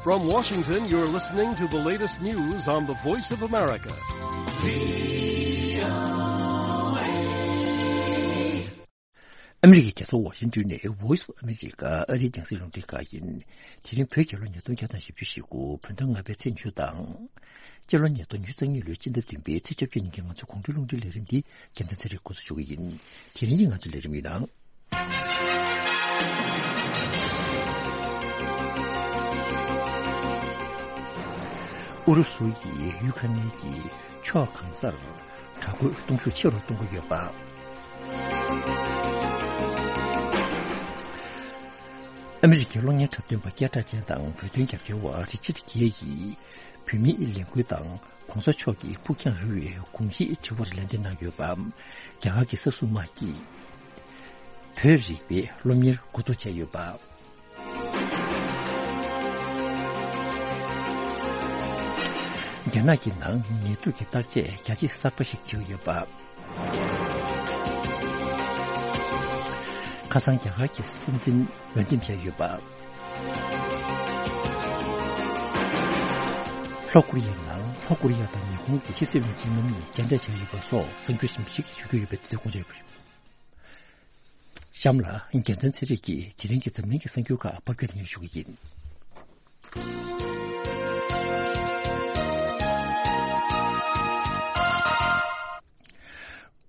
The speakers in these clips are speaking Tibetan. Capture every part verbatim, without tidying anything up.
From Washington, you're listening to the latest news on the Voice of America. ཨ་མི་རི་ཀའི་རྒྱལ་ས་ཝ་ཤིང་ཏོན་ནས་Voice of America ཨ་རིའི་རྒྱང་སྲིང་རླུང་འཕྲིན་ཁང་ཡིན། དེ་རིང་བོད་རྒྱལ་ལོ་ཉིས་སྟོང་བརྒྱ་དང་བཞི་བཅུ་ཞེ་དགུ། བོད་ཟླ་ལྔ་པའི་ཚེས་ཉི་ཤུ་དང་། སྤྱི་ལོ་ཉིས་སྟོང་ཉི་ཤུ་རྩ་གཉིས་ལོའི་སྤྱི་ཟླ་བདུན་པའི་ཚེས་བཅོ་བརྒྱད་ཉིན་གྱི་ང་ཚོའི་དགོང་དྲོའི་རླུང་འཕྲིན་ལས་རིམ་འདི་རྒྱལ་མཚན་ཚེ་རིང་འགོ་འཛུགས་ཞུ་གི་ཡིན། དེ་རིང་གི་ང་ཚོའི་ལས་རིམ་ཡིན་ནང་། ཨུ་རུ་སུ་ཡིས་ཡུ་ཁ་རེན་གྱི་ཕྱོགས་གང་སར་དྲག་རྒོལ་གཏོང་ཤུགས་ཆེ་རུ་གཏོང་གི་ཡོད་པ། ཨ་མི་རི་ཀའི་གློག་བརྙན་འཁྲབ་སྟོན་པ་སྐད་གྲགས་ཅན་དང་བོད་དོན་རྒྱབ་སྐྱོར་བ་རི་ཆར་གྷེ་ཡིས་བོད་མིའི་ལས་འགུལ་དང་གོང་ས་མཆོག་གི་ཕུགས་རྒྱང་རིང་བའི་དགོངས་གཞིའི་དྲི་བར་ལན་འདེབས་གནང་ཡོད་པ། རྒྱ་གར་གྱི་ས་སྲུང་དམག་གིས་བོད་རིག་པའི་སློབ་གཉེར་འགོ་འཛུགས་བྱས་ཡོད་པ། རྒྱ་ནག་གི་ནང་ནད་དུག་གི་བརྟག་དཔྱད་རྒྱ་ཇེ་གསར་པ་ཞིག་བྱེད་ཀྱི་ཡོད་པ། ཁ་སང་རྒྱ་གར་གྱི་སྲིད་འཛིན་འོས་འདེམས་བྱས་ཡོད་པ། ལྷོ་ཀོ་རི་ཡའི་ནང་ལྷོ་ཀོ་རི་ཡ་དང་ཉི་ཧོང་གི་ཕྱི་སྲིད་བློན་ཆེན་རྣམ་གཉིས་མཇལ་འཕྲད་བྱས་ཡོད་པ་སོགས་གསར་འགྱུར་ཞིབ་ཞིབ་ཞུ་རྒྱུ་ཡོད་པའི་དེ་དགོངས་འཇགས་ཡོད་པ་རེད། གཤམ་ལ་རྒྱལ་མཚན་ཚེ་རིང་གིས་དེ་རིང་གི་འཛམ་གླིང་གི་གསར་འགྱུར་ཁག་ཕབ་སྒྱུར་དེ་ཉིད་ཞུ་གི་ཡིན།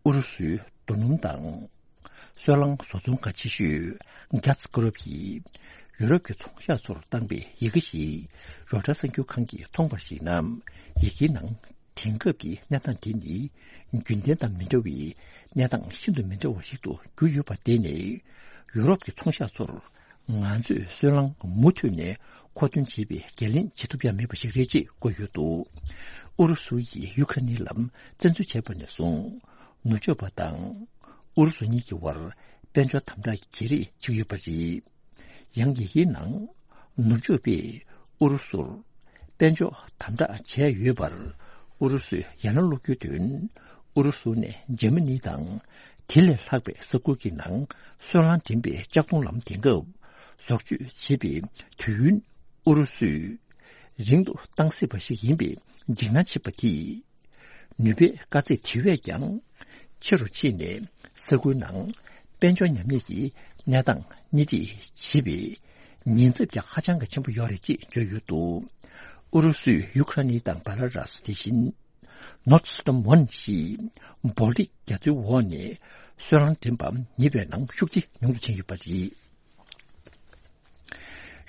ཨུ་རུ་སུའི་རྡོ་སྣུམ་དང་སོལ་རླངས་བཟོ་ཚོང་ཁང་ཆེ་ཤོས་Gaz Group ཡིས་ཡུ་རོབ་ཀྱི་ཚོང་ཤག་ཚོར་བཏང་པའི་ཡི་གེ་ཞིག་རོའི་ཊར་གསར་འགྱུར་ཁང་གིས་མཐོང་པར་གཞིགས་ན། ཡི་གེའི་ནང་དེང་སྐབས་ཀྱི་གནས་སྟངས་དེ་ནི་རྒྱུན་ལྡན་དང་མི་འདྲ་བའི་གནས་སྟངས་ཤིན་ཏུ་མི་འདྲ་བ་ཞིག་ཏུ་གྱུར་ཡོད་པར་བརྟེན་ནས། ཡུ་རོབ་ཀྱི་ཚོང་ཤག་ཚོར་ང་ཚོས་སོལ་རླངས་མུ་མཐུད་ནས་མཁོ་འདོན་བྱེད་པའི་འགན་ལེན་བྱེད་ཐུབ་ཡ་མེད་པ་ཞིག་རེད་ཅེས་བཀོད་ཡོད་འདུག་ཨུ་རུ་སུ་ཡིས་ཡུ་ཁ་རེན་ལ་བཙན་འཛུལ་བྱས་པ་ནས་བཟུང་། ནུབ་ཕྱོགས་པ་དང་ཨུ་རུ་སུ་གཉིས་ཀྱི་དབར་དཔལ་འབྱོར་དམ་དྲག་བརྗེ་རེས་བྱེད་ཀྱི་ཡོད་པ་རེད། ཡང་ཡི་གེའི་ནང་ནུབ་ཕྱོགས་པས་ཨུ་རུ་སུར་དཔལ་འབྱོར་དམ་དྲག་བྱས་ཡོད་པར། ཨུ་རུ་སུས་ཡང་ན་སློག་རྒྱུའི་དོན། ཨུ་རུ་སུ་ནས་འཇར་མ་ནི་དང་དེ་ལས་ལྷག་པའི་ས་ཁུལ་གྱི་ནང་སོལ་རླངས་འདྲེན་པའི་ལྕགས་མཐོང་ལམ་དེང་སྐབས་བཟོ་བཅོས་བྱེད་པའི་དུས་ཡུན། ཨུ་རུ་སུས་རིང་དུ་བཏང་སྲིད་པ་ཞིག་ཡིན་པའི་འཇིགས་སྣང་བྱེད་པ་དེས། ནུས་པའི་དཀའ་ཚེགས་དེ་བས་ཀྱང་ཆེ་རུ་ཕྱིན་ནས། ས་ཁུལ་ནང་དཔལ་འབྱོར་ཉམས་ཉེས་ཀྱི་གནས་སྟངས་སྣེ་ཁྲིད་བྱེད་པའི་ཉེན་ཚབས་ཀྱང་ཧ་ཅང་གི་ཆེན་པོ་ཡོད་རེད་ཅེས་བརྗོད་ཡོད་འདུག་ཨུ་རུ་སུས་ཡུ་ཁ་རེན་དང་བྷེ་ལ་རུ་སི། དེ་བཞིན་Nord Stream one ཞེས་བོལ་ཏིག་རྒྱ་མཚོའི་འོག་ནས་སོལ་རླངས་འདྲེན་པ་ཉེ་བའི་ནང་ཤུགས་ཆེ་ཉུང་དུ་ཕྱིན་ཡོད་པ་རེད།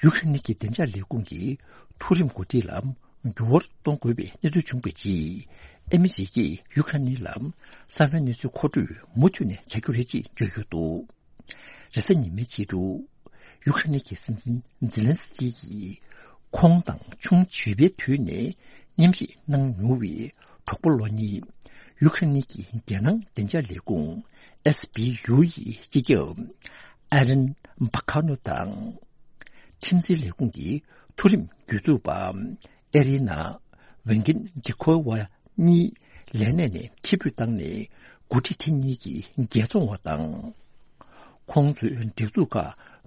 ཡུ་ཁ་རེན་གྱི་བདེ་འཇགས་ལས་ཁུངས་ཀྱིས་མཐོ་རིམ་འགོ་ཁྲིད་ལ་འགྱུར་བ་གཏོང་དགོས་པའི་གནས་ཚུལ་བྱུང་བའི་རྗེས། ཨ་མི་རི་ཀས་ཡུ་ཁ་རེན་ལ་གསང་བའི་གནས་ཚུལ་མཁོ་སྤྲོད་མུ་མཐུད་ནས་བྱ་རྒྱུ་རེད་ཅེས་བརྗོད་ཡོད་འདུག་རེས་གཟའ་ཉི་མའི་ཕྱི་དྲོ། ཡུ་ཁ་རེན་གྱི་སྲིད་འཛིན་ཛི་ལན་སི་ཀི་ཡིས་ཁོང་དང་ཆུང་བྱིས་པའི་དུས་ནས་མཉམ་ཞུགས་གནང་མྱོང་བའི་གྲོགས་པོ་ལོ་གཉིས། ཡུ་ཁ་རེན་གྱི་རྒྱལ་ནང་བདེ་འཇགས་ལས་ཁུངས་S B U ཡི་སྤྱི་ཁྱབ་ཨེ་རིན་བྷ་ཁ་ནོ་དང་། ཁྲིམས་འཛིན་ལས་ཁུངས་ཀྱི་མཐོ་རིམ་སྒྱུར་འཛུགས་པ་ཨེ་རི་ན་ཝེན་གིན་ཌི་ཁོ་ཝ་གཉིས་ལས་གནས་ནས་ཕྱིར་འབུད་བཏང་ནས། འགོ་ཁྲིད་དེ་གཉིས་ཀྱི་རྒྱལ་བཙོང་བ་དང་། ཁོང་ཚོའི་སྒྲིག་འཛུགས་ཁག་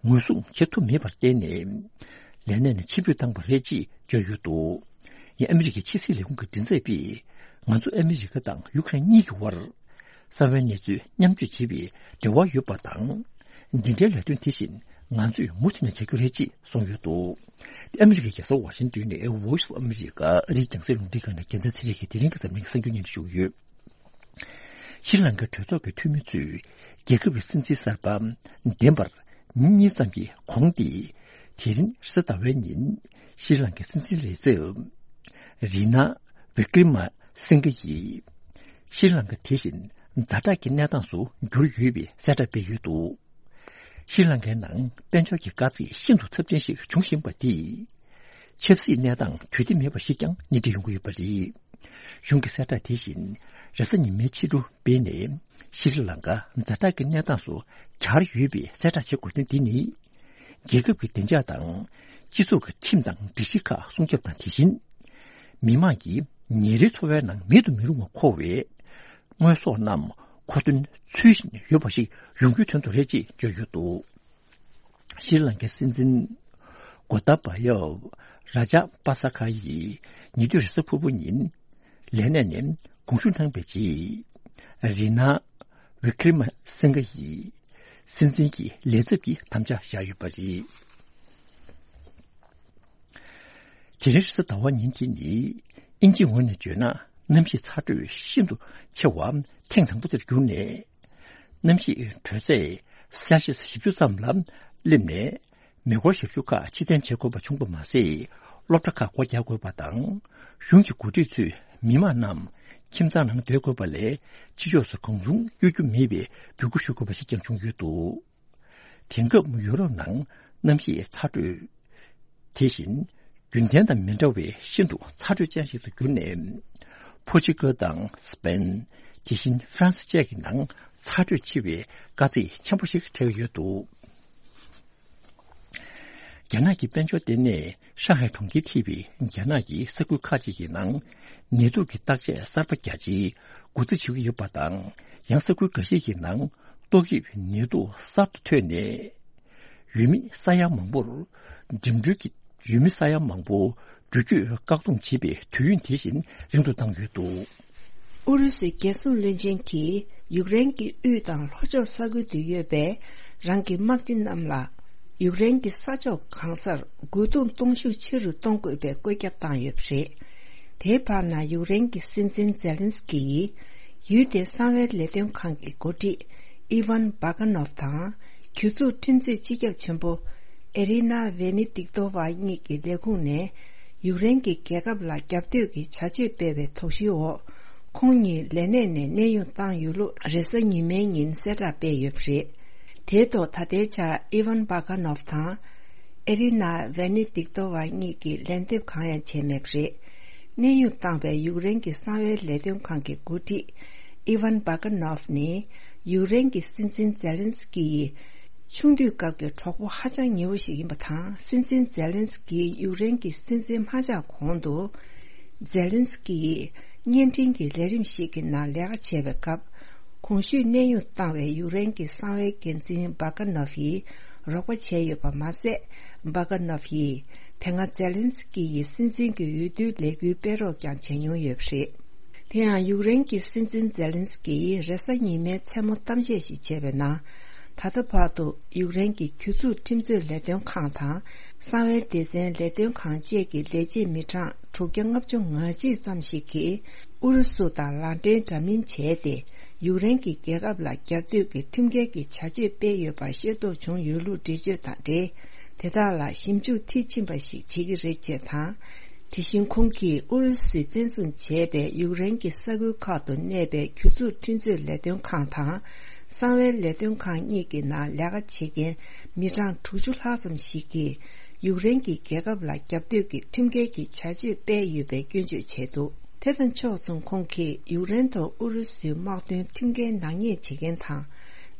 ངོས་བཟུང་བྱེད་ཐུབ་མེད་པར་བརྟེན་ནས། ལས་གནས་ནས་ཕྱིར་འབུད་བཏང་བ་རེད་ཅེས་བརྗོད་ཡོད་འདུག་ཡང་ཨ་མི་རི་ཀའི་ཕྱི་སྲིད་ལས་ཁུངས་ཀྱི་མགྲིན་ཚབ་པས། ང་ཚོ་ཨ་མི་རི་ཀ་དང་ཡུ་ཁ་རེན་གཉིས་ཀྱི་དབར་གསང་བའི་གནས་ཚུལ་མཉམ་སྤྱོད་བྱེད་པའི་འབྲེལ་བ་ཡོད་པ་དང་། འདི་འདྲའི་ལས་དོན་དེ་བཞིན་ང་ཚོས་མུ་མཐུད་ནས་བྱ་རྒྱུ་རེད་ཅེས་གསུངས་ཡོད་འདུག་ཨ་མི་རི་ཀའི་རྒྱལ་ས་ཝ་ཤིང་ཏོན་ནས་Voice of America ཨ་རིའི་རྒྱང་སྲིང་རླུང་འཕྲིན་ཁང་ནས་རྒྱལ་མཚན་ཚེ་རིང་གིས་དེ་རིང་གི་འཛམ་གླིང་གི་གསར་འགྱུར་སྙན་སྒྲོན་ཞུ་གི་ཡོད། ཤྲི་ལང་ཀའི་གྲོས་ཚོགས་ཀྱི་འཐུས་མི་ཚོས་རྒྱལ་ཁབ་ཀྱི་སྲིད་འཛིན་གསར་པ་འདེམས་པར་ཉིན་གཉིས་ཙམ་གྱི་གོང་སྟེ། དེ་རིང་རེས་གཟའ་ཟླ་བའི་ཉིན་ཤྲི་ལང་ཀའི་སྲིད་འཛིན་ལས་ཚབ་རི་ན་བི་ཀྲི་མ་སིང་གྷ་ཡིས་ཤྲི་ལང་ཀ་དེ་བཞིན་ཛ་དྲག་གི་གནས་སྟངས་སུ་གྱུར་ཡོད་པའི་གསལ་བསྒྲགས་སྤེལ་ཡོད་འདུག་ཤྲི་ལང་ཀའི་ནང་དཔལ་འབྱོར་གྱི་དཀའ་ཚེགས་ཤིན་ཏུ་ཚབས་ཆེན་ཞིག་འབྱུང་བཞིན་པ་དེས། ཆབ་སྲིད་གནས་སྟངས་དུས་བདེ་མེད་པ་ཞིག་ཀྱང་སྣེ་ཁྲིད་ཡོང་གི་ཡོད་པ་རེད། གཞུང་གི་གསལ་བསྒྲགས་དེ་བཞིན་རེས་གཟའ་ཉི་མའི་ཕྱི་དྲོ་སྤེལ་ནས། ཤྲི་ལང་ཀ་ཛ་དྲག་གི་གནས་སྟངས་སུ་གྱར་ཡོད་པའི་གསལ་བསྒྲགས་བྱེད་དགོས་དོན་འདི་ནི། རྒྱལ་ཁབ་ཀྱི་བདེ་འཇགས་དང་། སྤྱི་ཚོགས་ཀྱི་ཁྲིམས་དང་སྒྲིག་གཞི་ཁག་སྲུང་སྐྱོབ་དང་། དེ་བཞིན་མི་དམངས་ཀྱི་ཉིན་རེའི་འཚོ་བའི་ནང་མེད་དུ་མི་རུང་བ་མཁོ་བའི་དངོས་ཟོག་རྣམས་མཁོ་འདོན་ཚུལ་བཞིན་ཡོད་པ་ཞིག་ཡོང་རྒྱུའི་དོན་དུ་རེད་ཅེས་བརྗོད་ཡོད་འདུག་ཤྲི་ལང་ཀའི་སྲིད་འཛིན་གོ་ཏཱ་བ་ཡ་ རཱ་ཇཱ་པ་ས་ཁ་ཡིས་ཉེ་དུས་རེས་གཟའ་ཕུར་བུ་ཉིན་ལས་གནས་ནས་དགོངས་ཞུ་གནང་བའི་རྗེས། རི་ན་ཝི་ཀྲི་མ་སིང་ག་ཡིས་སྲིད་འཛིན་གྱི་ལས་ཚབ་ཀྱི་དམ་བཅའ་བཞག་ཡོད་པ་རེད། དེ་རིང་རེས་གཟའ་ཟླ་བ་ཉིན་དེ་ནི་དབྱིན་ཇིའི་ངོས་ནས་བརྗོད་ན་གནམ་གཤིས་ཚ་དྲོད་ཤིན་ཏུ་ཆེ་བ་ཐེངས་དང་པོ་དེར་གྱུར་ནས། གནམ་གཤིས་དྲོད་ཚད་སེལ་སི་ཡས་བཞི་བཅུ་ཙམ་ལ་སླེབས་ནས། མེ་འཁོར་ཞབས་ཞུ་ཁག་ཕྱིར་འཐེན་བྱེད་དགོས་པ་བྱུང་པ་མ་ཟད། སློབ་གྲྭ་ཁག་སྒོ་རྒྱག་དགོས་པ་དང་། གཞུང་གི་འགོ་ཁྲིད་ཚོས་མི་མང་རྣམས་ཁྱིམ་ཚང་ནང་སྡོད་དགོས་པ་ལས་ཕྱི་ཕྱོགས་སུ་གང་བྱུང་གཡོ་རྒྱུ་མེད་པའི་འབོད་སྐུལ་ཞུ་དགོས་པ་ཞིག་ཀྱང་བྱུང་ཡོད་འདུག་དེང་སྐབས་ཡུ་རོབ་ནང་གནམ་གཤིས་ཚ་དྲོད། དེ་བཞིན་རྒྱུན་ལྡན་དང་མི་འདྲ་བའི་ཤིན་ཏུ་ཚ་དྲོད་ཅན་ཞིག་ཏུ་གྱུར་ནས། པོར་ཅུ་གལ་དང་སི་པེན། དེ་བཞིན་ཧྥ་རན་སི་བཅས་ཀྱི་ནང་ཚ་དྲོད་ཆེ་བའི་དཀའ་ཚེགས་ཆེན་པོ་ཞིག་འཕྲད་ཀྱི་ཡོད་འདུག་རྒྱ་ནག་གི་དཔལ་འབྱོར་ལྟེ་གནས་ཧྲང་ཧའེ་གྲོང་ཁྱེར་ཐེ་བའི་རྒྱ་ནག་གི་ས་ཁུལ་ཁག་ཅིག་གི་ནང་ནད་དུག་གི་བརྟག་དཔྱད་གསར་པ་རྒྱ་ཆེའི་འགོ་འཛུགས་བྱེད་ཀྱི་ཡོད་པ་དང་། ཡང་ས་ཁུལ་འགའ་ཤས་ཀྱི་ནང་ཏོག་དབྱིབས་ནད་དུག་གསར་དུ་ཐོན་ནས། ཡུལ་མི་ས་ཡ་མང་པོར་འགྲིམ་འགྲུལ་གྱི་ཡུལ་མི་ས་ཡ་མང་པོ་འགྲུལ་སྐྱོད་བཀག་སྡོམ་བྱེད་པའི་དུས་ཡུན་དེ་བཞིན་རིང་དུ་བཏང་ཡོད་འདུག་ཨུ་རུ་སུའི་རྒྱལ་སྲུང་བློན་ཆེན་གྱིས་ཡུཀ་རེན་གྱི་དབུས་དང་ལྷོ་ཕྱོགས་ས་ཁུལ་དུ་ཡོད་པའི་རང་གི་དམག་སྤྱི་རྣམས་ལ་ཡུཀ་རེན་གྱི་ས་ཕྱོགས་གང་སར་རྒོལ་རྡུང་གཏོང་ཤུགས་ཆེ་རུ་གཏོང་དགོས་པའི་བཀོད་ཁྱབ་བཏང་ཡོད་པ་རེད། དེའི་བར་ན་ཡུཀ་རེན་གྱི་སྲིད་འཛིན་ཛེ་ལན་སི་ཀི་ཡིས་ཡུལ་དེའི་གསང་བའི་ལས་དོན་ཁང་གི་འགོ་ཁྲིད་ཨི་ཝན་བྷ་ག་ནོབ་དང་གྱོད་འཛུགས་ཁྲིམས་རྩོད་སྤྱི་ཁྱབ་ཆེན་པོ་ཨེ་རི་ན་ཝེ་ནི་ཏིག་ཏོ་ཝ་གཉིས་ཀྱི་ལས་ཁུངས་ནས་ཡུཀ་རེན་གྱི་རྒྱལ་ཁབ་ལ་རྒྱབ་གཏོད་ཀྱི་བྱ་སྤྱོད་སྤེལ་བའི་དོགས་གཞིའི་འོག་ཁོང་ཉིད་ལས་གནས་ནས་གནས་དབྱུང་བཏང་ཡོད་ལུགས་རེས་གཟའ་ཉི་མའི་ཉིན་གསལ་བསྒྲགས་སྤེལ་ཡོད་པ་རེད། དེའི་ཐོག་ད་ལྟའི་ཆར་ཨི་ཝན་བྷ་ག་ནོབ་དང་། ཨེ་རི་ན་ཝེ་ནི་ཏིག་ཏོ་ཝ་གཉིས་ཀྱིས་ལན་འདེབས་གང་ཡང་བྱས་མེད་པ་རེད། གནས་དབྱུང་བཏང་བའི་ཡུཀ་རེན་གྱི་གསང་བའི་ལས་དོན་ཁང་གི་འགོ་ཁྲིད་ཨི་ཝན་བྷ་ག་ནོབ་ནི་ཡུཀ་རེན་གྱི་སྲིད་འཛིན་ཛེ་ལན་སི་ཀི་ཡི་ཆུང་དུས་སྐབས་ཀྱི་གྲོགས་པོ་ཧ་ཅང་ཉེ་བོ་ཞིག་ཡིན་པ་དང་། སྲིད་འཛིན་ཛེ་ལན་སི་ཀི་ཡུཀ་རེན་གྱི་སྲིད་འཛིན་མ་ཆགས་གོང་དུ། ཛེ་ལན་སི་ཀི་ཡིས་བརྙན་འཕྲིན་གྱི་ལས་རིམ་ཞིག་གི་ནང་ལས་ཀ་བྱས་པའི་སྐབས། གོང་ཞུས་གནས་དབྱུང་བཏང་བའི་ཡུཀ་རེན་གྱི་གསང་བའི་འགན་འཛིན་བྷ་ག་ནོབ་ཡིས་རོགས་པ་བྱས་ཡོད་པ་མ་ཟད། བྷ་ག་ནོབ་ཡིས་དེ་སྔ་ཛེ་ལན་སི་ཀི་ཡི་སྲིད་འཛིན་གྱི་འོས་བསྡུའི་ལས་འགུལ་སྤེལ་རོགས་ཀྱང་བྱས་མྱོང་ཡོད་པ་རེད། དེ་ཡང་ཡུཀ་རེན་གྱི་སྲིད་འཛིན་ཛེ་ལན་སི་ཀི་ཡིས་རེས་གཟའ་ཉི་མའི་མཚན་མོ་གཏམ་བཤད་ཞིག་བྱས་པའི་ནང་། ད་ལྟ་བར་དུ་ཡུཀ་རེན་གྱི་གྱོད་འཛུགས་ཁྲིམས་རྩོད་ལས་དོན་ཁང་དང་གསང་བའི་སྡེ་ཚན་ལས་དོན་ཁང་བཅས་ཀྱི་ལས་བྱེད་མི་གྲངས་དྲུག་བརྒྱ་ལྔ་བཅུ་ང་གཅིག་ཙམ་ཞིག་གིས་ཨུ་རུ་སུ་དང་ལག་འབྲེལ་འདྲ་མིན་བྱས་ཏེ་ཡུཀ་རེན་གྱི་རྒྱལ་ཁབ་ལ་རྒྱབ་གཏོད་ཀྱི་ཁྲིམས་འགལ་གྱི་བྱ་སྤྱོད་སྤེལ་ཡོད་པ་ཤེས་རྟོགས་བྱུང་ཡོད་ལུགས་འགྲེལ་བརྗོད་དང་འབྲེལ། དེ་དག་ལ་ཞིབ་འཇུག་མཐིལ་ཕྱིན་པ་ཞིག་བྱེད་ཀྱི་རེད་ཅེས་དང་། དེ་བཞིན་ཁོང་གིས་ཨུ་རུ་སུས་བཙན་བཟུང་བྱས་པའི་ཡུཀ་རེན་གྱི་ས་ཁུལ་ཁག་ཏུ་གནས་པའི་གྱོད་འཛུགས་ཁྲིམས་རྩོད་ལས་དོན་ཁང་དང་གསང་བའི་ལས་དོན་ཁང་གཉིས་ཀྱི་ནང་ལས་ཀ་བྱེད་མཁན་མི་གྲངས་དྲུག་ཅུ་ལྷག་ཙམ་ཞིག་གིས་ཡུཀ་རེན་གྱི་རྒྱལ་ཁབ་ལ་རྒྱབ་གཏོད་ཀྱི་ཁྲིམས་འགལ་གྱི་བྱ་སྤྱོད་སྤེལ་ཡོད་པའི་སྐྱོན་བརྗོད་བྱས་འདུག་དེ་དང་ཕྱོགས་མཚུངས་ཁོང་གིས་ཡུཀ་རེན་ཐོག་ཨུ་རུ་སུའི་དམག་དོན་ཁྲིམས་འགལ་ནག་ཉེས་བྱེད་མཁན་དང་།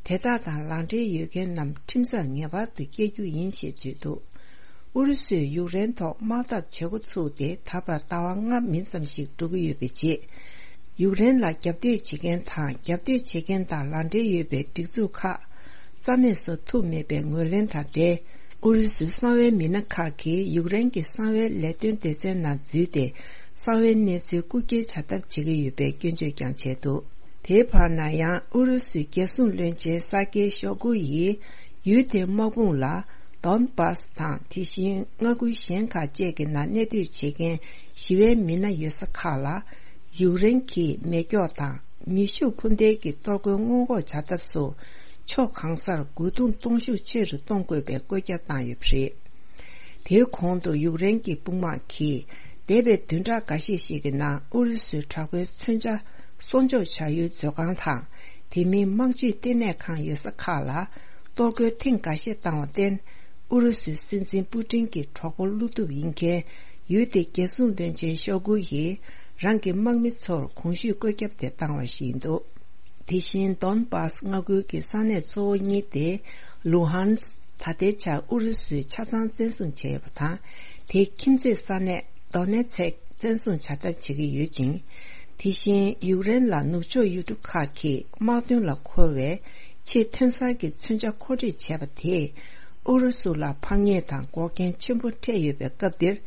དེ་དག་དང་ལག་འབྲེལ་ཡོད་མཁན་རྣམས་ཁྲིམས་སར་ངེས་པར་དུ་བསྐྱལ་རྒྱུ་ཡིན་ཞེས་བརྗོད་འདུག་ཨུ་རུ་སུས་ཡུཀ་རེན་ཐོག་དམག་འཐབ་བྱེད་འགོ་ཚུགས་ཏེ་ད་བར་ཟླ་བ་ལྔ་མིན་ཙམ་ཞིག་འགྲོ་གི་ཡོད་པའི་རྗེས། ཡུཀ་རེན་ལ་རྒྱབ་གཏོད་བྱེད་མཁན་དང་རྒྱབ་གཏོད་བྱེད་མཁན་དང་ལག་འབྲེལ་ཡོད་པའི་སྒྲིག་འཛུགས་ཁག་རྩ་མེད་བཟོ་ཐུབ་མེད་པའི་ངོས་ལེན་དང་འབྲེལ། ཨུ་རུ་སུའི་གསང་བའི་མི་སྣ་ཁག་གིས་ཡུཀ་རེན་གྱི་གསང་བའི་ལས་དོན་སྡེ་ཚན་ནང་འཛུལ་ཏེ། གསང་བའི་གནས་ཚུལ་རྐུ་འཁྱེར་བྱ་ཐབས་བྱེད་ཀྱི་ཡོད་པའི་སྐྱོན་བརྗོད་ཀྱང་བྱས་འདུག་དེའི་བར་ན་ཡང་ཨུ་རུ་སུའི་རྒྱལ་སྲུང་བློན་ཆེན་ས་ཀེ་ཤོ་གུ་ཡིས་ཡུལ་དེའི་དམག་དཔུང་ལ་དོན་པཱས་དང་དེ་བཞིན་མངའ་ཁུལ་གཞན་ཁག་བཅས་ཀྱི་ནང་གནས་སྡོད་བྱེད་མཁན་ཞི་བའི་མི་སྣ་ཡོད་ས་ཁག་ལ་ཡུཀ་རེན་གྱིས་མེ་སྒྱོགས་དང་མེ་ཤུགས་འཕུར་མདེལ་གྱི་གཏོར་རྒོལ་སྔོན་འགོག་བྱ་ཐབས་སོགས་ཕྱོགས་གང་སར་རྒོལ་རྡུང་གཏོང་ཤུགས་ཆེ་རུ་གཏོང་དགོས་པའི་བཀོད་ཁྱབ་བཏང་ཡོད་པ་རེད། དེའི་གོང་དུ་ཡུཀ་རེན་གྱི་དཔུང་དམག་གིས་འདས་པའི་བདུན་ཕྲག་འགའ་ཤས་ཤིག་གི་ནང་ཨུ་རུ་སུའི་དྲག་པོའི་མཚོན་ཆ་གསོག་འཇོག་བྱ་ཡུལ་མཛོད་ཁང་དང་དེ་མིན་དམག་སྤྱིའི་ལྟེ་གནས་ཁང་ཡོད་ས་ཁག་ལ་གཏོར་རྒོལ་ཐེངས་འགའ་ཤས་བཏང་བར་བརྟེན། ཨུ་རུ་སུའི་སྲིད་འཛིན་པུ་ཏིན་གྱི་གྲོགས་པོ་བློ་སྟོབས་ཡིན་མཁན་ཡུལ་དེའི་རྒྱལ་སྲུང་བློན་ཆེན་ཤོ་གུ་ཡིས་རང་གི་དམག་མི་ཚོར་གོང་ཞུས་བཀོད་ཁྱབ་དེ་བཏང་བ་ཞིག་ཡིན་འདུག་དེ་བཞིན་དོན་པཱས་མངའ་ཁུལ་གྱི་ས་གནས་གཙོ་བོ་གཉིས་ཏེ་ལུ་ཧན་སི་ད་ལྟའི་ཆར་ཨུ་རུ་སུས་ཆ་ཚང་བཙན་བཟུང་བྱས་ཡོད་པ་དང་། དེའི་ཁྱིམ་མཚེས་ས་གནས་དོ་ནེ་ཚེག་བཙན་བཟུང་བྱ་ཐབས་བྱེད་ཀྱི་ཡོད་ཅིང་། དེ་བཞིན་ཡུཀ་རེན་ལ་ནུབ་ཕྱོགས་ཡུལ་གྲུ་ཁག་གིས་དམག་དོན་ལ་མཁོ་བའི་ཆེས་ཐོན་གསར་གྱི་མཚོན་ཆ་མཁོ་སྤྲོད་བྱས་པ་དེས་ཨུ་རུ་སུ་ལ་ཕམ་ཉེས་དང་འགོག་རྐྱེན་ཆེན་པོ་འཕྲད་ཡོད་པའི་སྐབས་འདིར།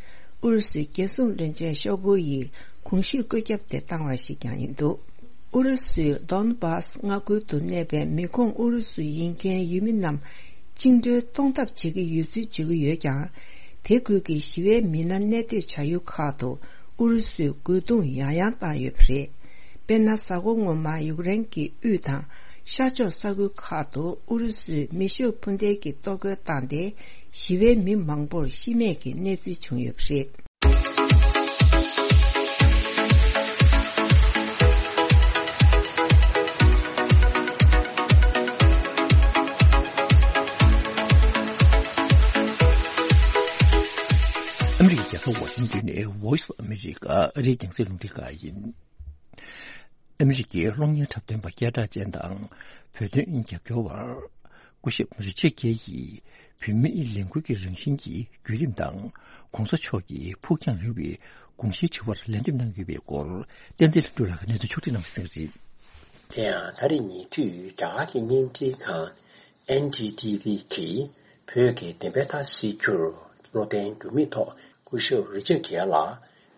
ཨུ་རུ་སུའི་རྒྱལ་སྲུང་བློན་ཆེན་ཤོག་གུ་ཡིས་གོང་ཞུས་བཀོད་ཁྱབ་དེ་བཏང་བ་ཞིག་ཀྱང་ཡིན་འདུག་ཨུ་རུ་སུའི་Donbas་མངའ་ཁུལ་དུ་གནས་པའི་མི་ཁོངས་ཨུ་རུ་སུ་ཡིན་མཁན་ཡུལ་མི་རྣམས་བཅིངས་འགྲོལ་གཏོང་ཐབས་བྱེད་ཀྱི་ཡོད་ཚུལ་བརྗོད་ཀྱི་ཡོད་ཀྱང་། དེ་ཁུལ་གྱི་ཞི་བའི་མི་སྣ་གནས་སྡོད་བྱ་ཡུལ་ཁག་ཏུ་ཨུ་རུ་སུས་རྒོལ་རྡུང་ཡང་ཡང་བཏང་ཡོད་པ་རེད། དཔེར་ན། གཟའ་འཁོར་སྔོན་མ་ཡུཀ་རེན་གྱི་དབུས་དང་ཤར་ཕྱོགས་ས་ཁུལ་ཁག་ཏུ་ཨུ་རུ་སུས་མེ་ཤུགས་འཕུར་མདེལ་གྱི་གཏོར་རྒོལ་བཏང་སྟེ། ཞི་བའི་མི་མང་པོར་ཤི་རྨས་ཀྱི་གནས་ཚུལ་བྱུང་ཡོད་པ་རེད། ཨ་མི་རི་ཀའི་རྒྱལ་ས་ཝ་ཤིང་ཏོན་ནས་Voice of America་ཨ་རིའི་རྒྱང་སྲིང་རླུང་འཕྲིན་ཁང་ཡིན། ཨ་མི་རི་ཀའི་གློག་བརྙན་འཁྲབ་སྟོན་པ་སྐད་གྲགས་ཅན་དང་བོད་དོན་རྒྱབ་སྐྱོར་བ་སྐུ་ཞབས་རི་ཆར་གྷེ་ཡིས་བོད་མིའི་ལས་འགུལ་གྱི་རང་བཞིན་གྱི་བརྒྱུད་རིམ་དང་གོང་ས་མཆོག་གི་ཕུགས་རྒྱང་རིང་བའི་དགོངས་གཞིའི་དྲི་བར་ལན་འདེབས་གནང་ཡོད་པའི་སྐོར་བསྟན་འཛིན་ལྷུན་གྲུབ་ལགས་ཀྱིས་གནས་ཚུལ་ཕྱོགས་སྒྲིག་གནང་བ་གསན་གྱི་རེད། དེ་ཡང་ད་རེས་ཉེ་དུས་རྒྱ་གར་གྱི་བརྙན་འཕྲིན་ཁང་ཨེན་ཌི་ཊི་ཝི་གིས་བོད་ཀྱི་བདེན་པའི་མཐའ་གསལ་རྒྱུར་བློ་བརྟན་འགྱུར་མེད་ཐོག་སྐུ་ཞབས་རི་ཆར་གྷེ་ལ་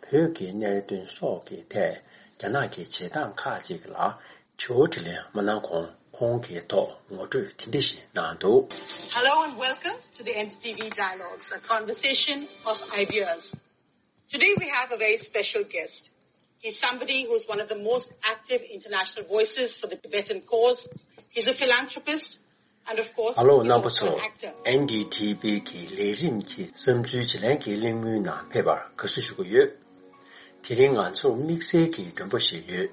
བོད་ཀྱི་གནད་དོན་སོགས་ཀྱི་ཐད་རྒྱ་ནག་གི་བྱེད་སྟངས་ཁག་ཅིག་ལ་དྲི་བ་དྲིས་ལན་མ་གནང་གོང་ཁོང་གི་ཐོག་ངོ་སྤྲོད་དེ་འདྲ་ཞིག་གནང་འདུག Hello and welcome to the N D T V Dialogues, a conversation of ideas. Today we have a very special guest. He's somebody who's one of the most active international voices for the Tibetan cause. He's a philanthropist and, of course, ཨ་ལོ་རྣམ་པ་ཚོ། ཨེན་ཌི་ཐི་བི་གི་ལས་རིམ་གྱི་བསམ་ཚུལ་བརྗེ་ལེན་གྱི་གླེང་མོལ་ནང་ཕེབས་པར་དགའ་བསུ་ཞུ་གི་ཡོད། དེ་རིང་ང་ཚོར་དམིགས་བསལ་གྱི་མགྲོན་པོ་ཞིག་ཡོད།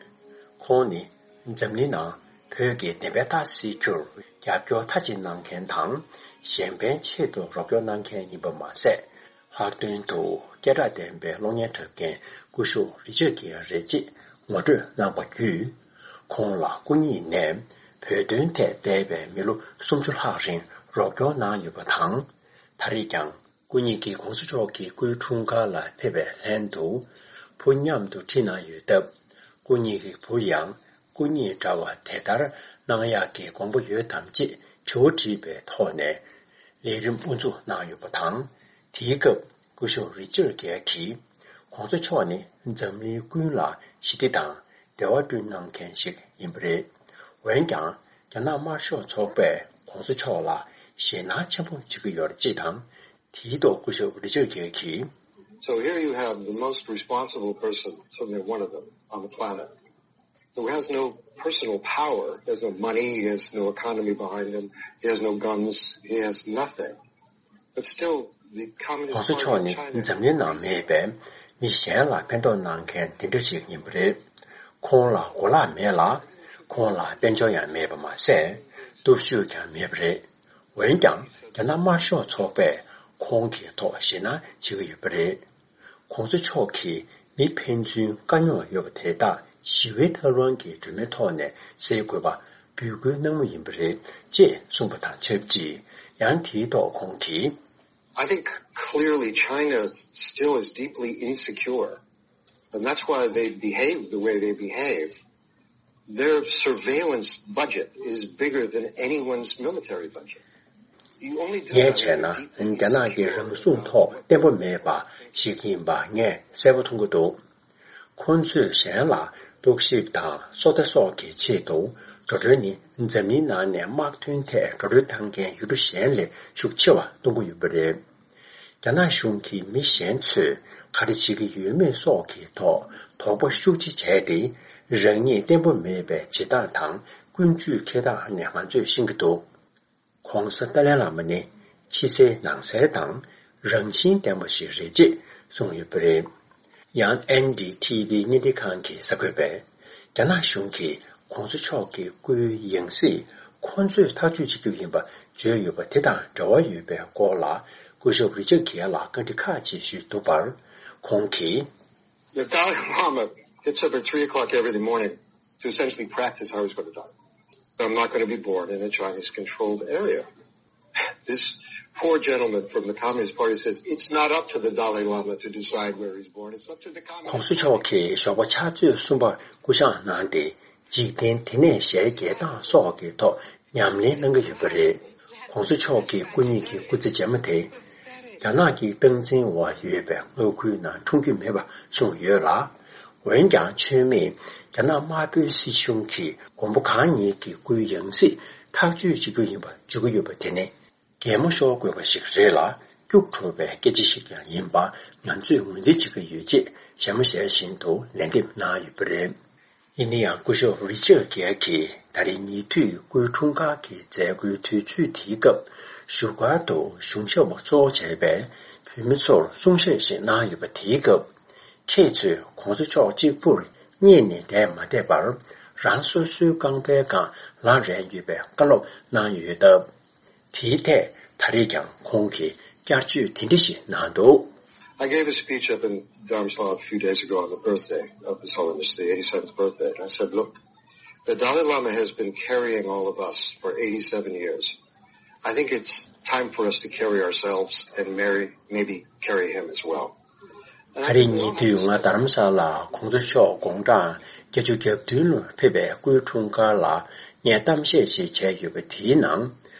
ཁོང་ནི་འཛམ་གླིང་ནང་བོད་ཀྱི་བདེན་པའི་མཐའ་གསལ་རྒྱུར་རྒྱབ་སྐྱོར་མཐའ་གཅིག་གནང་མཁན་དང་། གཞན་ཕན་ཆེད་དུ་རོགས་སྐྱོར་གནང་མཁན་ཡིན་པ་མ་ཟད། ལྷག་དོན་དུ་སྐད་གྲགས་ལྡན་པའི་གློག་བརྙན་འཁྲབ་མཁན་སྐུ་ཞབས་རི་ཆར་གྷེ་རེད་ཅེས་ངོ་སྤྲོད་གནང་བ་བརྒྱུད། ཁོང་ལ་སྐུ་ཉིད་ནས་བོད་དོན་ཐད་འདས་པའི་མི་ལོ་སུམ་ཅུ་ལྷག་རིང་རོགས་སྐྱོར་གནང་ཡོད་པ་དང་། ད་རེས་ཀྱང་སྐུ་ཉིད་ཀྱིས་གོང་ས་མཆོག་གི་སྐུའི་འཁྲུངས་སྐར་ལ་ཕེབས་པའི་ལྷན་དུ་བུ་མཉམ་དུ་ཁྲིད་གནང་ཡོད་སྟབས། སྐུ་ཉིད་ཀྱི་བུར་ཡང་སྐུ་ཉིད་འདྲ་བ་དེ་ལྟར་གནང་ཡག་གི་དགོངས་པ་ཡོད་དམ་ཅེས་དྲི་བ་དྲིས་པའི་ཐོག་ནས་ལས་རིམ་དབུ་འཛུགས་གནང་ཡོད་པ་དང་། དེའི་སྐབས་སྐུ་ཞབས་རི་ཆར་གྷེ་གིས་གོང་ས་མཆོག་ནི་འཛམ་གླིང་ཀུན་ལ་ཞི་བདེ་དང་བདེ་བ་བསྐྲུན་གནང་མཁན་ཞིག་ཡིན་པ་རེད། འོན་ཀྱང་། རྒྱ་ནག་དམར་ཤོག་ཚོགས་པས་གོང་ས་མཆོག་ལ་ཞེད་སྣང་ཆེན་པོ་བྱེད་ཀྱི་ཡོད་ཅེས་དང་། དེའི་ཐོག་སྐུ་ཞབས་རི་ཆར་གྷེ་གིས། So here you have the most responsible person, certainly one of them, on the planet, who has no personal power. He has no money, he has no economy behind him, he has no guns, he has nothing. But still, the Communist Party of China གོང་ས་མཆོག་ནི་འཛམ་གླིང་ནང་མེད་པའི་མི་གཞན་ལ་ཕན་ཐོགས་གནང་མཁན་དེ་འདྲ་ཞིག་ཡིན་པ་རེད། ཁོང་ལ་གོ་ལག་མེད་ལ། ཁོང་ལ་དཔལ་འབྱོར་ཡང་མེད་པ་མ་ཟད། སྟོབས་ཤུགས་ཀྱང་མེད་པ་རེད། འོན་ཀྱང་། རྒྱ་ནག་དམར་ཤོག་ཚོགས་པས་ཁོང་གི་ཐོག་ཞེད་སྣང་བྱེད་ཀྱི་ཡོད་པ་རེད། གོང་ས་མཆོག་གིས་མི་ཕན་ཚུན་དཀའ་རྙོག་ཡོད་པ་དེ་དག་ཞི་བའི་ཐབས་ལམ་གྱི་སྒྲོན་མེའི་ཐོག་ནས་སེལ་དགོས་པ་འབོད་སྐུལ་གནང་མུས་ཡིན་པ་རེད་ཅེས་གསུངས་པ་དང་ཆབས་ཅིག་ཡང་དེའི་ཐོག་ཁོང་གིས། I think clearly China still is deeply insecure. And that's why they behave the way they behave. Their surveillance budget is bigger than anyone's military budget. You only do ངས་that བྱས་ན། when you're deeply རྒྱ་ནག་གི་insecure རང་སྲུང་ཐོག་བརྟན་པོ་མེད་པ་ཞིག་ཡིན་པ་ངས་གསལ་པོ་མཐོང་གི་འདུག་ཁོང་ཚོས་གཞན་ལ་རྟོག་ཞིབ་དང་སོ་ལྟ་སོགས་ཀྱི་ཆེད་དུ། འགྲོ་གྲོན་ནི་འཛམ་གླིང་ནང་ནས་དམག་དོན་ཐད་འགྲོ་གྲོན་བཏང་མཁན་ཡུལ་གྲུ་གཞན་ལས་ཤུགས་ཆེ་བ་གཏོང་གི་ཡོད་པ་རེད། རྒྱ་ནག་གཞུང་གིས་མི་གཞན་ཚོས་ག་རེ་བྱེད་ཀྱི་ཡོད་མེད་སོགས་ཀྱི་ཐོག་དོགས་པ་ཤུགས་ཆེ་བྱས་ཏེ། རང་ཉིད་བརྟན་པོ་མེད་པའི་བྱེད་སྟངས་དང་ཀུན་སྤྱོད་འཁྱེར་སྟངས་ནས་ང་ཚོས་ཤེས་ཀྱི་འདུག ྋགོང་ས་ཏཱ་ལའི་བླ་མ་ནི་ཕྱི་གསལ་ནང་གསལ་དང་རང་བཞིན་ལྡན་པ་ཞིག་རེད་ཅེས་གསུངས་ཡོད་པ་རེད། ཡང་ཨེན་ཌི་ཐི་ཝི་བརྙན་འཕྲིན་ཁང་གི་གསར་འགོད་པས། རྒྱ་ནག་གཞུང་གིས་གོང་ས་མཆོག་གི་སྐུའི་ཡང་སྲིད་ཁོ་ཚོས་ཐག་གཅོད་བྱེད་རྒྱུ་ཡིན་པ་བརྗོད་ཡོད་པ་དེ་དང་འབྲེལ་བ་ཡོད་པའི་སྐོར་ལ། སྐུ་ཞབས་རི་ཆར་གྷེ་ལ་བཀའ་འདྲི་ཁག་ཅིག་ཞུས་འདུག་པར། ཁོང་གིས། The Dalai Lama gets up at three o'clock every morning to essentially practice how he's going to die. I'm not going to be born in a Chinese controlled area. This poor gentleman from the Communist Party says it's not up to the Dalai Lama to decide where he's born. It's up to the Communist Party. ྋགོང་ས་མཆོག་གིས་ཞོགས་པ་ཕྱག་ཚོད་གསུམ་པར་སྐུ་བཞེངས་གནང་སྟེ། འཇིག་རྟེན་འདི་ནས་ཞལ་གྱེས་སྟངས་སོགས་ཀྱི་ཐོག་ཉམས་ལེན་གནང་གི་ཡོད་པ་རེད། ྋགོང་ས་མཆོག་གི་སྐུ་ཉིད་ཀྱི་སྐུ་ཚེ་རྗེས་མ་དེ། རྒྱ་ནག་གི་སྟངས་འཛིན་འོག་ཡོད་པའི་མངའ་ཁུལ་ནང་འཁྲུངས་རྒྱུ་མེད་པ་གསུངས་ཡོད་ལ། འོན་ཀྱང་མཆོད་མེས་རྒྱ་ནག་དམར་པོའི་སྲིད་གཞུང་གིས་མགོན་པོ་གང་ཉིད་ཀྱི་སྐུའི་ཡང་སྲིད་ཐག་གཅོད་བྱེད་རྒྱུ་ཡིན་པ་བརྗོད་ཀྱི་ཡོད་པ་དེ་ནི། གད་མོ་ཤོར་དགོས་པ་ཞིག་རེད་ལ། སྐྱུག་བྲོ་བའི་སྐད་ཆ་ཞིག་ཀྱང་ཡིན་པ་ང་ཚོས་ངོས་འཛིན་བྱེད་ཀྱི་ཡོད་ཅེས་ཞལ་མ་ཞལ་བཞིན་དུ་ལན་འདེབས་གནང་ཡོད་པ་རེད། ཡིན་ན་ཡང་སྐུ་ཞབས་རི་ཅར་གྷེལ་གྱིས་ད་རེས་ཉེ་དུས་སྐུའི་འཁྲུངས་སྐར་གྱི་མཛད་སྒོའི་དུས་ཚོད་དེའི་སྐབས་བཞུགས་སྒར་དུ་གཞུང་ཞབས་པ་གཙོ་བོ་བྱས་པའི་བོད་མི་ཚོར་གསུང་བཤད་ཞིག་གནང་ཡོད་པ་དེའི་སྐབས། ཁྱེད་ཚོས་གོང་ས་མཆོག་གཅིག་པུར་བསྙད་ནས་བསྡད་མ་བསྡད་པར་རང་སོ་སོའི་རྐང་པའི་སྒང་ལངས་རན་ཡོད་པའི་བཀའ་སློབ་གནང་ཡོད་སྟབས། དེའི་ཐད་ད་རེས་ཀྱང་ཁོང་གིས་བསྐྱར་བརྗོད་དེ་འདྲ་ཞིག་གནང་འདུག I gave a speech up in Dharamsala a few days ago on the birthday of His Holiness, the eighty-seventh birthday. And I said, "Look, the Dalai Lama has been carrying all of us for eighty-seven years. I think it's time for us to carry ourselves and marry, maybe carry him as well." ད་རེས་ཉེ་དུས་ང་རྡ་རམ་ས་ལར་གོང་ས་མཆོག་དགུང་གྲངས་བརྒྱད་ཅུ་གྱ་བདུན་ལ་ཕེབས་པའི་སྐུའི་འཁྲུངས་སྐར་ལ་ངས་གཏམ་བཤད་ཞིག་བྱས་ཡོད་པ་དེའི་ནང་།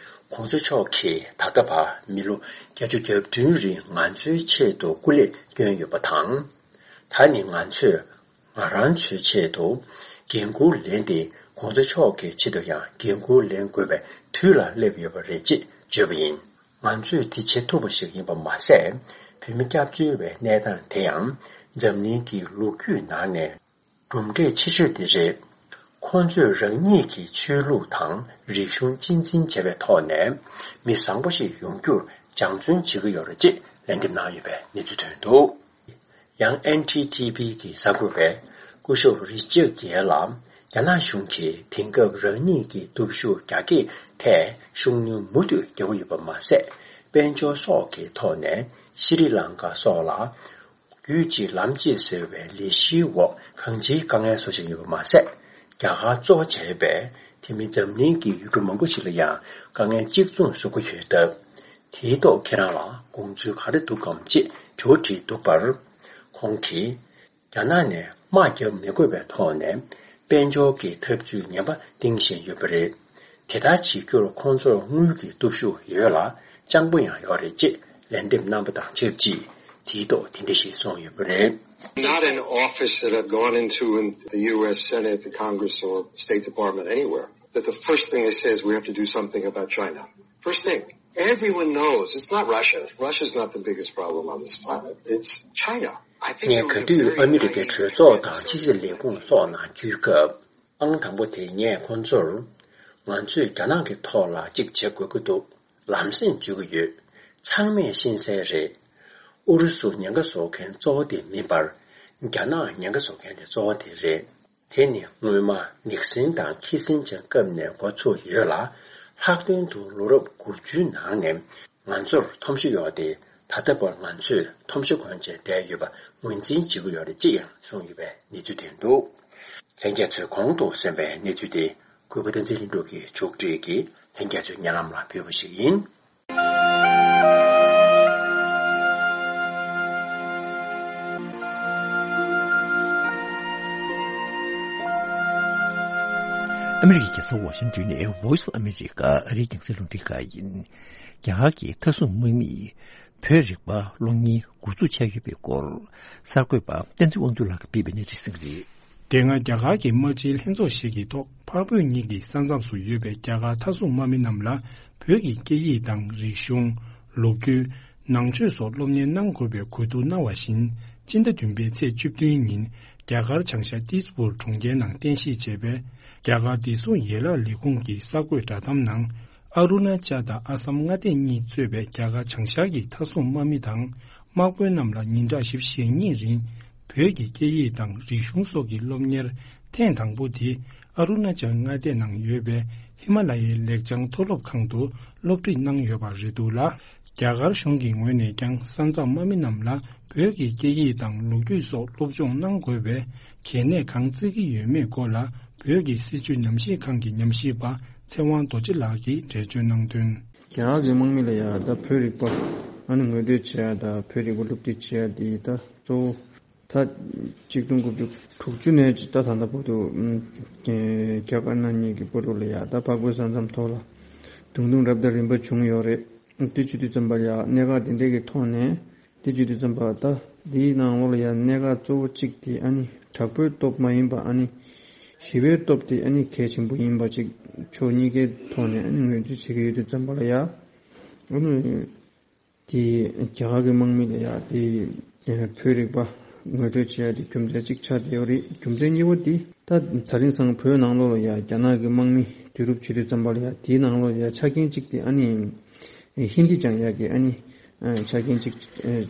གོང་ས་མཆོག་གིས་ད་ལྟ་བར་མི་ལོ་བརྒྱད་ཅུ་གྱ་བདུན་རིང་ང་ཚོའི་ཆེད་དུ་སྐུ་ལས་བསྐྱོན་ཡོད་པ་དང་། ད་ནི་ང་ཚོས་ང་རང་ཚོའི་ཆེད་དུ་འགན་འཁུར་ལེན་ཏེ། གོང་ས་མཆོག་གི་ཆེད་དུ་ཡང་འགན་འཁུར་ལེན་དགོས་པའི་དུས་ལ་སླེབས་ཡོད་པ་རེད་ཅེས་བརྗོད་པ་ཡིན། ང་ཚོས་དེ་བྱེད་ཐུབ་པ་ཞིག་ཡིན་པ་མ་ཟད། བོད་མི་སྐྱབས་བཅོལ་བའི་གནས་སྟངས་དེ་ཡང་འཛམ་གླིང་གི་ལོ་རྒྱུས་ནང་ནས་གྲུབ་འབྲས་ཆེ་ཤོས་དེ་རེད། ཁོང་ཚོས་རང་ཉིད་ཀྱི་ཆོས་ལུགས་དང་རིག་གཞུང་གཅེས་འཛིན་བྱས་པའི་ཐོག་ནས་མི་བཟང་པོ་ཞིག་ཡོང་རྒྱུར་སྦྱང་བརྩོན་བྱེད་ཀྱི་ཡོད་རེད་ཅེས་ལན་འདེབས་གནང་ཡོད་པའི་གནས་ཚུལ་ཐོན་འདུག་ཡང་ཨེན་ཐི་ཐི་པི་གི་གསར་འགོད་པས་སྐུ་ཞབས་རི་ཅར་གྷེལ་ལ། རྒྱ་ནག་གཞུང་གིས་དེང་སྐབས་རང་ཉིད་ཀྱི་སྟོབས་ཤུགས་རྒྱ་སྐྱེད་ཐད་ཤུགས་སྣོན་མུ་མཐུད་རྒྱག་གི་ཡོད་པ་མ་ཟད། དཔལ་འབྱོར་སོགས་ཀྱི་ཐོག་ནས་ཤྲི་ལང་ཀ་སོགས་ལ། རྒྱུད་གཅིག་ལམ་གཅིག་ཟེར་བའི་ལས་གཞིའི་འོག་གང་ཅིའི་དཀའ་ངལ་བཟོ་བཞིན་ཡོད་པ་མ་ཟད། རྒྱ་གར་གཙོ་བྱས་པའི་དེ་མིན་འཛམ་གླིང་གི་ཡུལ་གྲུ་མང་པོ་ཞིག་ལ་ཡང་དཀའ་ངལ་གཅིག་མཚུངས་བཟོ་གི་ཡོད་སྟབས། དེའི་ཐོག་ཁྱེད་རང་ལ་དགོངས་ཚུལ་ག་རེ་འདུག་གམ་ཅེས་དྲི་བ་དྲིས་འདུག་པར། ཁོང་གིས། རྒྱ་ནག་ནས་དམག་རྒྱག་མི་དགོས་པའི་ཐོག་ནས་དཔལ་འབྱོར་གྱི་འཐབ་ཇུས་ངན་པ་འདིང་བཞིན་ཡོད་པ་རེད། དེ་ལྟར་བྱེད་རྒྱུར་ཁོང་ཚོར་དངུལ་གྱི་སྟོབས་ཤུགས་ཡོད་ལ་སྤྱང་པོ་ཡང་ཡོད་རེད་ཅེས་ལན་འདེབས་གནང་པ་དང་ཆབས་ཅིག་དེའི་ཐོག་དེ་འདྲ་ཞིག་གསུངས་ཡོད་པ་རེད། Not an office that I've gone into in the U S Senate, the Congress, or State Department, anywhere, that the first thing they say is, "We have to do something about China." First thing, everyone knows it's not Russia. Russia's not the biggest problem on this planet. It's China. I think ངས་ག་དུས་ཨ་མི་རི་ཀའི་གྲོས་ཚོགས་དང་ཕྱི་སྲིད་ལས་ཁུངས་སོགས་ནང་འཇུག་སྐབས། ཨང་དང་པོ་དེ་ངས་ཁོང་ཚོར། ང་ཚོས་རྒྱ་ནག་གི་ཐོག་ལ་གཅིག་བྱེད་དགོས་ཀྱི་འདུག་ལམ་སེང་བརྗོད་ཀྱི་ཡོད། ཚང་མས་ཤེས་གསལ་རེད། ཨུ་རུ་སུ་ཉེན་ཁ་བཟོ་མཁན་གཙོ་བོ་དེ་མིན་པར། རྒྱ་ནག་ཉེན་ཁ་བཟོ་མཁན་དེ་གཙོ་བོ་དེ་རེད། དེ་ནི་སྔོན་མ་ནིག་སན་དང་ཁི་སིན་ཇར་སྐབས་ནས་འགོ་ཚུགས་ཡོད་ལ། ལྷག་དོན་དུ་ལོ་རབས་དགུ་བཅུའི་ནང་ནས་ང་ཚོར་མཐོང་གཞི་ཡོད་དེ། ད་ལྟ་བར་ང་ཚོས་མཐོང་གཞི་གོན་བྱས་བསྡད་ཡོད་པ་ངོས་འཛིན་བྱེད་ཀྱི་ཡོད་རེད་ཅེས་ཡང་གསུངས་ཡོད་པའི་གནས་ཚུལ་ཐོན་འདུག་ལྷན་རྒྱས་ཚོས་གོང་དུ་གསན་པའི་གནས་ཚུལ་དེ་གུས་པ་བསྟན་འཛིན་ལྷུན་གྲུབ་ཀྱིས་ཕྱོགས་སྒྲིག་གིས་ལྷན་རྒྱས་ཚོའི་སྙན་ལམ་ལ་ཕུལ་བ་ཞིག་ཡིན། ཨ་མི་རི་ཀའི་རྒྱལ་ས་ཝ་ཤིང་ཏོན་ནས་Voice of America ཨ་རིའི་རྒྱང་སྲིང་རླུང་འཕྲིན་ཁང་ཡིན། རྒྱ་གར་གྱི་མཐའ་སྲུང་དམག་མིས་བོད་རིག་པ་སློབ་གཉེར་འགོ་འཛུགས་བྱས་ཡོད་པའི་སྐོར་གསར་འགོད་པ་བསྟན་འཛིན་དབང་འདུས་ལགས་ཀྱིས་སྤེལ་བའི་གནས་ཚུལ་ཞིག་རེད། དེ་སྔ་རྒྱ་གར་གྱི་དམག་སྤྱིའི་ལྷན་ཚོགས་ཤིག་གི་ཐོག་འཕགས་བོད་གཉིས་ཀྱི་ས་མཚམས་སུ་ཡོད་པའི་རྒྱ་གར་མཐའ་སྲུང་དམག་མི་རྣམས་ལ་བོད་ཀྱི་སྐད་ཡིག་དང་རིག་གཞུང་། ལོ་རྒྱུས། ནང་ཆོས་སོགས་སློབ་གཉེར་གནང་དགོས་པའི་གོ་བསྡུར་གནང་བ་བཞིན། སྤྱི་ཟླ་བདུན་པའི་ཚེས་བཅུ་བདུན་ཉིན་རྒྱ་གར་བྱང་ཤར་ཏིས་པུར་གྲོང་ཁྱེར་ནང་རྟེན་གཞི་བྱས་པའི་རྒྱ་གར་བདེ་སྲུང་ཡན་ལག་ལས་ཁུངས་ཀྱི་གསར་འགོད་བསྒྲགས་གཏམ་ནང་། ཨ་རུ་ན་ཅལ་དང་ཨ་སམ་མངའ་སྡེ་གཉིས་གཙོས་པའི་རྒྱ་གར་བྱང་ཤར་གྱི་མཐའ་སྲུང་དམག་མི་དང་དམག་དཔོན་རྣམས་ལ་ཉིན་གྲངས་བཞི་བཅུ་ཞེ་གཉིས་རིང་བོད་ཀྱི་སྐད་ཡིག་དང་རིག་གཞུང་སོགས་ཀྱི་སློབ་གཉེར་ཐེངས་དང་པོ་དེ་ཨ་རུ་ན་ཅལ་མངའ་སྡེ་ནང་ཡོད་པའི་ཧི་མ་ལ་ཡའི་ལེགས་བྱང་མཐོ་སློབ་ཁང་དུ་སློབ་ཁྲིད་གནང་ཡོད་པ་རེད་འདུག་ལ། རྒྱ་གར་གཞུང་གི་ངོས་ནས་ཀྱང་ས་མཚམས་དམག་མི་རྣམས་ལ་བོད་ཀྱི་སྐད་ཡིག་དང་ལོ་རྒྱུས་སོགས་སློབ་སྦྱོང་གནང་དགོས་པའི་གལ་གནད་གང་བརྩི་གི་ཡོད་མེད་སྐོར་ལ་བོད་ཀྱི་སྲིད་བྱུས་ཉམས་ཞིབ་ཁང་གི་ཉམས་ཞིབ་པ་ཚེ་དབང་རྡོ་རྗེ་ལགས་ཀྱིས་འགྲེལ་བརྗོད་གནང་དོན། རྒྱ་གར་གྱི་དམག་མི་ལ་ཡང་ད་བོད་རིག་པ་ཨ་ནི་ངོ་སྤྲོད་བྱེད་ཡ་དང་བོད་རིག་པ་སློབ་ཁྲིད་བྱེད་ཡ་དེ་ད་གཙོ་བོ་ད་གཅིག་སྟོང་དགུ་བརྒྱ་དྲུག་ཅུ་ནས་ད་ད་ལྟ་བར་དུ་ཨམ་རྒྱ་དཀར་ནག་གཉིས་ཀྱི་བར་དུ་ལ་ཡང་ད་འཕགས་བོད་ས་མཚམས་ཐོག་ལ་རྡུང་རྡུང་རབ་དང་རིམ་པ་བྱུང་ཡོད་རེད། དེ་བྱེད་དུས་ཙམ་པ་ཡ་གནད་འགག་དེ་འདྲས་ཀྱི་ཐོག་ནས་དེ་བྱེད་དུས་ཙམ་པ་ད་དེའི་ནང་ལོགས་ལ་ཡ་གནད་འགག་གཙོ་བོ་གཅིག་དེ་ཨ་ནི་དྲག་པོའི་སྟོབས་མ་ཡིན་པ་ཨ་ནི་ཞི་བའི་སྟོབས་དེ་ཨ་ནི་གལ་ཆེན་པོ་ཡིན་པ་གཅིག་ཕྱོགས་གཉིས་ཀའི་ཐོག་ནས་ཨ་ནི་ངོས་འཛིན་བྱེད་ཀྱི་ཡོད་དུས་ཙམ་པ་ལ་ཡ་ཨ་ནི། དེ་རྒྱ་གར་གྱི་དམག་མི་ལ་ཡ་དེ་བོད་རིག་པ་ངོ་སྤྲོད་བྱེད་ཡ་དེ་རྒྱུ་མཚན་གཅིག་ཆགས་བསྡད་ཡོད་རེད། རྒྱུ་མཚན་གཉིས་པ་དེ་ད་དེ་རིང་སང་བོད་ནང་ལོགས་ལ་ཡ་རྒྱ་ནག་གི་དམག་མི་བསྡུ་རུབ་བྱེད་དུས་ཙམ་པ་ལ་ཡ་དེའི་ནང་ལོགས་ལ་ཡ་ཆ་རྐྱེན་གཅིག་དེ་ཨ་ནི་ཧིན་དི་སྦྱང་ཡ་གི་ཨ་ནི་ཆ་རྐྱེན་གཅིག་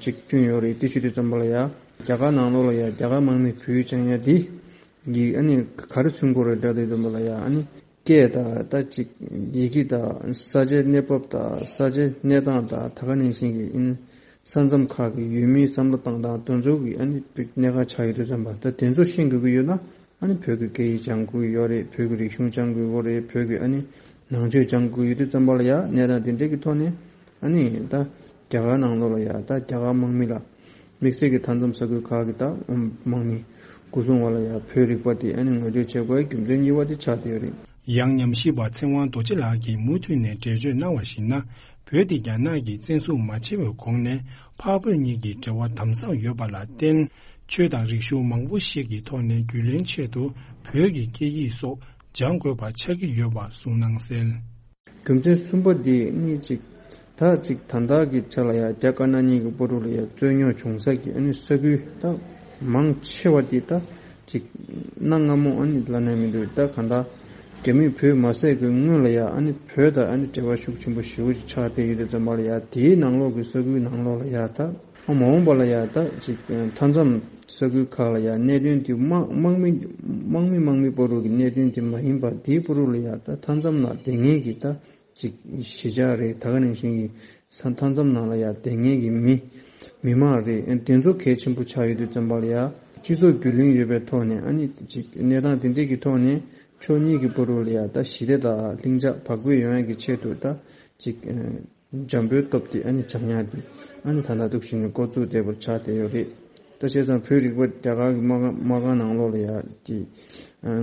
གཅིག་བསྐྲུན་ཡོད་རེད། དེ་བྱེད་དུས་ཙམ་པ་ལ་ཡ་རྒྱ་གར་ནང་ལོགས་ལ་ཡ་རྒྱ་གར་དམག་མི་བོད་སྦྱང་ཡ་དེ་གི་ཨ་ནི་ག་རེ་མཚོན་གྱི་ཡོད་རེད་ལབ་དུས་ཙམ་པ་ལ་ཡ་ཨ་ནི། སྐད་དང་ད་ཅིག་ཡི་གེ་དང་ས་ཆའི་གནས་བབ་དང་ས་ཆའི་གནས་སྟངས་དང་ད་ག་ནང་བཞིན་གྱི་ཨིན། ས་མཚམས་ཁག་གི་ཡུལ་མིའི་བསམ་བློ་བཏང་སྟངས་དེ་ཚོ་གི་ཨ་ནི་གནད་འགག་ཆགས་ཡོད་དུས་ཙམ་པ་ད་དེ་ཚོ་ཤེས་དགོས་ཀྱི་ཡོད་ན་ཨ་ནི་བོད་ཀྱི་སྐད་ཡིག་སྦྱང་དགོས་ཀྱི་ཡོད་རེད། བོད་ཀྱི་རིག་གཞུང་སྦྱང་དགོས་ཡོད་རེད། བོད་ཀྱི་ཨ་ནི་ནང་ཆོས་སྦྱང་དགོས་ཡོད་དུས་ཙམ་པ་ལ་ཡ་གནས་སྟངས་དེ་འདྲས་ཀྱི་ཐོག་ནས་ཨ་ནི་ད་རྒྱ་གར་ནང་ལོགས་ལ་ཡ་ད་རྒྱ་གར་དམག་མི་ལ། དམིགས་བསལ་གྱི་མཐའ་མཚམས་ས་ཁུལ་ཁག་གི་ད་དམག་མི་སྐུ་སྲུང་བ་ལ་ཡང་བོད་རིག་པ་དེ་ཨ་ནི་ངོ་སྤྲོད་བྱེད་དགོས་རྒྱུ་མཚན་གཉིས་པ་དེ་ཆགས་བསྡད་ཡོད་རེད། ཡང་ཉམས་ཞིབ་པ་ཚེ་དབང་རྡོ་རྗེ་ལགས་ཀྱིས་མུ་མཐུད་ནས་འགྲེལ་བརྗོད་གནང་བར་གཞིགས་ན། བོད་དེ་རྒྱ་ནག་གིས་བཙན་བཟུང་མ་བྱས་པའི་གོང་ནས་འཕགས་བོད་གཉིས་ཀྱི་འབྲེལ་བ་དམ་ཟབ་ཡོད་པ་ལ་བརྟེན། ཆོས་དང་རིག་གཞུང་མང་པོ་ཞིག་གི་ཐོག་ནས་རྒྱུས་ལོན་ཆེད་དུ་བོད་ཀྱི་སྐད་ཡིག་སོགས་སྦྱང་དགོས་པ་ཆགས་ཀྱི་ཡོད་པ་གསུངས་གནང་གསལ། རྒྱུ་མཚན་གསུམ་པ་འདི་ནི་གཅིག་ད་གཅིག་ད་ལྟ་གི་ཆ་ལ་ཡང་རྒྱ་དཀར་ནག་གཉིས་ཀྱི་བར་དུ་ལ་ཡང་རྩོད་རྙོག་བྱུང་ས་གི་ཨ་ནི་ས་ཁུལ་ད་མང་ཆེ་བ་འདི་ད་གཅིག་གནའ་སྔ་མོ་ཨ་ནི་ལབ་ན་མི་འདུག་ད་གང་ལྟར་རྒྱ་མིས་བོད་མ་བསད་གི་སྔོན་ལ་ཡང་ཨ་ནི་བོད་དང་ཨ་ནི་འབྲེལ་བ་ཤུགས་ཆེན་པོ་ཞེ་པོ་ཅིག་ཆགས་བསྡད་ཡོད་དུས་ཙམ་པ་ལ་ཡང་དེའི་ནང་ལོགས་ཀྱི་ས་ཁུལ་ནང་ལོགས་ལ་ཡང་ད། མ་འོངས་པ་ལ་ཡང་ད་ཅིག་མཐའ་མཚམས་ས་ཁུལ་ཁག་ལ་ཡང་གནད་དོན་དེ་དམག་དམག་མི་དམག་མི་དམག་མི་བར་དུ་གི་གནད་དོན་དེ་མ་ཡིན་པར་དེའི་བར་དུ་ལ་ཡང་ད་མཐའ་མཚམས་ནང་བསྡད་མཁན་གྱི་ད་ཅིག་གཞིས་ཆགས་རེད། ད་ག་ནང་བཞིན་གྱི་ས་མཐའ་མཚམས་ནང་ལ་ཡང་བསྡད་མཁན་གྱི་མི་མི་མང་རེད། དེ་ཚོ་གལ་ཆེན་པོ་ཆགས་ཡོད་དུས་ཙམ་པ་ལ་ཡང་སྤྱི་ཚོགས་རྒྱུས་ལོན་ཡོད་པའི་ཐོག་ནས་ཨ་ནི་ཅིག་གནས་སྟངས་དེ་འདྲས་ཀྱི་ཐོག་ནས་ཕྱོགས་གཉིས་ཀྱི་བར་དུ་ལ་ཡང་ད་ཞི་བདེ་དང་ལྷིང་འཇགས་བག་ཕེབས་ཡོང་ཡག་གི་ཆེད་དུ་ད་ཅིག་འཇམ་པོའི་སྟོབས་དེ་ཨ་ནི་སྦྱང་ཡག་དེ་ཨ་ནི་ད་ལྟ་འདུག་བཞིན་ནས་འགོ་བཙུགས་བསྡད་པར་ཆགས་བསྡད་ཡོད་རེད། ད་བྱས་ཙང་བོད་རིག་པ་རྒྱ་གར་གྱི་དམག་དམག་ཁང་ནང་ལོགས་ལ་ཡ་དེ་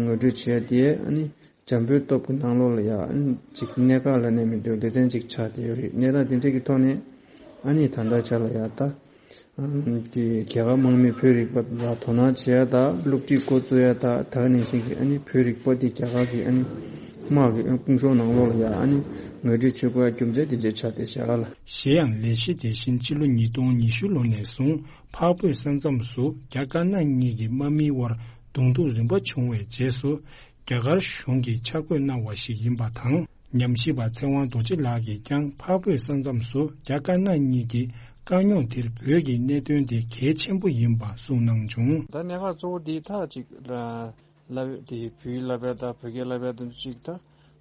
ངོ་སྤྲོད་བྱེད་ཡ་དེ་ཨ་ནི་འཇམ་པོའི་སྟོབས་ཀྱི་ནང་ལོགས་ལ་ཡ་ཨ་ནི་ཅིག་གནད་འགག་ལ་གནས་མི་འདུག་ལེ་ཚན་ཅིག་ཆགས་བསྡད་ཡོད་རེད། གནས་སྟངས་དེ་འདྲས་ཀྱི་ཐོག་ནས་ཨ་ནི་ད་ལྟ་ཆ་ལ་ཡ་ད། དེ་རྒྱ་གར་དམག་མིས་བོད་རིག་པ་ལ་དོ་སྣང་བྱེད་ཡ་དང་སློབ་ཁྲིད་འགོ་བཙུགས་ཡ་དང་ད་ག་ནང་བཞིན་གྱི་ཨ་ནི་བོད་རིག་པ་དེ་རྒྱ་གར་གྱི་ཨ་ནི་དམག་གི་དཔུང་ཤོག་ནང་ལོགས་ལ་ཡ་ཨ་ནི་ངོ་སྤྲོད་བྱེད་དགོས་ཡ་རྒྱུ་མཚན་དེ་འདྲས་ཆགས་བསྡད་བཞག་ལ། གཞན་ཡང་ལས་གཞི་དེ་བཞིན་ཕྱི་ལོ་ཉིས་སྟོང་ཉི་ཤུ་ལོ་ནས་བཟུང་འཕགས་བོད་ས་མཚམས་སུ་རྒྱ་དཀར་ནག་གཉིས་ཀྱི་དམག་མིའི་དབར་གདོང་ཐུག་རིམ་པ་བྱུང་བའི་རྗེས་སུ། རྒྱ་གར་གཞུང་གིས་ཆ་བགོས་གནང་བ་ཞིག་ཡིན་པ་དང་། ཉམས་ཞིབ་པ་ཚེ་དབང་རྡོ་རྗེ་ལགས་ཀྱིས་ཀྱང་འཕགས་བོད་ས་མཚམས་སུ་རྒྱ་དཀར་ནག་གཉིས་ཀྱི་དཀའ་རྙོག་དེར་བོད་ཀྱི་གནད་དོན་དེ་གལ་ཆེན་པོ་ཡིན་པ་གསུངས་གནང་བྱུང་། ད་གནད་འགག་གཙོ་བོ་འདི་ད་ཅིག་ལབ་དེ་བོད་ཡིག་བསླབ་ཡ་དང་བོད་སྐད་བསླབ་ཡ་དང་ཅིག་ད་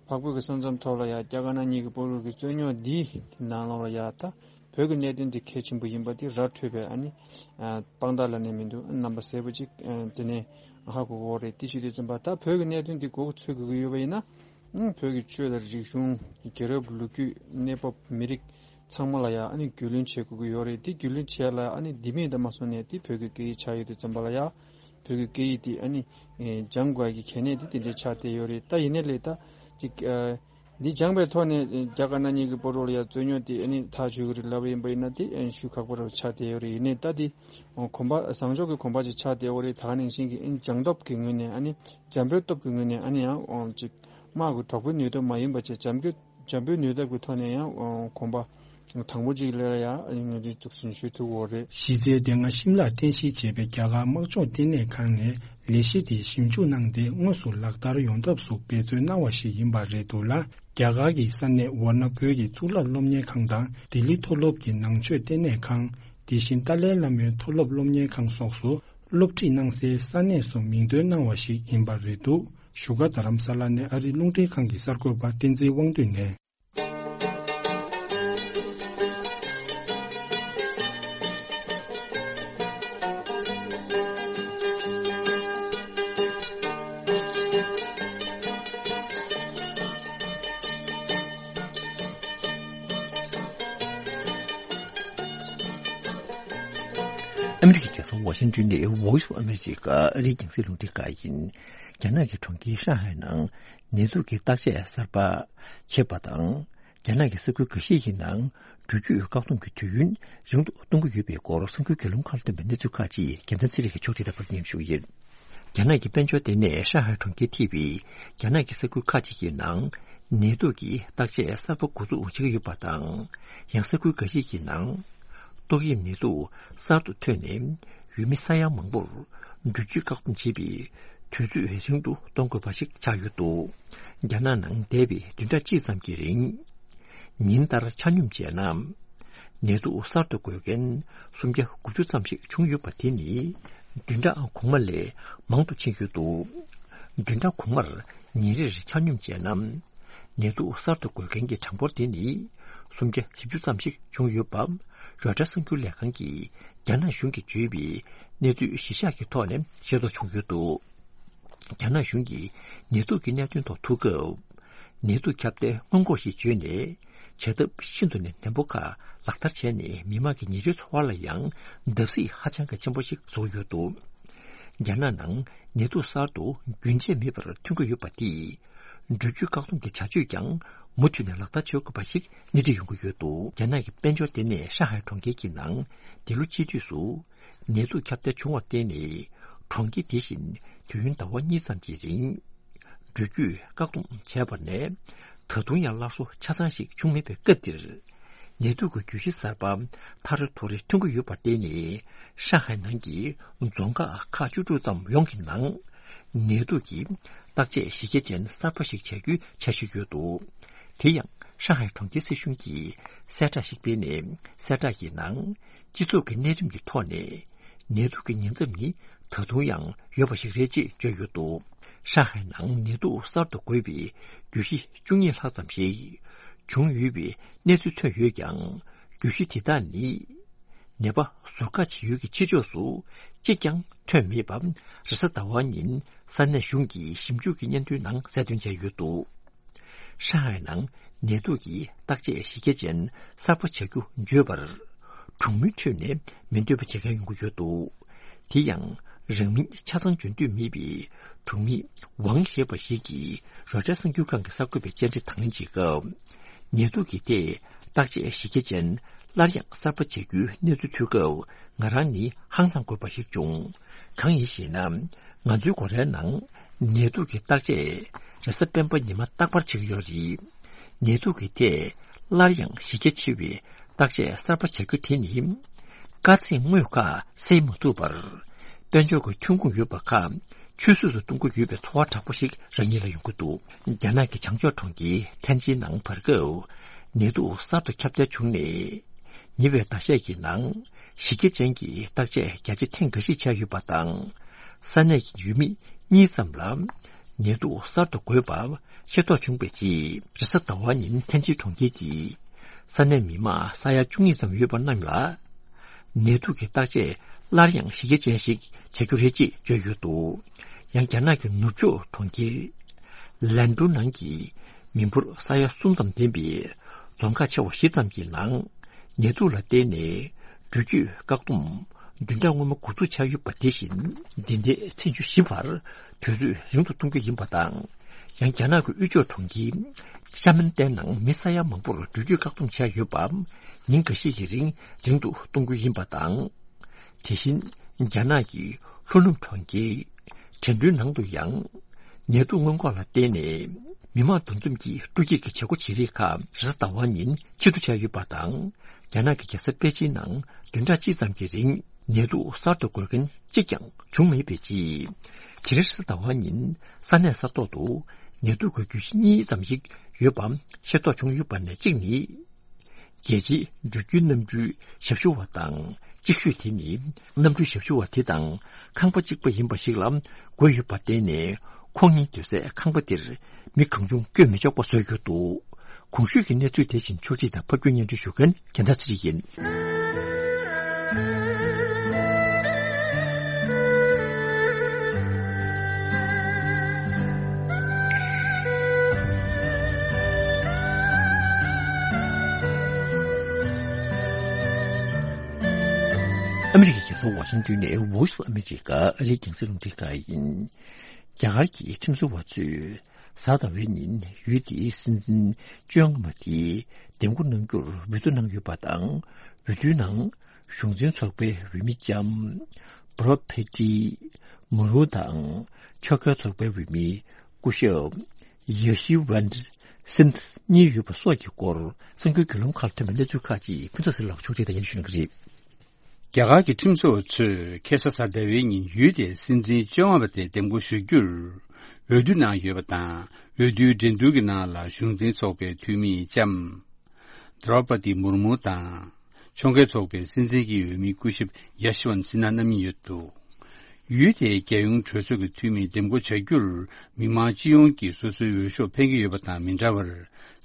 འཕགས་བོད་ཀྱི་ས་མཚམས་ཐོག་ལ་ཡ་རྒྱ་དཀར་ནག་གཉིས་ཀྱི་བར་དུ་གི་རྩོད་རྙོག་འདི་ནང་ལོགས་ལ་ཡ་ད། བོད་ཀྱི་གནད་དོན་དེ་གལ་ཆེན་པོ་ཡིན་པ་དེ་ར་འཕྲོད་པའི་ཨ་ནི་དཔང་རྟགས་ལབ་ནས་མི་འདུག་རྣམ་པ་གསལ་པོ་ཅིག་དེ་ནས་ཧ་གོ་གི་ཡོད་རེད། དེ་བྱེད་དུས་ཙམ་པ་ད་བོད་ཀྱི་གནད་དོན་དེ་མགོ་ཚོད་དགོས་ཀྱི་ཡོད་པ་ཡིན་ན་བོད་ཀྱི་ཆོས་དང་རིག་གཞུང་། རྒྱལ་རབས་ལོ་རྒྱུས། གནས་བབ། མི་རིགས་ཚང་མ་ལ་ཡང་ཨ་ནི་རྒྱུས་ལོན་བྱེད་དགོས་ཀྱི་ཡོད་རེད། དེ་རྒྱུས་ལོན་བྱེད་ཡ་ལ་ཨ་ནི་འདི་མེད་ད་མ་སོང་ནས་དེ་བོད་ཀྱི་སྐད་ཡིག་ཆགས་ཡོད་དུས་ཙམ་པ་ལ་ཡང་བོད་ཀྱི་སྐད་ཡིག་དེ་ཨ་ནི་སྦྱང་དགོས་ཀྱི་གལ་གནད་དེ་དེ་འདྲའི་ཆགས་བསྡད་ཡོད་རེད། ད་ཡིན་ནའི་ལས་ད་ཅིག་འདི་སྦྱངས་པའི་ཐོག་ནས་རྒྱ་དཀར་ནག་གཉིས་ཀྱི་བར་དུ་ལ་ཡང་རྩོད་རྙོག་དེ་ཨ་ནི་ཐག་ཆོད་ཀྱི་རེད་ལབ་པ་ཡིན་པ་ཡིན་ན་དེ་ཨ་ནི་ཞུ་ཁག་པོ་རུ་ཆགས་བསྡད་ཡོད་རེད། ཡིན་ནའི་ད་དེ་གོམ་པ་བཟང་ཕྱོགས་ཀྱི་གོམ་པ་ཅིག་ཆགས་བསྡད་ཡོད་རེད། ད་ག་ནང་བཞིན་གྱི་ཨ་ནི་སྦྱང་སྟོབས་ཀྱི་ངོས་ནས་ཨ་ནི་འཇམ་པོའི་སྟོབས་ཀྱི་ངོས་ནས་ཨ་ནི་ཡང་ཅིག་དམག་གི་དྲག་པོའི་ནུས་སྟོབས་མ་ཡིན་པ་བྱས་འཇམ་པོའི་འཇམ་པོའི་ནུས་སྟོབས་ཀྱི་ཐོག་ནས་ཡང་གོམ་པ་དང་པོ་ཅིག་ལ་ཡང་ཨ་ནི་ང་ཚོས་འདུག་སེ་ཞུ་ཐུབ་ཡོད་རེད། གཞི་རྩའི་སྡེ་ལྔ་ཤིམ་ལར་རྟེན་གཞི་བྱས་པའི་རྒྱ་གར་དམག་སྦྱོང་ལྟེ་གནས་ཁང་ནས་ལས་གཞི་དེ་ཞིབ་འཇུག་གནང་སྟེ་དངོས་སུ་ལག་བསྟར་ཡོང་ཐབས་སུ་འབད་བརྩོན་གནང་བ་ཞིག་ཡིན་པ་རེད་འདུག་ལ། རྒྱ་གར་གྱི་ས་གནས་ཝཱ་ཎ་བོད་ཀྱི་གཙུག་ལག་སློབ་གཉེར་ཁང་དང་ལྡི་ལི་མཐོ་སློབ་ཀྱི་ནང་ཆོས་ལྟེ་གནས་ཁང་། དེ་བཞིན་ཏཱ་ལའི་བླ་མའི་མཐོ་སློབ་སློབ་གཉེར་ཁང་སོགས་སུ་སློབ་ཁྲིད་གནང་སའི་ས་གནས་སུ་མིང་འདོན་གནང་བ་ཞིག་ཡིན་པ་རེད་འདུག་བཞུགས་སྒར་རྡ་རམ་ས་ལ་ནས་ཨ་རིའི་རླུང་འཕྲིན་ཁང་གི་གསར་འགོད་པ་བསྟན་འཛིན་དབང་འདུས་ནས། ཨ་མི་རི་ཀའི་རྒྱལ་ས་ཝ་ཤིང་ཏོན་ནས་Voice of America ཨ་རིའི་རྒྱང་སྲིང་རླུང་འཕྲིན་ཁང་ཡིན། རྒྱ་ནག་གི་གྲོང་ཁྱེར་ཧྲང་ཧའེ་ནང་ནད་དུག་གི་བརྟག་དཔྱད་གསར་པ་བྱེད་པ་དང་། རྒྱ་ནག་གི་ས་ཁུལ་འགའ་ཤས་ཀྱི་ནང་འགྲུལ་སྐྱོད་བཀག་སྡོམ་གྱི་དུས་ཡུན་རིང་དུ་གཏོང་གི་ཡོད་པའི་སྐོར་གསར་འགྱུར་བརྒྱུད་ལམ་ཁག་ལ་བཏོན་པའི་གནས་ཚུལ་ཁག་ཅིག་རྒྱལ་མཚན་ཚེ་རིང་གིས་ཕྱོགས་སྒྲིག་དང་པར་སྙན་ཞུ་ཡིན། རྒྱ་ནག་གི་དཔལ་འབྱོར་ལྟེ་གནས་ཧྲང་ཧའེ་གྲོང་ཁྱེར་ཐེ་བའི་རྒྱ་ནག་གི་ས་ཁུལ་ཁག་ཅིག་གི་ནང་ནད་དུག་གི་བརྟག་དཔྱད་གསར་པ་འགོ་འཛུགས་བྱེད་ཀྱི་ཡོད་པ་དང་། ཡང་ས་ཁུལ་འགའ་ཤས་ཀྱི་ནང་ཏོག་དབྱིབས་ནད་དུག་གསར་དུ་ཐོན་ནས་ཡུལ་མི་ས་ཡ་མང་པོར་འགྲུལ་སྐྱོད་བཀག་སྡོམ་བྱེད་པའི་དུས་ཚོད་རིང་དུ་གཏོང་དགོས་པ་ཞིག་ཆགས་ཡོད་འདུག་རྒྱ་ནག་ནང་འདས་པའི་བདུན་ཕྲག་གཅིག་ཙམ་གྱི་རིང་། ཉིན་ལྟར་ཆ་སྙོམས་བྱས་ན། ནད་དུག་གསར་དུ་འགོས་མཁན་སུམ་བརྒྱ་དགུ་བཅུ་ཙམ་ཞིག་བྱུང་ཡོད་པ་དེ་ནི་བདུན་ཕྲག་གོང་མ་ལས་མང་དུ་ཕྱིན་ཡོད་འདུག་བདུན་ཕྲག་གོང་མར་ཉིན་རེར་ཆ་སྙོམས་བྱས་ན། ནད་དུག་གསར་དུ་འགོས་མཁན་གྱི་གྲངས་འབོར་དེ་ནི་སུམ་བརྒྱ་བཞི་བཅུ་ཙམ་ཞིག་བྱུང་ཡོད་པ། རོའི་ཊར་གསར་འགྱུར་ལས་ཁང་གིས་རྒྱ་ནག་གཞུང་གིས་བརྗོད་པའི་གནས་ཚུལ་གཞིར་བཞག་གི་ཐོག་ནས་ཤེས་རྟོགས་བྱུང་ཡོད་འདུག་རྒྱ་ནག་གཞུང་གིས་ནད་དུག་གི་གནད་དོན་ཐོག་ཐུག་སྐབས། ནད་དུག་ཁྱབ་གདལ་སྔོན་འགོག་ཞེས་བརྗོད་ནས། བྱ་ཐབས་ཤིན་ཏུ་ནས་ནན་པོ་ཁག་ལག་བསྟར་བྱས་ནས། མི་དམངས་ཀྱི་ཉིན་རེའི་འཚོ་བ་ལ་ཡང་བརྡབ་གསིག་ཧ་ཅང་གི་ཆེན་པོ་ཞིག་བཟོ་ཡོད་འདུག་རྒྱ་ནག་ནང་ནད་དུག་གསར་དུ་རྒྱུན་ཆད་མེད་པར་ཐོན་གྱི་ཡོད་པ་དེས། འགྲུལ་སྐྱོད་བཀག་སྡོམ་གྱི་བྱ་སྤྱོད་ཀྱང་མུ་མཐུད་ནས་ལག་བསྟར་བྱེད་དགོས་པ་ཞིག་སྣེ་ཁྲིད་ཡོང་གི་ཡོད་འདུག་རྒྱ་ནག་གི་དཔལ་འབྱོར་ལྟེ་གནས་ཧྲང་ཧའེ་གྲོང་ཁྱེར་གྱི་ནང་། འདི་ལོ་སྤྱི་དུས་སུ་ནད་དུག་ཁྱབ་གདལ་བྱུང་བར་བརྟེན་ནས། གྲོང་ཁྱེར་དེ་བཞིན་དུས་ཡུན་ཟླ་བ་གཉིས་ཙམ་གྱི་རིང་འགྲུལ་སྐྱོད་བཀག་སྡོམ་བྱས་པ་ནས། ད་དུང་ཡང་སླར་གསོ་ཆ་ཚང་ཞིག་བྱུང་མེད་པའི་སྐབས་འདིར། ནད་དུག་གི་རྒྱུད་གཞི་གསར་པ་ཐ་རེ་ཐོ་རེ་ཐོན་གྱི་ཡོད་པར་བརྟེན་ནས། ཧྲང་ཧའེ་ནང་གི་རྫོང་ཁག་ཁག་བཅུ་དྲུག་ཙམ་ཡོངས་ཀྱི་ནང་ནད་དུག་གི་བརྟག་དཔྱད་གཞི་རྒྱ་ཅན་གསར་པ་ཞིག་བྱ་རྒྱུའི་འཆར་གཞི་ཡོད་འདུག་དེ་ཡང་ཧྲང་ཧའེ་གྲོང་ཁྱེར་སྲིད་གཞུང་གིས་གསལ་བསྒྲགས་ཤིག་སྤེལ་ནས། གསལ་བསྒྲགས་ཀྱི་ནང་། སྤྱི་ཚོགས་ཀྱི་གནས་རིམ་གྱི་ཐོག་ནས་ནད་དུག་གི་ཉེན་ཚབས་ནི་ད་དུང་ཡང་ཡོད་པ་ཞིག་རེད་ཅེས་བརྗོད་ཡོད་འདུག་ཧྲང་ཧའེ་ནང་ནད་དུག་གསར་དུ་འགོས་པའི་རྒྱུད་གཞི་བཅུ་གཉིས་ལྷག་ཙམ་ཞིག་བྱུང་ཡོད་པའི་གནས་ཚུལ་ཐོན་ཡོད་ཀྱང་། རྒྱུད་གཞི་དེ་དག་ནི་ནད་པ་ཟུར་བཀག་བྱེད་ཡུལ་གྱི་ཕྱི་ཕྱོགས་སུ་གཅིག་ཀྱང་ཐོན་མེད་པ། རེས་གཟའ་ཟླ་བ་ཉིན་ས་གནས་གཞུང་གི་ཞིབ་འཇུག་གི་སྙན་ཐོའི་ནང་གསལ་སྟོན་བྱས་ཡོད་འདུག་ཧྲང་ཧའེ་ནང་ནད་དུག་གི་བརྟག་དཔྱད་གཞི་རྒྱ་ཅན་གསར་པ་བྱ་རྒྱུ་བརྗོད་པར། གྲོང་མིའི་ཁྲོད་ནས་མི་འདོད་པ་བྱེད་མཁན་ཡོང་གི་ཡོད་འདུག་དེ་ཡང་རང་མིང་ཆ་ཚང་བརྗོད་འདོད་མེད་པའི་གྲོང་མི་ཝང་ཞེས་པ་ཞིག་གིས་རོའི་ཊར་གསར་འགྱུར་ཁང་གི་གསར་འགོད་པའི་བཅར་འདྲི་དང་ལེན་བྱེད་སྐབས། ནད་དུག་གི་ཐད་བརྟག་དཔྱད་གཞི་རྒྱ་ཅན་སླར་ཡང་གསར་པ་བྱ་རྒྱུའི་གནས་ཚུལ་ཐོས་སྐབས། ང་རང་ནི་ཧང་སང་དགོས་པ་ཞིག་བྱུང་། གང་ཡིན་ཞེ་ན། ང་ཚོའི་སྒོ་རའི་ནང་ནད་དུག་གི་བརྟག་དཔྱད་རེས་གཟའ་སྤེན་པ་ཉི་མ་རྟག་པར་བྱེད་ཀྱི་ཡོད་རེད། ནད་དུག་གི་ཐད་སླར་ཡང་གཞི་རྒྱ་ཆེ་བའི་བརྟག་དཔྱད་གསར་པ་བྱ་རྒྱུ་དེ་ནི། དཀའ་ཚེགས་དངོས་ཁག་སེལ་མ་ཐུབ་པར། དཔལ་འབྱོར་གྱི་ཐོན་ཁུངས་ཡོད་པ་ཁག་ཆུད་ཟོས་སུ་གཏོང་གི་ཡོད་པའི་ཚོར་བ་དྲག་པོ་ཞིག་རང་ཉིད་ལ་ཡོང་གི་འདུག་རྒྱ་ནག་གི་བྱང་ཕྱོགས་གྲོང་ཁྱེར་ཐན་ཅིན་ནང་བར་སྐབས་ནད་དུག་གསར་དུ་ཁྱབ་གདལ་བྱུང་ནས། ཉེ་བའི་ཟླ་ཤས་ཀྱི་ནང་གཞི་རྒྱ་ཅན་གྱི་བརྟག་དཔྱད་བརྒྱ་ཆ་ཐེངས་འགའ་ཞིག་བྱས་ཡོད་པ་དང་། ས་གནས་ཀྱི་ཡུལ་མི་གཉིས་ཙམ་ལ་ནད་དུག་གསར་དུ་འགོས་པ་ཤེས་རྟོགས་བྱུང་བའི་རྗེས། རེས་གཟའ་ཟླ་བ་ཉིན་ཐན་ཅིན་གྲོང་ཁྱེར་གྱི་ས་གནས་མི་མང་ས་ཡ་བཅུ་གཉིས་ཙམ་ཡོད་པ་རྣམས་ལ། ནད་དུག་གི་བརྟག་དཔྱད་སླར་ཡང་གཞི་རྒྱ་ཅན་ཞིག་བྱ་རྒྱུ་རེད་ཅེས་བརྗོད་ཡོད་འདུག་ཡང་རྒྱ་ནག་གི་ནུབ་ཕྱོགས་གྲོང་ཁྱེར་ལན་ཀྲུའུ་ནང་གི་མི་འབོར་ས་ཡ་གསུམ་ཙམ་ལྡན་པའི་རྫོང་ཁག་ཆེ་བ་བཞི་ཙམ་གྱི་ནང་ནད་དུག་ལ་བརྟེན་ནས་འགྲུལ་སྐྱོད་བཀག་སྡོམ་བདུན་ཕྲག་སྔོན་མ་འགོ་འཛུགས་བྱས་ཡོད་པ་དེ་བཞིན། འདི་ཟླའི་ཚེས་བཅུ་བཞི་བར་དུས་ཚོད་རིང་དུ་གཏོང་རྒྱུ་ཡིན་པ་དང་། ཡང་རྒྱ་ནག་གི་དབུས་ཕྱོགས་གྲོང་ཁྱེར་ཤ་མན་ཏན་ནང་མི་ས་ཡ་མང་པོར་འགྲུལ་སྐྱོད་བཀག་སྡོམ་བྱས་ཡོད་པ་ཉིན་འགའ་ཤས་ཀྱི་རིང་རིང་དུ་གཏོང་རྒྱུ་ཡིན་པ་དང་། དེ་བཞིན་རྒྱ་ནག་གི་ལྷོ་ནུབ་གྲོང་ཁྱེར་ཁྲེང་ཏུའུ་ནང་དུ་ཡང་ནད་དུག་སྔོན་འགོག་ལ་བརྟེན་ནས་མི་མང་འདུ་འཛོམས་ཀྱི་སྤྲོ་སྐྱིད་ཀྱི་བྱེད་སྒོ་བྱེད་རིགས་ཁག་རེས་གཟའ་ཟླ་བ་ཉིན་ཕྱིར་བསྡུ་བྱས་ཡོད་པ་དང་། རྒྱ་ནག་གི་རྒྱལ་ས་པེ་ཅིན་ནང་བདུན་ཕྲག་གཅིག་ཙམ་གྱི་རིང་ནད་དུག་གསར་དུ་འགོས་མཁན་གཅིག་ཀྱང་བྱུང་མེད་པའི་རྗེས། དེ་རིང་རེས་གཟའ་ཟླ་བ་ཉིན་ས་གནས་ས་ཐོག་ཏུ་ནད་དུག་གི་རྒྱུད་གཞི་གཉིས་ཙམ་ཞིག་ཡོད་པ་ཤེས་རྟོགས་བྱུང་ཡོད་པ་ནས་གཅིག་ནི། རྒྱལ་སྤྱིའི་འགྲུལ་སྐྱོད་གནམ་གྲུའི་ཞབས་ཞུ་བ་དང་གཅིག་ཤོས་དེ་ནི་གནམ་གྲུའི་ཞབས་ཞུ་བ་དེ་དང་ཁང་པ་གཅིག་པ་ཡིན་པ་ཞིག་ལ་འགོས་ཡོད་པར་བརྟེན་ནས། ཁོང་གཉིས་སྡོད་སའི་ཁང་པ་དེར་མི་གང་བྱུང་བསྐྱོད་མི་ཆོག་པ་བཟོས་ཡོད་འདུག་གོང་ཞུས་ཀྱི་གནས་ཚུལ་དེ་བཞིན་ཕྱོགས་སྒྲིག་དང་ཕབ་སྒྱུར་སྙན་སྒྲོན་ཞུ་མཁན་རྒྱལ་མཚན་ཚེ་རིང་ཡིན། ཨ་མི་རི་ཀའི་རྒྱལ་ས་ཝ་ཤིང་ཏོན་ནས་Voice of America ཨ་རིའི་རྒྱང་སྲིང་རླུང་འཕྲིན་ཁང་ཡིན། རྒྱ་གར་གྱི་ཁྲིམས་བཟོ་བ་ཚོས་ གཟའ་ཟླ་བའི་ཉིན་ཡུལ་དེའི་སྲིད་འཛིན་བཅོ་ལྔ་པ་དེས་འདེམས་བསྐོ་གནང་རྒྱུར་འབོད་སྐུལ་གནང་ཡོད་པ་དང་། འོས་བསྡུའི་ནང་གཞུང་འཛིན་ཚོགས་པའི་འོས་མི་ལྕམ་བྷ་རོ་ཕེ་ཏི་མུར་མུ་དང་། ཕྱོགས་འགལ་ཚོགས་པའི་འོས་མི་སྐུ་ཞབས་ཡ་ཤི་ཝན་སིན་གཉིས་ཡོད་པ་སོགས་ཀྱི་སྐོར་གསར་འགྱུར་བརྒྱུད་ལམ་ཁག་ཐོན་པའི་གནས་ཚུལ་ཁག་ཅིག་ཕུན་ཚོགས་ཟེར་ལགས་ཕྱོགས་སྒྲིག་དང་ཡན་ཞུ་གནང་གི་རེད། རྒྱ་གར་གྱི་ཁྲིམས་བཟོ་བ་ཚོས་ཁ་སང་གཟའ་ཟླ་བའི་ཉིན་ཡུལ་དེའི་སྲིད་འཛིན་བཅོ་ལྔ་པ་དེ་འདེམས་བསྐོ་ཞུ་རྒྱུར་འོས་བསྡུ་གནང་ཡོད་པ་དང་། འོས་བསྡུའི་འགྲན་བསྡུར་གྱི་ནང་ལ་གཞུང་འཛིན་ཚོགས་པའི་འཐུས་མི་ལྕམ་དྲོ་པ་ཏི་མུར་མུ་དང་། ཕྱོགས་འགལ་ཚོགས་པའི་སྲིད་འཛིན་གྱི་འོས་མི་སྐུ་ཞབས་ཡ་ཤི་ཝན་སི་ན་རྣམ་གཉིས་ཡོད་འདུག་ཡུལ་དེའི་རྒྱལ་ཡོངས་གྲོས་ཚོགས་ཀྱི་འཐུས་མི་འདེམས་བསྐོ་བྱ་རྒྱུར། མི་མང་སྤྱི་ཡོངས་ཀྱིས་སོ་སོའི་འོས་ཤོག་འཕེན་གྱི་ཡོད་པ་དང་མི་འདྲ་བར།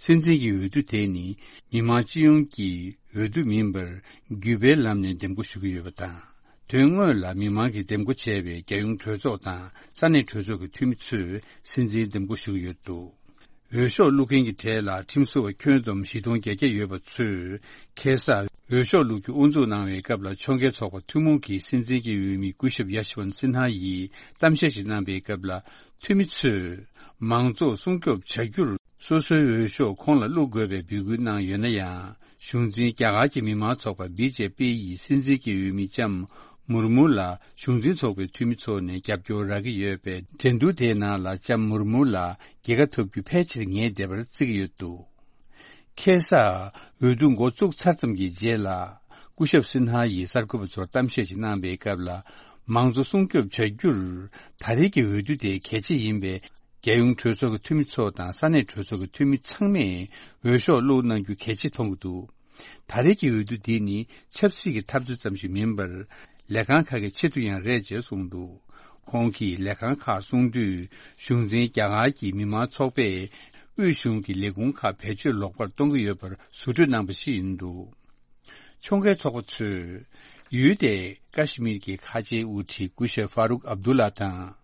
སྲིད་འཛིན་གྱི་འོས་བསྡུ་དེ་ནི་མི་མང་སྤྱི་ཡོངས་ཀྱི་འོས་བསྡུ་མིན་པར། བརྒྱུད་པའི་ལམ་ནས་འདེམས་བསྐོ་ཞུ་གི་ཡོད་པ་དང་། དོན་དངོས་ལ་མི་མང་གིས་འདེམས་བསྐོ་བྱས་པའི་རྒྱལ་ཡོངས་གྲོས་ཚོགས་དང་ས་གནས་གྲོས་ཚོགས་ཀྱི་འཐུས་མི་ཚོས་སྲིད་འཛིན་འདེམས་བསྐོ་ཞུ་གི་ཡོད་འདུག་འོས་ཤོག་བླུག་མཁན་གྱི་གྲས་ལ་ཁྲིམས་བཟོ་བ་ཁྱོན་བསྡོམས་བཞི་སྟོང་བརྒྱད་བརྒྱ་ཡོད་པ་ཚོས་ཁ་སང་འོས་ཤོག་བླུག་རྒྱུ་དབུ་འཛུགས་གནང་བའི་སྐབས་ལ་ཕྱོགས་འགལ་ཚོགས་པ་ཐུན་མོང་གིས་སྲིད་འཛིན་གྱི་འོས་མི་སྐུ་ཞབས་ཡ་ཤི་ཝན་སིན་ཧ་ཡིས་གཏམ་བཤད་ཞིག་གནང་པའི་སྐབས་ལ། འཐུས་མི་ཚོས་མང་གཙོ་སྲུང་སྐྱོབ་བྱ་རྒྱུར་སོ་སོའི་འོས་ཤོག་ཁོང་ལ་བླུག་དགོས་པའི་འབོད་སྐུལ་གནང་ཡོད་ན་ཡང་། གཞུང་འཛིན་རྒྱ་གར་གྱི་མི་མང་ཚོགས་པ་བི་ཇེ་པི་ཡི་སྲིད་འཛིན་གྱི་འོས་མི་ལྕམ་མུར་མུ་ལ་གཞུང་འཛིན་ཚོགས་པའི་འཐུས་མི་ཚོ་ནས་རྒྱབ་སྐྱོར་རག་གི་ཡོད་པས། འགྲན་བསྡུར་དེའི་ནང་ལ་ལྕམ་མུར་མུ་ལ་རྒྱལ་ཁ་ཐོབ་རྒྱུ་ཕལ་ཆེར་ངེས་བསྡད་པར་བརྩི་གི་ཡོད་འདུག་ཁ་སང་འོས་བསྡུ་འགོ་བཙུགས་ཚར་ཙམ་གྱི་རྗེས་ལ། སྐུ་ཞབས་སིན་ཧ་ཡིས་གསར་འགོད་པ་ཚོར་གཏམ་བཤད་ཅིག་གནང་པའི་སྐབས་ལ། མང་གཙོ་སྲུང་སྐྱོབ་བྱ་རྒྱུར་ད་རེས་ཀྱི་འོས་བསྡུ་དེ་གལ་ཆེ་ཡིན་པས། རྒྱལ་ཡོངས་གྲོས་ཚོགས་ཀྱི་འཐུས་མི་ཚོ་དང་ས་གནས་གྲོས་ཚོགས་ཀྱི་འཐུས་མི་ཚང་མས་འོས་ཤོག་བླུགས་གནང་རྒྱུ་གལ་ཆེ་མཐོང་གི་འདུག་ད་རེས་ཀྱི་འོས་བསྡུ་འདི་ནི་ཆབ་སྲིད་ཀྱི་འཐབ་རྩོད་ཙམ་ཞིག་མིན་པར། ལས་ཁང་ཁག་གི་ཆེད་དུ་ཡང་རེད་ཅེས་གསུངས་འདུག་ཁོང་གིས་ལས་ཁང་ཁག་གསུང་དུས། གཞུང་འཛིན་རྒྱ་གར་གྱི་མི་མང་ཚོགས་པས་དབུས་གཞུང་གི་ལས་ཁུངས་ཁག་བེད་སྤྱོད་ལོག་པར་གཏོང་གི་ཡོད་པར་ཟུར་འགྲེལ་གནང་པ་ཞིག་ཡིན་འདུག་ཕྱོགས་འགལ་ཚོགས་པ་ཚོས་ཡུལ་དེའི་ཀ་ཤི་མིར་གྱི་ཁ་ཆེའི་དབུ་ཁྲིད་སྐུ་ཞབས་ཧྥ་རུག་ཨབ་དུ་ལ་དང་།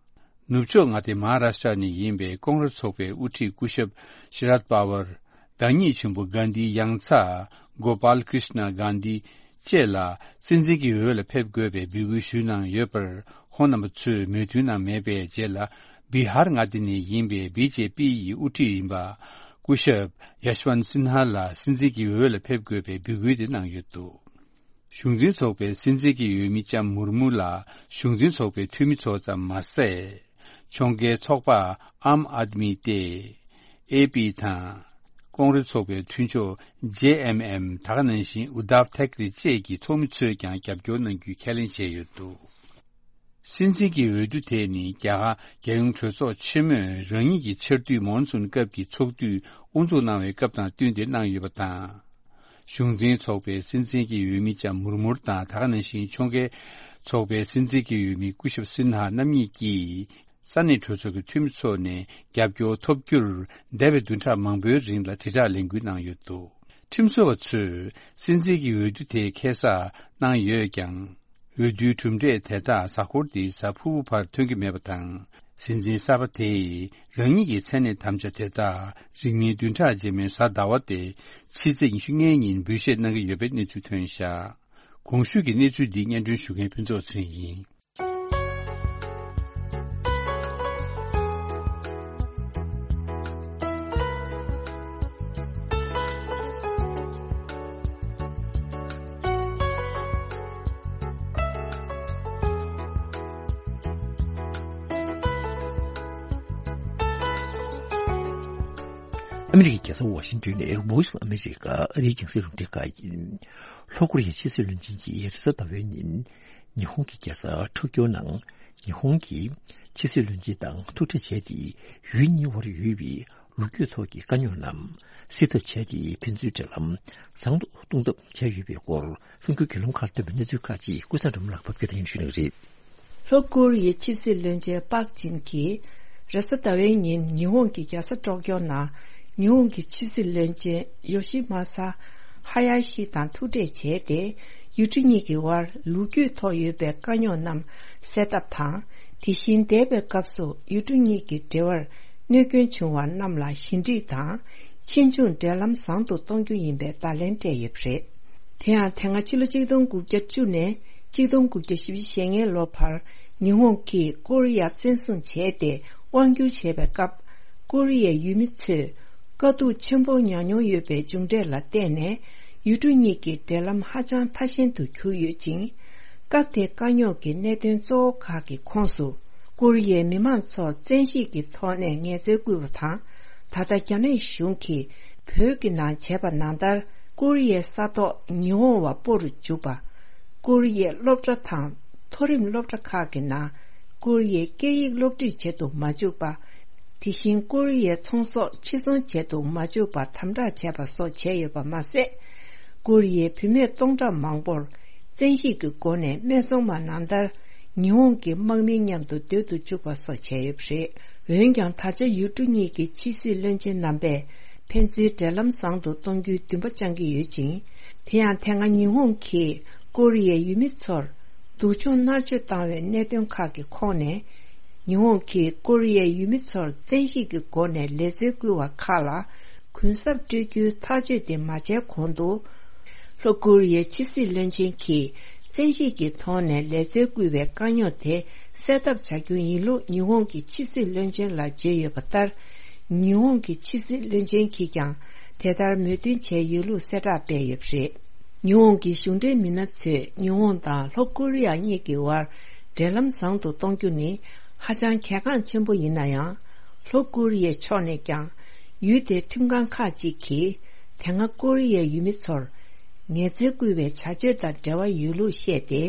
ནུབ་ཕྱོགས་མངའ་སྡེ་མ་ཧ་ར་ཤ་ནས་ཡིན་པའི་ཀོང་རེ་ཚོགས་པའི་དབུ་ཁྲིད་སྐུ་ཞབས་ཤི་རད་པ་ཝར། བདག་ཉིད་ཆེན་པོ་གྷན་དྷིའི་ཡང་ཚ་གོ་པཱལ་ཀྲིཤ་ན་གྷན་དྷི་བཅས་ལ་སྲིད་འཛིན་གྱི་འོས་ལ་ཕེབས་དགོས་པའི་འབོད་སྐུལ་ཞུས་གནང་ཡོད་པར། ཁོང་རྣམ་པ་ཚོས་མོས་མཐུན་གནང་མེད་པའི་རྗེས་ལ། བི་ཧར་མངའ་སྡེ་ནས་ཡིན་པའི་བི་ཇེ་པི་ཡི་དབུ་ཁྲིད་ཡིན་པ། སྐུ་ཞབས་ཡ་ཤི་ཝན་སིན་ཧ་ལ་སྲིད་འཛིན་གྱི་འོས་ལ་ཕེབས་དགོས་པའི་འབོད་སྐུལ་དེ་གནང་ཡོད་འདུག་གཞུང་འཛིན་ཚོགས་པའི་སྲིད་འཛིན་གྱི་འོས་མི་ལྕམ་མུར་མུ་ལ་གཞུང་འཛིན་ཚོགས་པའི་འཐུས་མི་ཚོ་ཙམ་མ་ཟད། ཕྱོགས་འགལ་ཚོགས་པ་ཨམ་ཨད་མི་ཏེ། ཨེ་པི་དང་། ཀོང་རེ་ཚོགས་པའི་མཐུན་ཕྱོགས་ཇེ་ཨེམ་ཨེམ། ད་ག་ནང་བཞིན་ཨུ་དྷབ་ཐེག་རེ་བཅས་ཀྱི་ཚོགས་མི་ཚོས་ཀྱང་རྒྱབ་སྐྱོར་གནང་རྒྱུའི་ཁས་ལེན་བྱས་ཡོད་འདུག་སྲིད་འཛིན་གྱི་འོས་བསྡུ་དེ་ནི་རྒྱ་གར་རྒྱལ་ཡོངས་གྲོས་ཚོགས་ཆེན་མོས་རང་ཉིད་ཀྱི་ཆར་དུས་མོན་སུན་སྐབས་ཀྱི་ཚོགས་དུས་དབུ་འཛུགས་གནང་བའི་སྐབས་དང་བསྟུན་ཏེ་གནང་ཡོད་པ་དང་། གཞུང་འཛིན་ཚོགས་པའི་སྲིད་འཛིན་གྱི་འོས་མི་ལྕམ་མུར་མུར་དང་། ད་ག་ནང་བཞིན་ཕྱོགས་འགལ་ཚོགས་པའི་སྲིད་འཛིན་གྱི་འོས་མི་སྐུ་ཞབས་སིན་ཧ་རྣམ་གཉིས་ཀྱིས། ས་གནས་གྲོས་ཚོགས་ཀྱི་འཐུས་མི་ཚོ་ནས་རྒྱབ་སྐྱོར་ཐོབ་རྒྱུར། འདས་པའི་བདུན་ཕྲག་མང་པོའི་རིང་ལ་དྲིལ་བསྒྲགས་ལས་འགུལ་གནང་ཡོད་འདུག་ཁྲིམས་བཟོ་བ་ཚོས་སྲིད་འཛིན་གྱི་འོས་བསྡུ་དེ་ཁ་སང་གནང་ཡོད་ཀྱང་། འོས་བསྡུའི་གྲུབ་འབྲས་དེ་དག་གཟའ་འཁོར་འདིའི་གཟའ་ཕུར་བུ་བར་ཐོན་གྱི་མེད་པ་དང་། སྲིད་འཛིན་གསར་པ་དེས་རང་ཉིད་ཀྱི་མཚན་གནས་དམ་བཅའ་དེ་དག་རིང་མིན་བདུན་ཕྲག་རྗེས་མའི་གཟའ་ཟླ་བ་སྟེ། ཕྱི་ཚེས་ཉི་ཤུ་ལྔའི་ཉིན་འབུལ་བཞེས་གནང་གི་ཡོད་པའི་གནས་ཚུལ་ཐོན་བཞག་གོང་ཞུས་ཀྱི་གནས་ཚུལ་འདི་སྙན་སྒྲོན་ཞུ་མཁན་ཕུན་ཚོགས་ཚེ་རིང་ཡིན། ཨ་མི་རི་ཀའི་རྒྱལ་ས་ཝ་ཤིང་ཏོན་ནས་Voice of America ཨ་རིའི་རྒྱང་སྲིང་རླུང་འཕྲིན་ཁང་ཡིན། ལྷོ་ཀོ་རི་ཡའི་ཕྱི་སྲིད་བློན་ཆེན་གྱིས་རེས་གཟའ་ཟླ་བའི་ཉིན། ཉི་ཧོང་གི་རྒྱལ་ས་ཊོ་ཀྱོ་ནང་ཉི་ཧོང་གི་ཕྱི་སྲིད་བློན་ཆེན་དང་ཐུག་འཕྲད་བྱས་ཏེ། ཡུལ་གཉིས་དབར་ཡོད་པའི་ལོ་རྒྱུས་ཐོག་གི་དཀའ་རྙོག་རྣམས་སེལ་ཐབས་བྱས་ཏེ། ཕན་ཚུན་འབྲེལ་ལམ་བཟང་དུ་གཏོང་ཐབས་བྱས་ཡོད་པའི་སྐོར། གསར་འགྱུར་བརྒྱུད་ལམ་ཁག་ལ་ཐོན་པའི་གནས་ཚུལ་ཁག་ཅིག་ཀུན་བཟང་སྒྲོལ་མ་ལགས་ཕབ་སྒྱུར་དང་། ཡང་ཞུ་གནང་གི་རེད། ལྷོ་ཀོ་རི་ཡའི་ཕྱི་སྲིད་བློན་ཆེན་པཱག་ཅིན་གྱིས་རེས་གཟའ་ཟླ་བའི་ཉིན་ཉི་ཧོང་གི་རྒྱལ་ས་ཊོ་ཀྱོ་ནང་ཉི་ཧོང་གི་ཕྱི་སྲིད་བློན་ཆེན་ཡོ་ཤི་མ་ས་ཧ་ཡ་ཤི་དང་ཐུག་འཕྲད་བྱས་ཏེ། ཡུལ་གྲུ་གཉིས་ཀྱི་དབར་ལོ་རྒྱུས་ཐོག་ཡོད་པའི་དཀའ་རྙོག་རྣམས་སེལ་ཐབས་དང་། དེ་བཞིན་འདས་པའི་སྐབས་སུ་ཡུལ་གྲུ་གཉིས་ཀྱི་འབྲེལ་བར་གནོད་སྐྱོན་བྱུང་བ་རྣམས་ལ་ཞི་འགྲིག་དང་། ཕྱིས་འབྱུང་འབྲེལ་ལམ་བཟང་དུ་གཏོང་རྒྱུ་ཡིན་པའི་བརྡ་ལན་སྤྲད་ཡོད་པ་རེད། དེ་ཡང་དེ་སྔ་ཕྱི་ལོ་གཅིག་སྟོང་དགུ་བརྒྱ་བཅུ་ནས་གཅིག་སྟོང་དགུ་བརྒྱ་བཞི་བཅུ་ཞེ་ལྔའི་ལོ་བར་ཉི་ཧོང་གིས་ཀོ་རི་ཡ་བཙན་བཟུང་བྱས་ཏེ་དབང་བསྒྱུར་བྱས་པའི་སྐབས། ཀོ་རི་ཡའི་ཡུལ་མི་ཚོས་དཀའ་སྡུག་ཆེན་པོ་མྱངས་མྱོང་ཡོད་པའི་མཇུག་འབྲས་ལ་བརྟེན་ནས། ཡུལ་གྲུ་གཉིས་ཀྱི་འབྲེལ་ལམ་ཧ་ཅང་ཐ་ཞན་དུ་གྱུར་ཡོད་ཅིང་། སྐབས་དེའི་དཀའ་རྙོག་གི་གནད་དོན་གཙོ་བོ་ཁག་གི་ཁོངས་སུ། ཀོ་རི་ཡའི་མི་མང་ཚོར་བཙན་ཤེད་ཀྱི་ཐོག་ནས་ངལ་རྩོལ་བསྐུལ་བ་དང་། ད་ལྟ་རྒྱ་ནག་གཞུང་གིས་བོད་ཀྱི་ནང་བྱས་པ་ནང་ལྟར། ཀོ་རི་ཡའི་ས་ཐོག་ཉི་ཧོང་བ་སྤོ་རུ་འཇུག་པ། ཀོ་རི་ཡའི་སློབ་གྲྭ་དང་མཐོ་རིམ་སློབ་གྲྭ་ཁག་གི་ནང་ཀོ་རི་ཡའི་སྐད་ཡིག་སློབ་ཁྲིད་བྱེད་དུ་མ་འཇུག་པ། དེ་བཞིན་ཀོ་རི་ཡའི་ཚོང་ཟོག་ཕྱིར་ཚོང་བྱེད་དུ་མ་འཇུག་པར་དམ་དྲག་བྱས་པ་སོགས་བྱས་ཡོད་པ་མ་ཟད། ཀོ་རི་ཡའི་བུད་མེད་སྟོང་ཕྲག་མང་པོར་བཙན་ཤེད་ཀྱི་སྒོ་ནས་སྨད་འཚོང་མ་ནང་ལྟར་ཉི་ཧོང་གི་དམག་མི་མཉམ་དུ་སྡོད་དུ་བཅུག་པ་སོགས་བྱས་ཡོད་པ་རེད། འོན་ཀྱང་། ད་ཆ་ཡུལ་གྲུ་གཉིས་ཀྱི་ཕྱི་སྲིད་བློན་ཆེན་རྣམ་པས་ཕན་ཚུན་འབྲེལ་ལམ་བཟང་དུ་གཏོང་རྒྱུའི་འདུན་པ་བཅངས་ཀྱི་ཡོད་ཅིང་། དེ་ཡང་། དེ་སྔ་ཉི་ཧོང་གིས་ཀོ་རི་ཡའི་ཡུལ་མི་ཚོར་སྡུག་སྦྱོང་མནར་གཅོད་བཏང་བའི་གནད་དོན་ཁག་གི་ཁོངས་ནས། ཉི་ཧོང་གིས་ཀོ་རི་ཡའི་ཡུལ་མི་ཚོར་བཙན་ཤེད་ཀྱི་སྒོ་ནས་ལས་འཛོལ་བསྐུལ་བ་ཁག་ལ་གུན་གསབ་སྤྲོད་རྒྱུའི་ཐག་གཅོད་དེ་མ་བྱས་གོང་དུ། ལྷོ་ཀོ་རི་ཡའི་ཕྱི་སྲིད་བློན་ཆེན་གྱིས་བཙན་ཤེད་ཀྱི་ཐོག་ནས་ལས་འཛོལ་བསྐུལ་བའི་དཀའ་རྙོག་དེ་སེལ་ཐབས་བྱ་རྒྱུ་ཡིན་ལུགས་ཉི་ཧོང་གི་ཕྱི་སྲིད་བློན་ཆེན་ལ་བརྗོད་ཡོད་པ་ལྟར། ཉི་ཧོང་གི་ཕྱི་སྲིད་བློན་ཆེན་གྱིས་ཀྱང་དེ་ལྟར་མོས་མཐུན་བྱས་ཡོད་ལུགས་གསལ་བསྒྲགས་སྤེལ་ཡོད་པ་རེད། ཉི་ཧོང་གི་གཞུང་འབྲེལ་མི་སྣ་ཚོས་ཉི་ཧོང་དང་ལྷོ་ཀོ་རི་ཡ་གཉིས་ཀྱི་དབར་འབྲེལ་ལམ་བཟང་དུ་གཏོང་རྒྱུ་ནི་ཧ་ཅང་གལ་འགངས་ཆེན་པོ་ཡིན་ན་ཡང་། ལྷོ་ཀོ་རི་ཡའི་ཕྱོགས་ནས་ཀྱང་ཡུལ་དེའི་ཁྲིམས་ཁང་ཁག་ཅིག་གིས་དེ་སྔ་ཀོ་རི་ཡའི་ཡུལ་མི་ཚོར་ངལ་རྩོལ་བསྐུལ་བའི་བྱ་སྤྱོད་དང་འབྲེལ་བ་ཡོད་ལུགས་བཤད་དེ།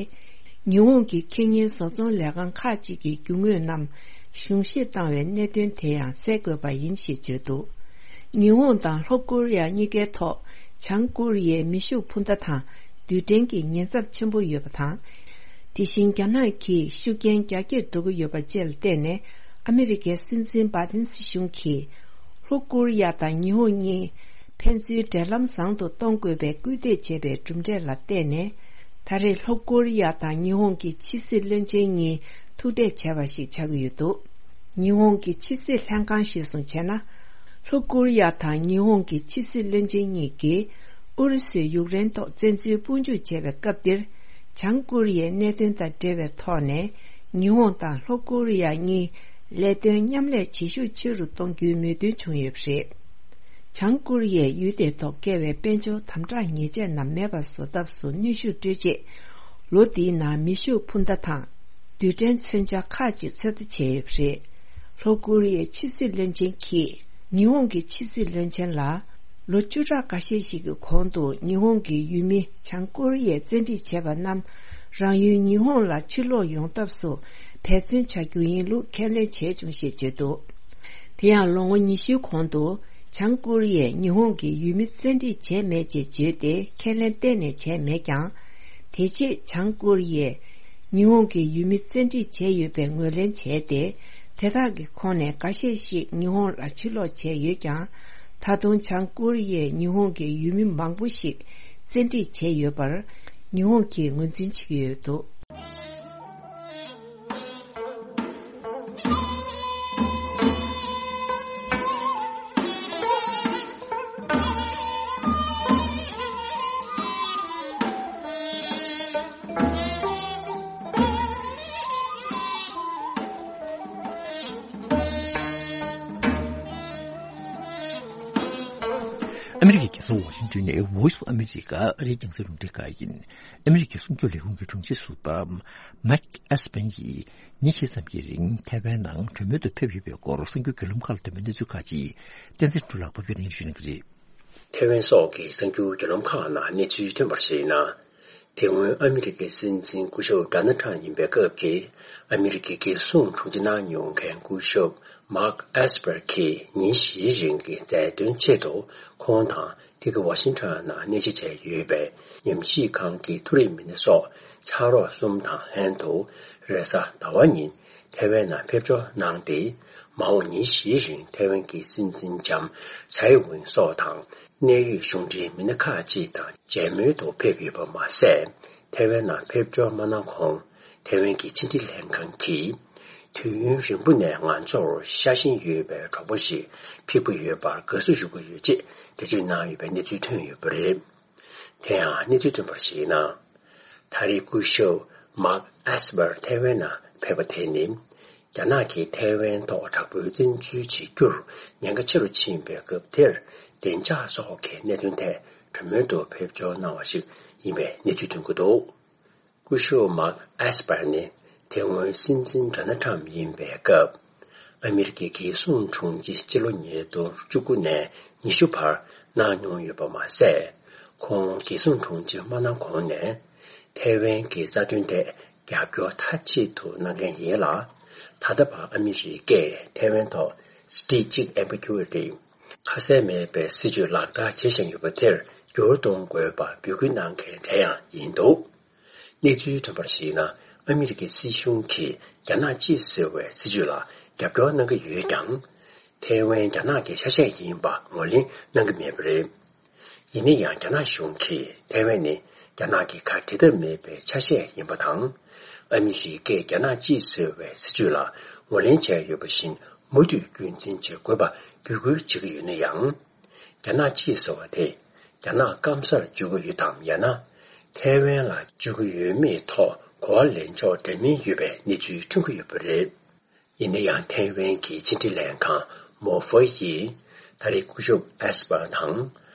ཉི་ཧོང་གི་ཁེ་གཉེར་བཟོ་ཚོང་ལས་ཁང་ཁག་ཅིག་གི་རྒྱུ་དངོས་རྣམས་གཞུང་བཞེས་བཏང་བའི་གནད་དོན་དེ་ཡང་སེལ་དགོས་པ་ཡིན་ཞེས་བརྗོད་འདུག་ཉི་ཧོང་དང་ལྷོ་ཀོ་རི་ཡ་གཉིས་ཀའི་ཐོག་བྱང་ཀོ་རི་ཡའི་མེ་ཤུགས་འཕུར་མདའ་དང་རྡུལ་ཕྲན་གྱི་ཉེན་ཚབས་ཆེན་པོ་ཡོད་པ་དང་། དེ་བཞིན་རྒྱ་ནག་གིས་ཤུགས་རྐྱེན་རྒྱ་སྐྱེད་འགྲོ་གི་ཡོད་པ་བཅས་ལ་བརྟེན་ནས། ཨ་མི་རི་ཀའི་སྲིད་འཛིན་བྷ་དིན་སྲིད་གཞུང་གིས་ལྷོ་ཀོ་རི་ཡ་དང་ཉི་ཧོང་གཉིས་ཕན་ཚུན་འབྲེལ་ལམ་བཟང་དུ་གཏོང་དགོས་པའི་སྐུལ་འདེད་བྱས་པའི་གྲུབ་འབྲས་ལ་བརྟེན་ནས། ད་རེས་ལྷོ་ཀོ་རི་ཡ་དང་ཉི་ཧོང་གི་ཕྱི་སྲིད་བློན་ཆེན་གཉིས་ཐུག་འཕྲད་བྱས་པ་ཞིག་ཆགས་ཀྱི་ཡོད་འདུག་ཉི་ཧོང་གི་ཕྱི་སྲིད་ལྷན་ཁང་གཞིར་བཟུང་བྱས་ན། ལྷོ་ཀོ་རི་ཡ་དང་ཉི་ཧོང་གི་ཕྱི་སྲིད་བློན་ཆེན་གཉིས་ཀྱིས་ཨུ་རུ་སུས་ཡུཀ་རེན་ཐོག་བཙན་འཛུལ་དཔུང་འཇུག་བྱས་པའི་སྐབས་འདིར། བྱང་ཀོ་རི་ཡའི་གནད་དོན་དང་འབྲེལ་བའི་ཐོག་ནས། ཉི་ཧོང་དང་ལྷོ་ཀོ་རི་ཡ་གཉིས་ལས་དོན་མཉམ་ལས་བྱེད་ཤུགས་ཆེ་རུ་གཏོང་རྒྱུའི་མོས་མཐུན་བྱུང་ཡོད་པ་རེད། བྱང་ཀོ་རི་ཡས་ཡུལ་དེའི་ཐོག་བཀལ་བའི་དཔལ་འབྱོར་དམ་དྲག་ཉེས་ཆད་རྣམས་མེད་པར་བཟོ་ཐབས་སུ་གནོན་ཤུགས་སྤྲོད་ཆེད། ལོ་འདིའི་ནང་མེ་ཤུགས་འཕུར་མདའ་དང་། རྡུལ་ཕྲན་མཚོན་ཆ་ཁག་ཅིག་ཚོད་ལྟ་བྱས་ཡོད་པ་རེད། ལྷོ་ཀོ་རི་ཡའི་ཕྱི་སྲིད་བློན་ཆེན་གྱིས་ཉི་ཧོང་གི་ཕྱི་སྲིད་བློན་ཆེན་ལ། ལོ་བཅུ་ཕྲག་འགའ་ཤས་ཤིག་གི་གོང་དུ་ཉི་ཧོང་གི་ཡུལ་མི་བྱང་ཀོ་རི་ཡས་བཙན་ཁྲིད་བྱས་པ་རྣམས་རང་ཡུལ་ཉི་ཧོང་ལ་ཕྱིར་ལོག་ཡོང་ཐབས་སུ་འབད་བརྩོན་བྱ་རྒྱུ་ཡིན་ལུགས་ཁས་ལེན་བྱས་བྱུང་ཞེས་བརྗོད་འདུག་དེ་ཡང་ལོ་ངོ་ཉི་ཤུའི་གོང་དུ་བྱང་ཀོ་རི་ཡས་ཉི་ཧོང་གི་ཡུལ་མི་བཙན་ཁྲིད་བྱས་མེད་ཅེས་བརྗོད་དེ་ཁས་ལེན་གཏན་ནས་བྱས་མེད་ཀྱང་། དེ་རྗེས་བྱང་ཀོ་རི་ཡས་ཉི་ཧོང་གི་ཡུལ་མི་བཙན་ཁྲིད་བྱས་ཡོད་པའི་ངོས་ལེན་བྱས་ཏེ། དེ་དག་གི་ཁོངས་ནས་འགའ་ཤས་ཤིག་ཉི་ཧོང་ལ་ཕྱིར་ལོག་བྱས་ཡོད་ཀྱང་། ད་དུང་བྱང་ཀོ་རི་ཡས་ཉི་ཧོང་གི་ཡུལ་མི་མང་པོ་ཞིག་བཙན་ཁྲིད་བྱས་ཡོད་པར་ཉི་ཧོང་གིས་ངོས་འཛིན་བྱེད་ཀྱི་ཡོད་འདུག་ཨ་མི་རི་ཀའི་རྒྱལ་ས་ཝ་ཤིང་ཏོན་ནས་Voice of America ཨ་རིའི་རྒྱང་སྲིང་རླུང་འཕྲིན་ཁང་ཡིན། ཨ་མི་རི་ཀའི་སྲུང་སྐྱོབ་ལས་ཁུངས་ཀྱི་དྲུང་ཆེ་ཟུར་པ་མེག་ཨེས་པན་གྱིས་ཉིན་ཕྱེད་ཙམ་གྱི་རིང་ཐའེ་ཝན་ནང་གྲོས་མོལ་དུ་ཕེབས་ཡོད་པའི་སྐོར་གསར་འགྱུར་བརྒྱུད་ལམ་ཁག་ལ་ཐོན་པའི་གནས་ཚུལ་ཁག་ཅིག་བསྟན་འཛིན་ཕྲུག་ལགས་ཕབ་སྒྱུར་གནང་ཞུ་གནང་གི་རེད། ཐའེ་ཝན་སོགས་ཀྱི་གསར་འགྱུར་བརྒྱུད་ལམ་ཁག་ནང་གནས་ཚུལ་ཐོན་པར་གཞིགས་ན། དེ་སྔོན་ཨ་མི་རི་ཀའི་སྲིད་འཛིན་སྐུ་ཞབས་ཌོ་ནལ་ཊམ་ཡིན་པའི་སྐབས་ཀྱི་ཨ་མི་རི་ཀའི་རྒྱལ་སྲུང་དྲུང་ཆེ་གནང་མྱོང་མཁན་སྐུ་ཞབས་མཱག་ཨེས་པར་གྱིས་ཉིན་བཞིའི་རིང་གི་མཛད་དོན་ཆེད་དུ་ཁོང་དང་འདི་ག་ཝ་ཤིང་ཊོན་ནང་གནས་མཇལ་བྱས་ཡོད་པའི་ཉམས་ཞིབ་ཁང་གི་མཐོ་རིམ་མི་སྣ་སོགས་ཕྱག་རོགས་གསུམ་དང་ལྷན་དུ་རེས་གཟའ་ཟླ་བ་ཉིན་ཐའེ་ཝན་ནང་ཕེབས་འབྱོར་གནང་སྟེ། མ་འོངས་ཉིན་བཞིའི་རིང་ཐའེ་ཝན་གྱི་སྲིད་འཛིན་ལྕམ་ཚའེ་ཝིན་སོགས་དང་གནད་ཡོད་གཞུང་འབྲེལ་མི་སྣ་ཁག་ཅིག་དང་མཇལ་མོལ་དུ་ཕེབས་ཡོད་པ་མ་ཟད། ཐའེ་ཝན་ནང་ཕེབས་འབྱོར་མ་གནང་གོང་ཐའེ་ཝན་གྱི་ཕྱི་འབྲེལ་ལྷན་ཁང་གིས་དུས་ཡུན་རིང་པོ་ནས་ང་ཚོར་ཤ་ཞེན་ཡོད་པའི་གྲོགས་པོ་ཞིག་ཕེབས་ཀྱི་ཡོད་པར་དགའ་བསུ་ཞུ་གི་ཡོད་ཅེས་འགྲེལ་བརྗོད་གནང་ཡོད་པའི་གནས་ཚུལ་ཐོན་ཡོད་པ་རེད། དེ་ཡང་གནས་ཚུལ་ཐོན་པར་གཞིགས་ན། ད་རེས་སྐུ་ཞབས་མཱག་ཨེས་པར་ཐའེ་ཝན་ནང་ཕེབས་པ་དེ་ནི། རྒྱ་ནག་གིས་ཐའེ་ཝན་ཐོག་དྲག་པོའི་བཙན་འཛུལ་བྱེད་རྒྱུར་ཉེན་ཁ་ཆེ་རུ་ཕྱིན་པའི་སྐབས་དེར། བདེ་འཇགས་སོགས་ཀྱི་གནད་དོན་ཐད་གྲོས་མོལ་དུ་ཕེབས་འབྱོར་གནང་བ་ཞིག་ཡིན་པའི་གནས་ཚུལ་ཐོན་གྱི་འདུག་སྐུ་ཞབས་མཱག་ཨེས་པར་ནི་དེ་སྔོན་སྲིད་འཛིན་ཌོ་ནལ་ཁྲམ་ཡིན་པའི་སྐབས། ཨ་མི་རི་ཀའི་རྒྱལ་སྲུང་དྲུང་ཆེ་སྤྱི་ལོ་ཉིས་སྟོང་བཅུ་དགུ་ནས་ཉི་ཤུ་བར་གནང་མྱོང་ཡོད་པ་མ་ཟད། ཁོང་རྒྱལ་སྲུང་དྲུང་ཆེ་མ་གནང་གོང་ནས། ཐའེ་ཝན་གྱི་རྩ་དོན་ཐད་རྒྱབ་སྐྱོར་མཐའ་གཅིག་ཏུ་གནང་མཁན་ཡིན་ལ། ད་ལྟ་བར་ཨ་མི་རི་ཀས་ཐའེ་ཝན་ཐོག་སི་ཊེ་ཊིག་ཨེམ་བི་གུ་ཨི་ཊི། ཁ་གསལ་མེད་པའི་སྲིད་ཇུས་ལག་བསྟར་བྱེད་བཞིན་ཡོད་པ་དེར་འགྱུར་གཏོང་དགོས་པར་འབོད་སྐུལ་གནང་མཁན་དེ་ཡང་ཡིན་འདུག་གནས་ཚུལ་ཐོན་པར་གཞིགས་ན། ཨ་མི་རི་ཀའི་སྲིད་གཞུང་གིས་རྒྱ་ནག་གཅིག་ཟེར་བའི་སྲིད་ཇུས་ལ་རྒྱབ་སྐྱོར་གནང་གི་ཡོད་ཀྱང་། ཐའེ་ཝན་རྒྱ་ནག་གི་ཆ་ཤས་ཡིན་པ་ངོས་ལེན་གནང་གི་མེད་པ་རེད། ཡིན་ན་ཡང་། རྒྱ་ནག་གཞུང་གིས་ཐའེ་ཝན་ནི་རྒྱ་ནག་གི་ཁ་འབྲལ་ཐབས་མེད་པའི་ཆ་ཤས་ཡིན་པ་དང་། ཨ་མི་རི་ཀས་རྒྱ་ནག་གཅིག་ཟེར་བའི་སྲིད་ཇུས་ལ་ངོས་ལེན་བྱས་ཡོད་པ་བཞིན། མུ་མཐུད་རྒྱུན་འཛིན་བྱེད་དགོས་པ་འབོད་སྐུལ་བྱེད་ཀྱི་ཡོད་ན་ཡང་། རྒྱ་ནག་གཅིག་ཟེར་བ་དེ་རྒྱ་ནག་སྐམ་སར་བརྗོད་ཀྱི་ཡོད་དམ། ཡང་ན་ཐའེ་ཝན་ལ་བརྗོད་ཀྱི་ཡོད་མེད་ཐོག་གོ་བ་ལེན་ཕྱོགས་འདྲ་མིན་ཡོད་པའི་གནས་ཚུལ་ཐོན་གྱི་ཡོད་པ་རེད། ཡིན་ན་ཡང་། ཐའེ་ཝན་གྱི་ཕྱི་འབྲེལ་ལྷན་ཁང་མོ་ཧྥེ་ཡིས་ད་རེས་སྐུ་ཞབས་ཨེས་པར་དང་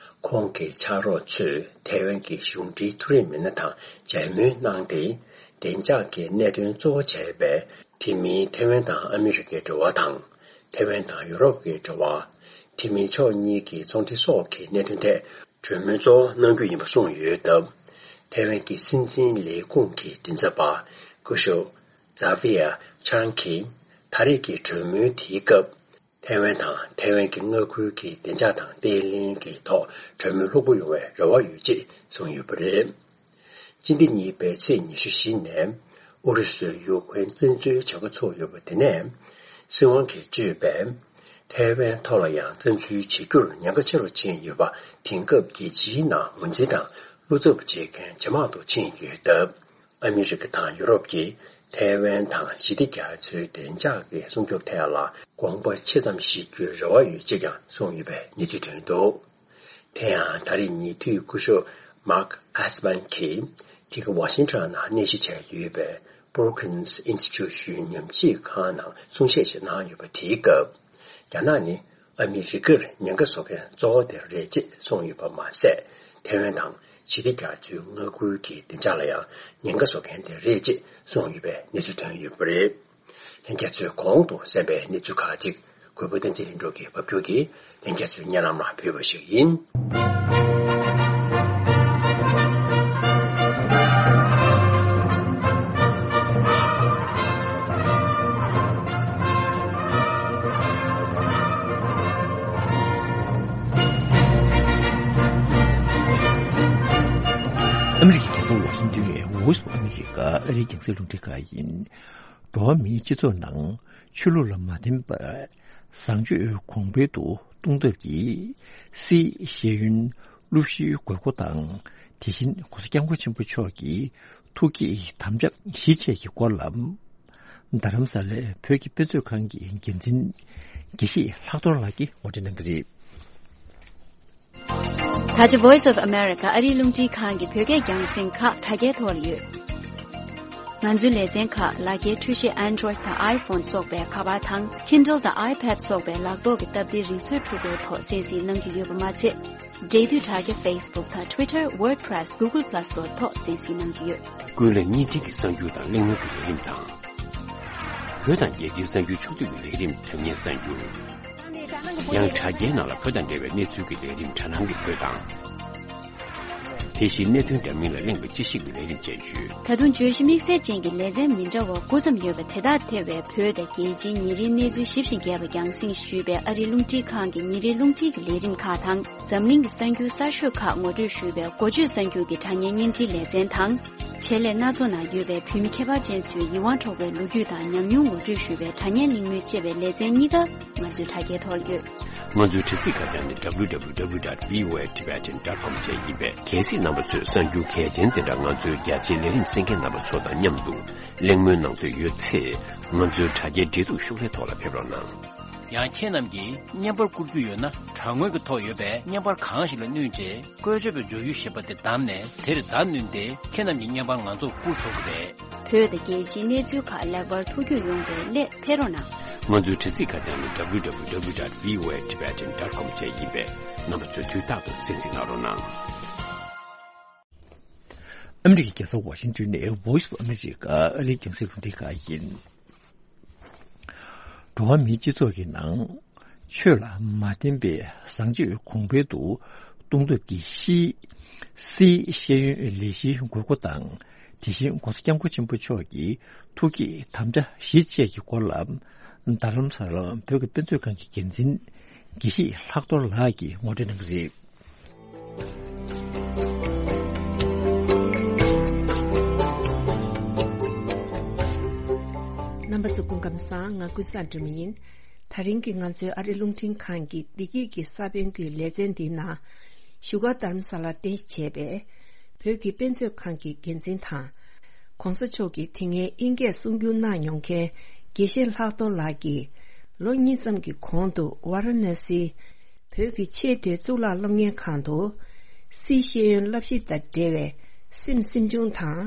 ཁོང་གི་ཕྱག་རོགས་ཚོས་ཐའེ་ཝན་གྱི་གཞུང་འབྲེལ་མཐོ་རིམ་མི་སྣ་དང་མཇལ་མོལ་གནང་སྟེ། བདེ་འཇགས་ཀྱི་གནད་དོན་གཙོ་བོ་བྱས་པའི་དེ་མིན་ཐའེ་ཝན་དང་ཨ་མི་རི་ཀའི་འབྲེལ་བ་དང་། ཐའེ་ཝན་དང་ཡུ་རོབ་ཀྱི་འབྲེལ་བ། དེ་མིན་ཕྱོགས་གཉིས་ཀྱི་ཚོང་འབྲེལ་སོགས་ཀྱི་གནད་དོན་ཐད་གྲོས་མོལ་གཙོ་བོ་གནང་རྒྱུ་ཡིན་པ་གསུངས་ཡོད་སྟབས། ཐའེ་ཝན་གྱི་སྲིད་འཛིན་ལས་ཁུངས་ཀྱི་མགྲིན་ཚབ་པ་སྐུ་ཞབས་ཛ་ཝི་ཡ་ཆང་གིས་ད་རེས་ཀྱི་གྲོས་མོལ་དེའི་སྐབས། ཐའེ་ཝན་དང་ཐའེ་ཝན་གྱི་མངའ་ཁུལ་གྱི་བདེ་འཇགས་དང་བརྟན་ལྷིང་གི་ཐོག་གྲོས་མོལ་ལྷུག་པོ་ཡོང་བའི་རེ་བ་ཡོད་ཅེས་གསུངས་ཡོད་པ་རེད། སྤྱི་ཟླ་གཉིས་པའི་ཚེས་ཉི་ཤུ་བཞི་ནས་ཨུ་རུ་སུས་ཡུཀ་རེན་བཙན་འཛུལ་བྱེད་འགོ་ཚུགས་ཡོད་པ་དེ་ནས། སྲིད་དབང་གིས་གཙོས་པའི་ཐའེ་ཝན་ཐོག་ལ་ཡང་བཙན་འཛུལ་བྱེད་རྒྱུར་ཉེན་ཁ་ཆེ་རུ་ཕྱིན་ཡོད་པ། དེང་སྐབས་རྒྱལ་སྤྱིའི་ནང་ངོས་འཛིན་དང་བློ་འཚབ་བྱེད་མཁན་ཇེ་མང་དུ་ཕྱིན་ཡོད་སྟབས། ཨ་མི་རི་ཀ་དང་ཡུ་རོབ་ཀྱིས་ཐའེ་ཝན་དང་ཞི་བདེ་རྒྱ་མཚོའི་བདེ་འཇགས་ཀྱི་སྲུང་སྐྱོབ་ཐད་ལ་དགོངས་པ་ཆེ་ཙམ་བཞེས་རྒྱུའི་རེ་བ་ཡོད་ཅེས་ཀྱང་གསུངས་ཡོད་པའི་གནས་ཚུལ་ཐོན་འདུག་དེ་ཡང་། ད་རེས་ཉེ་དུས་སྐུ་ཞབས་མཱག་ཨེས་པན་གྱིས་དེ་ག་ཝ་ཤིང་ཊོན་ནང་གནས་གཞི་བྱས་ཡོད་པའི་Brookings Institution ཉམས་ཞིབ་ཁང་ནང་གསུང་བཤད་ཞིག་གནང་ཡོད་པ། དེའི་སྐབས། རྒྱ་ནག་ནི་ཨ་མི་རི་ཀར་ཉེན་ཁ་བཟོ་མཁན་གཙོ་བོ་དེ་རེད་ཅེས་གསུངས་ཡོད་པ་མ་ཟད། ཐའེ་ཝན་དང་ཞི་བདེ་རྒྱ་མཚོའི་མངའ་ཁུལ་གྱི་བདེ་འཇགས་ལ་ཡང་ཉེན་ཁ་བཟོ་མཁན་དེ་རེད་ཅེས་གསུངས་ཡོད་པའི་གནས་ཚུལ་ཐོན་ཡོད་པ་རེད། ལྷན་རྒྱས་ཚོས་གོང་དུ་གསན་པའི་གནས་ཚུལ་ཁག་ཅིག་གུས་པ་བསྟན་འཛིན་ལྷུན་གྲུབ་ཀྱིས་ཕབ་སྒྱུར་གྱིས་ལྷན་རྒྱས་ཚོའི་སྙན་ལམ་ལ་ཕུལ་བ་ཞིག་ཡིན། ཨ་མི་རི་ཀའི་རྒྱལ་ས་ཝ་ཤིང་ཏོན་ཨེ་ཝོ་སི་ཨ་མི་རི་ཀ་ཨ་རིའི་རྒྱང་སྲིང་རླུང་འཕྲིན་ཁང་ཡིན། འགྲོ་བ་མིའི་སྤྱི་ཚོགས་ནང་ཆོས་ལུགས་ལ་མ་བརྟེན་པར་བཟང་སྤྱོད་གོང་འཕེལ་དུ་གཏོང་ཐབས་ཀྱི་སི་ཤེས་ཡོན་སློབ་གཞིའི་དགོས་མཁོ་དང་། དེ་བཞིན་༸གོང་ས་༸སྐྱབས་མགོན་ཆེན་པོ་མཆོག་གི་ཐུགས་བསྐྱེད་དམ་བཅའ་བཞི་བཅས་ཀྱི་སྐོར་ལ། རྡ་རམ་ས་ལའི་བོད་ཀྱི་དཔེ་མཛོད་ཁང་གི་འགན་འཛིན་དགེ་བཤེས་ལྷག་རྡོར་ལགས་ཀྱིས་ངོ་སྤྲོད་གནང་གི་རེད། ད་ཆ་Voice of America ཨ་རིའི་རླུང་འཕྲིན་ཁང་གི་བོད་སྐད་རྒྱང་སྲིང་ཁག་དྲ་རྒྱའི་ཐོག་ལ་ཡོད། ང་ཚོའི་ལེ་ཚན་ཁག་ལག་འཁྱེར་འཕྲུལ་ཆས་Android དང་iPhone སོགས་པའི་ཁ་པར་དང་Kindle དང་iPad སོགས་པའི་ལག་ཐོག་གི་སྟབས་བདེའི་རིག་མཛོད་འཕྲུལ་འཁོར་ཐོག་གསན་གཟིགས་གནང་རྒྱུ་ཡོད་པ་མ་ཚད། འབྲེལ་མཐུད་དྲ་རྒྱ་Facebook དང་Twitter, WordPress, Google Plus སོགས་ཐོག་གསན་གཟིགས་གནང་རྒྱུ་ཡོད། ཀུན་གླེང་བརྙན་འཕྲིན་གྱི་གསར་འགྱུར་དང་གླེང་མོལ་གྱི་ལས་རིམ་དང་། བོད་དང་རྒྱལ་སྤྱིའི་གསར་འགྱུར་ཕྱོགས་བསྡུས་ཀྱི་ལས་རིམ་དྲ་བརྙན་གསར་འགྱུར། ཡང་དྲ་རྒྱའི་ནང་ལ་བོད་དང་འབྲེལ་བའི་གནས་ཚུལ་གྱི་ལས་རིམ་དྲ་སྣང་གི་བོད་དང་། དེ་བཞིན་གནད་དོན་འདྲ་མིན་ལ་གླེང་བའི་དཔྱད་ཞིབ་ཀྱི་ལས་རིམ་བཅས་ཡོད། ད་དུང་བརྗོད་གཞི་དམིགས་བསལ་ཅན་གྱི་ལེ་ཚན་མི་འདྲ་བ་དགུ་ཙམ་ཡོད་པ་དེ་དག་ཐེ་བའི་བོད་དང་རྒྱལ་སྤྱིའི་ཉིན་རེའི་གནས་ཚུལ་ཞིབ་ཅིང་རྒྱས་པ་རྒྱང་སྲིང་ཞུས་པའི་ཨ་རིའི་རླུང་འཕྲིན་ཁང་གི་ཉིན་རེའི་རླུང་འཕྲིན་གྱི་ལས་རིམ་ཁག་དང་། འཛམ་གླིང་གི་གསར་འགྱུར་གསར་ཤོས་ཁག་ངོ་སྤྲོད་ཞུས་པའི་འགོ་བརྗོད་གསར་འགྱུར་གྱི་དྲ་བརྙན་བརྙན་འཕྲིན་ལེ་ཚན་དང་། ཆེད་ལས་སྣ་ཚོགས་ནང་ཡོད་པའི་བོད་མི་ཁྱད་པར་ཅན་ཚོའི་ཡིད་དབང་འཕྲོག་པའི་ལོ་རྒྱུས་དང་ཉམས་མྱོང་ངོ་སྤྲོད་ཞུས་པའི་དྲ་བརྙན་གླེང་མོལ་ཅེས་པའི་ལེ་ཚན་གཉིས་ཀ་ང་ཚོའི་དྲ་རྒྱའི་ཐོག་ལ་ཡོད། ང་ཚོའི་དྲ་ཚིགས་ཁ་བྱང་ནི་W W W dot V O A Tibetan dot com བཅས་ཡིན་པས། གལ་སྲིད་རྣམ་པ་ཚོས་གསར་འགྱུར་གལ་ཆེན་དེ་འདྲ་ང་ཚོའི་རྒྱ་ཆེའི་ལས་རིམ་གསན་མཁན་རྣམ་པ་ཚོ་དང་མཉམ་དུ་གླེང་མོལ་གནང་འདོད་ཡོད་ཚེ། ང་ཚོའི་དྲ་རྒྱའི་འབྲེལ་གཏུག་ཤོག་ལྷེ་ཐོག་ལ་ཕེབས་རོགས་གནང་། ཡང་ཁྱེད་རྣམས་ཀྱིས་བརྙན་པར་བསྐུར་རྒྱུ་ཡོད་ན། དྲ་ངོས་ཀྱི་ཐོག་ཡོད་པའི་བརྙན་པར་གང་ཞིག་ལ་བསྣུན་རྗེས། བཀོལ་སྤྱོད་པའི་མཇུག་ཡུལ་ཞེས་པ་དེ་བདམས་ནས། དེར་བརྡ་བསྣུན་ཏེ། ཁྱེད་རྣམས་ཀྱི་བརྙན་པར་ང་ཚོར་བསྐུར་ཆོག་གི་རེད། བོད་དང་རྒྱལ་སྤྱིའི་གནས་ཚུལ་ཁག་ལེགས་པར་ཐུགས་འཁྱོལ་ཡོང་བའི་སླད་ཕེབས་རོགས་གནང་། ང་ཚོའི་དྲ་ཚིགས་ཁ་བྱང་ནི་www.voatibetan.com བཅས་ཡིན་པས། རྣམ་པ་ཚོས་དུས་རྟག་ཏུ་གསན་གཟིགས་གནང་རོགས་གནང་། ཨ་མི་རི་ཀའི་རྒྱལ་ས་ཝ་ཤིང་ཏོན་ནས་Voice of America ཨ་རིའི་རྒྱང་སྲིང་རླུང་འཕྲིན་ཁང་ཡིན། འགྲོ་བ་མིའི་སྤྱི་ཚོགས་ཀྱི་ནང་ཆོས་ལ་མ་བརྟེན་པའི་བཟང་སྤྱོད་གོང་འཕེལ་དུ་གཏོང་ཐབས་ཀྱི་སི་སི་ཤེས་ཡོན་ལས་གཞིའི་དགོས་མཁོ་དང་། དེ་བཞིན་༸གོང་ས་༸སྐྱབས་མགོན་ཆེན་པོ་མཆོག་གི་ཐུགས་བསྐྱེད་དམ་བཅའ་བཞི་བཅས་ཀྱི་སྐོར་ལ། རྡ་རམ་ས་ལ་བོད་ཀྱི་དཔེ་མཛོད་ཁང་གི་འགན་འཛིན་དགེ་བཤེས་ལྷག་རྡོར་ལགས་ཀྱིས་ངོ་སྤྲོད་གནང་གི་རེད། རྣམ་པ་ཚོ་སྐུ་ཁམས་བཟང་། ང་ཀུན་བཟང་སྒྲོལ་མ་ཡིན། དེ་རིང་གི་ང་ཚོའི་ཨ་རི་རླུང་འཕྲིན་ཁང་གི་བདེ་སྐྱིད་ཀྱི་ས་བོན་གྱི་ལེ་ཚན་འདིའི་ནང་བཞུགས་སྒར་རྡ་རམ་ས་ལར་རྟེན་གཞི་བྱས་པའི་བོད་ཀྱི་དཔེ་མཛོད་ཁང་གི་འགན་འཛིན་དང་། ༸གོང་ས་མཆོག་གིས་དེ་སྔའི་དབྱིན་སྐད་གསུང་སྒྱུར་གནང་མྱོང་མཁན་དགེ་བཤེས་ལྷག་རྡོར་ལགས་ཀྱིས་ལོ་གཉིས་ཙམ་གྱི་གོང་དུ་ཝཱ་ར་ཎ་སིའི་བོད་ཀྱི་ཆེས་མཐོའི་གཙུག་ལག་སློབ་གཉེར་ཁང་དུ་སི་ཤེས་ཡོན་བསླབ་གཞི་དང་འབྲེལ་བའི་སེམས་སེམས་བྱུང་དང་།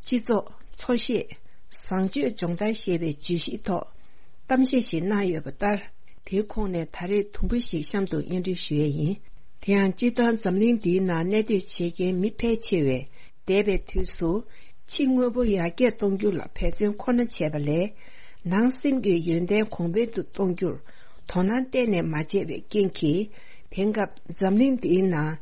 སྤྱི་ཚོགས། འཚོ་བཤད། བཟང་སྤྱོད་སྦྱོང་བརྡར་ཞེས་པའི་བརྗོད་གཞིའི་ཐོག་གཏམ་བཤད་ཞིག་གནང་ཡོད་པ་ལྟར། དེའི་ཁོངས་ནས་ད་རེས་དུམ་བུ་ཞིག་གཤམ་དུ་སྙན་སྒྲོན་ཞུ་ཡས་ཡིན། དེ་ཡང་སྤྱིར་བཏང་འཛམ་གླིང་འདིའི་ནང་གནས་སྡོད་བྱེད་མཁན་མི་ཕལ་ཆེ་བས་འདས་པའི་དུས་སུ་ཕྱི་དངོས་པོ་ཡར་རྒྱས་གཏོང་རྒྱུ་ལ་འབད་བརྩོན་ཁོ་ན་བྱས་པ་ལས། ནང་སེམས་ཀྱི་ཡོན་ཏན་གོང་འཕེལ་དུ་གཏོང་རྒྱུར་དོ་སྣང་གཏན་ནས་མ་བྱས་པའི་རྐྱེན་གྱིས། དེང་སྐབས་འཛམ་གླིང་འདིའི་ནང་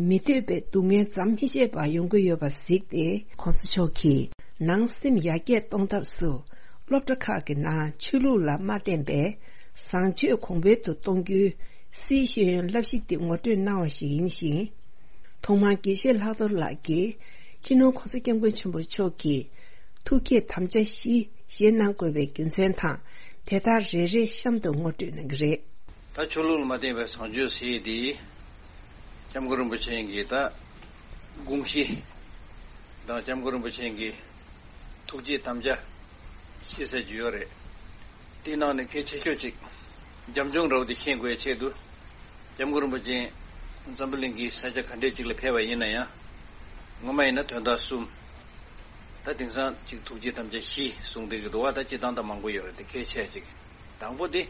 མི་འདོད་པའི་སྡུག་བསྔལ་མཚམས་མི་ཆད་པར་ཡོང་གི་ཡོད་པ་གཟིགས་ཏེ། ༸གོང་ས་མཆོག་གིས་ནང་སེམས་ཡར་རྒྱས་གཏོང་ཐབས་སུ་སློབ་གྲྭ་ཁག་གི་ནང་ཆོས་ལུགས་ལ་མ་བརྟེན་པའི་བཟང་སྤྱོད་གོང་འཕེལ་དུ་གཏོང་རྒྱུའི་སི་ཤེས་ཡོན་བསླབ་གཞི་འདི་ངོ་སྤྲོད་གནང་བ་ཞིག་ཡིན་ཞིང་། ཐོག་མར་དགེ་བཤེས་ལྷག་རྡོར་ལགས་ཀྱིས་སྤྱི་ནོར་༸གོང་ས་༸སྐྱབས་མགོན་ཆེན་པོ་མཆོག་གི་ཐུགས་བསྐྱེད་དམ་བཅའ་བཞི་བཞེས་གནང་དགོས་པའི་རྒྱུ་མཚན་དང་། དེ་དག་རེ་རེ་གཤམ་དུ་ངོ་སྤྲོད་གནང་གི་རེད། ད་ཆོས་ལུགས་ལ་མ་བརྟེན་པའི་བཟང་སྤྱོད་ཟེར་ཡས་འདི། སྐྱབས་མགོན་རིན་པོ་ཆེ་གི་ད་དགོངས་གཞི་དང་། སྐྱབས་མགོན་རིན་པོ་ཆེ་གི་ཐུགས་བསྐྱེད་དམ་བཅའ་བཞི་ཟེར་རྒྱུ་ཡོད་རེད། དེའི་ནང་ནས་གལ་ཆེ་ཤོས་གཅིག། རྒྱབ་ལྗོངས་འདྲ་བོ་དེ་ཤེས་དགོས་ཡའི་ཆེད་དུ། སྐྱབས་མགོན་རིན་པོ་ཆེ་འཛམ་བུ་གླིང་གི་ས་ཆ་ག་འདྲས་ཅིག་ལ་ཕེབས་པ་ཡིན་ན་ཡང་། ངོ་མ་ཡིན་ན་དོན་དག་གསུམ། ད་དེང་སང་ཅིག་ཐུགས་བསྐྱེད་དམ་བཅའ་བཞི་གསུངས་བསྡད་ཀྱི་འདུག་བ། ད་སྤྱིར་བཏང་ད་མང་པོ་ཡོད་རེད། དེ་གལ་ཆེ་ཅིག། དང་པོ་དེ།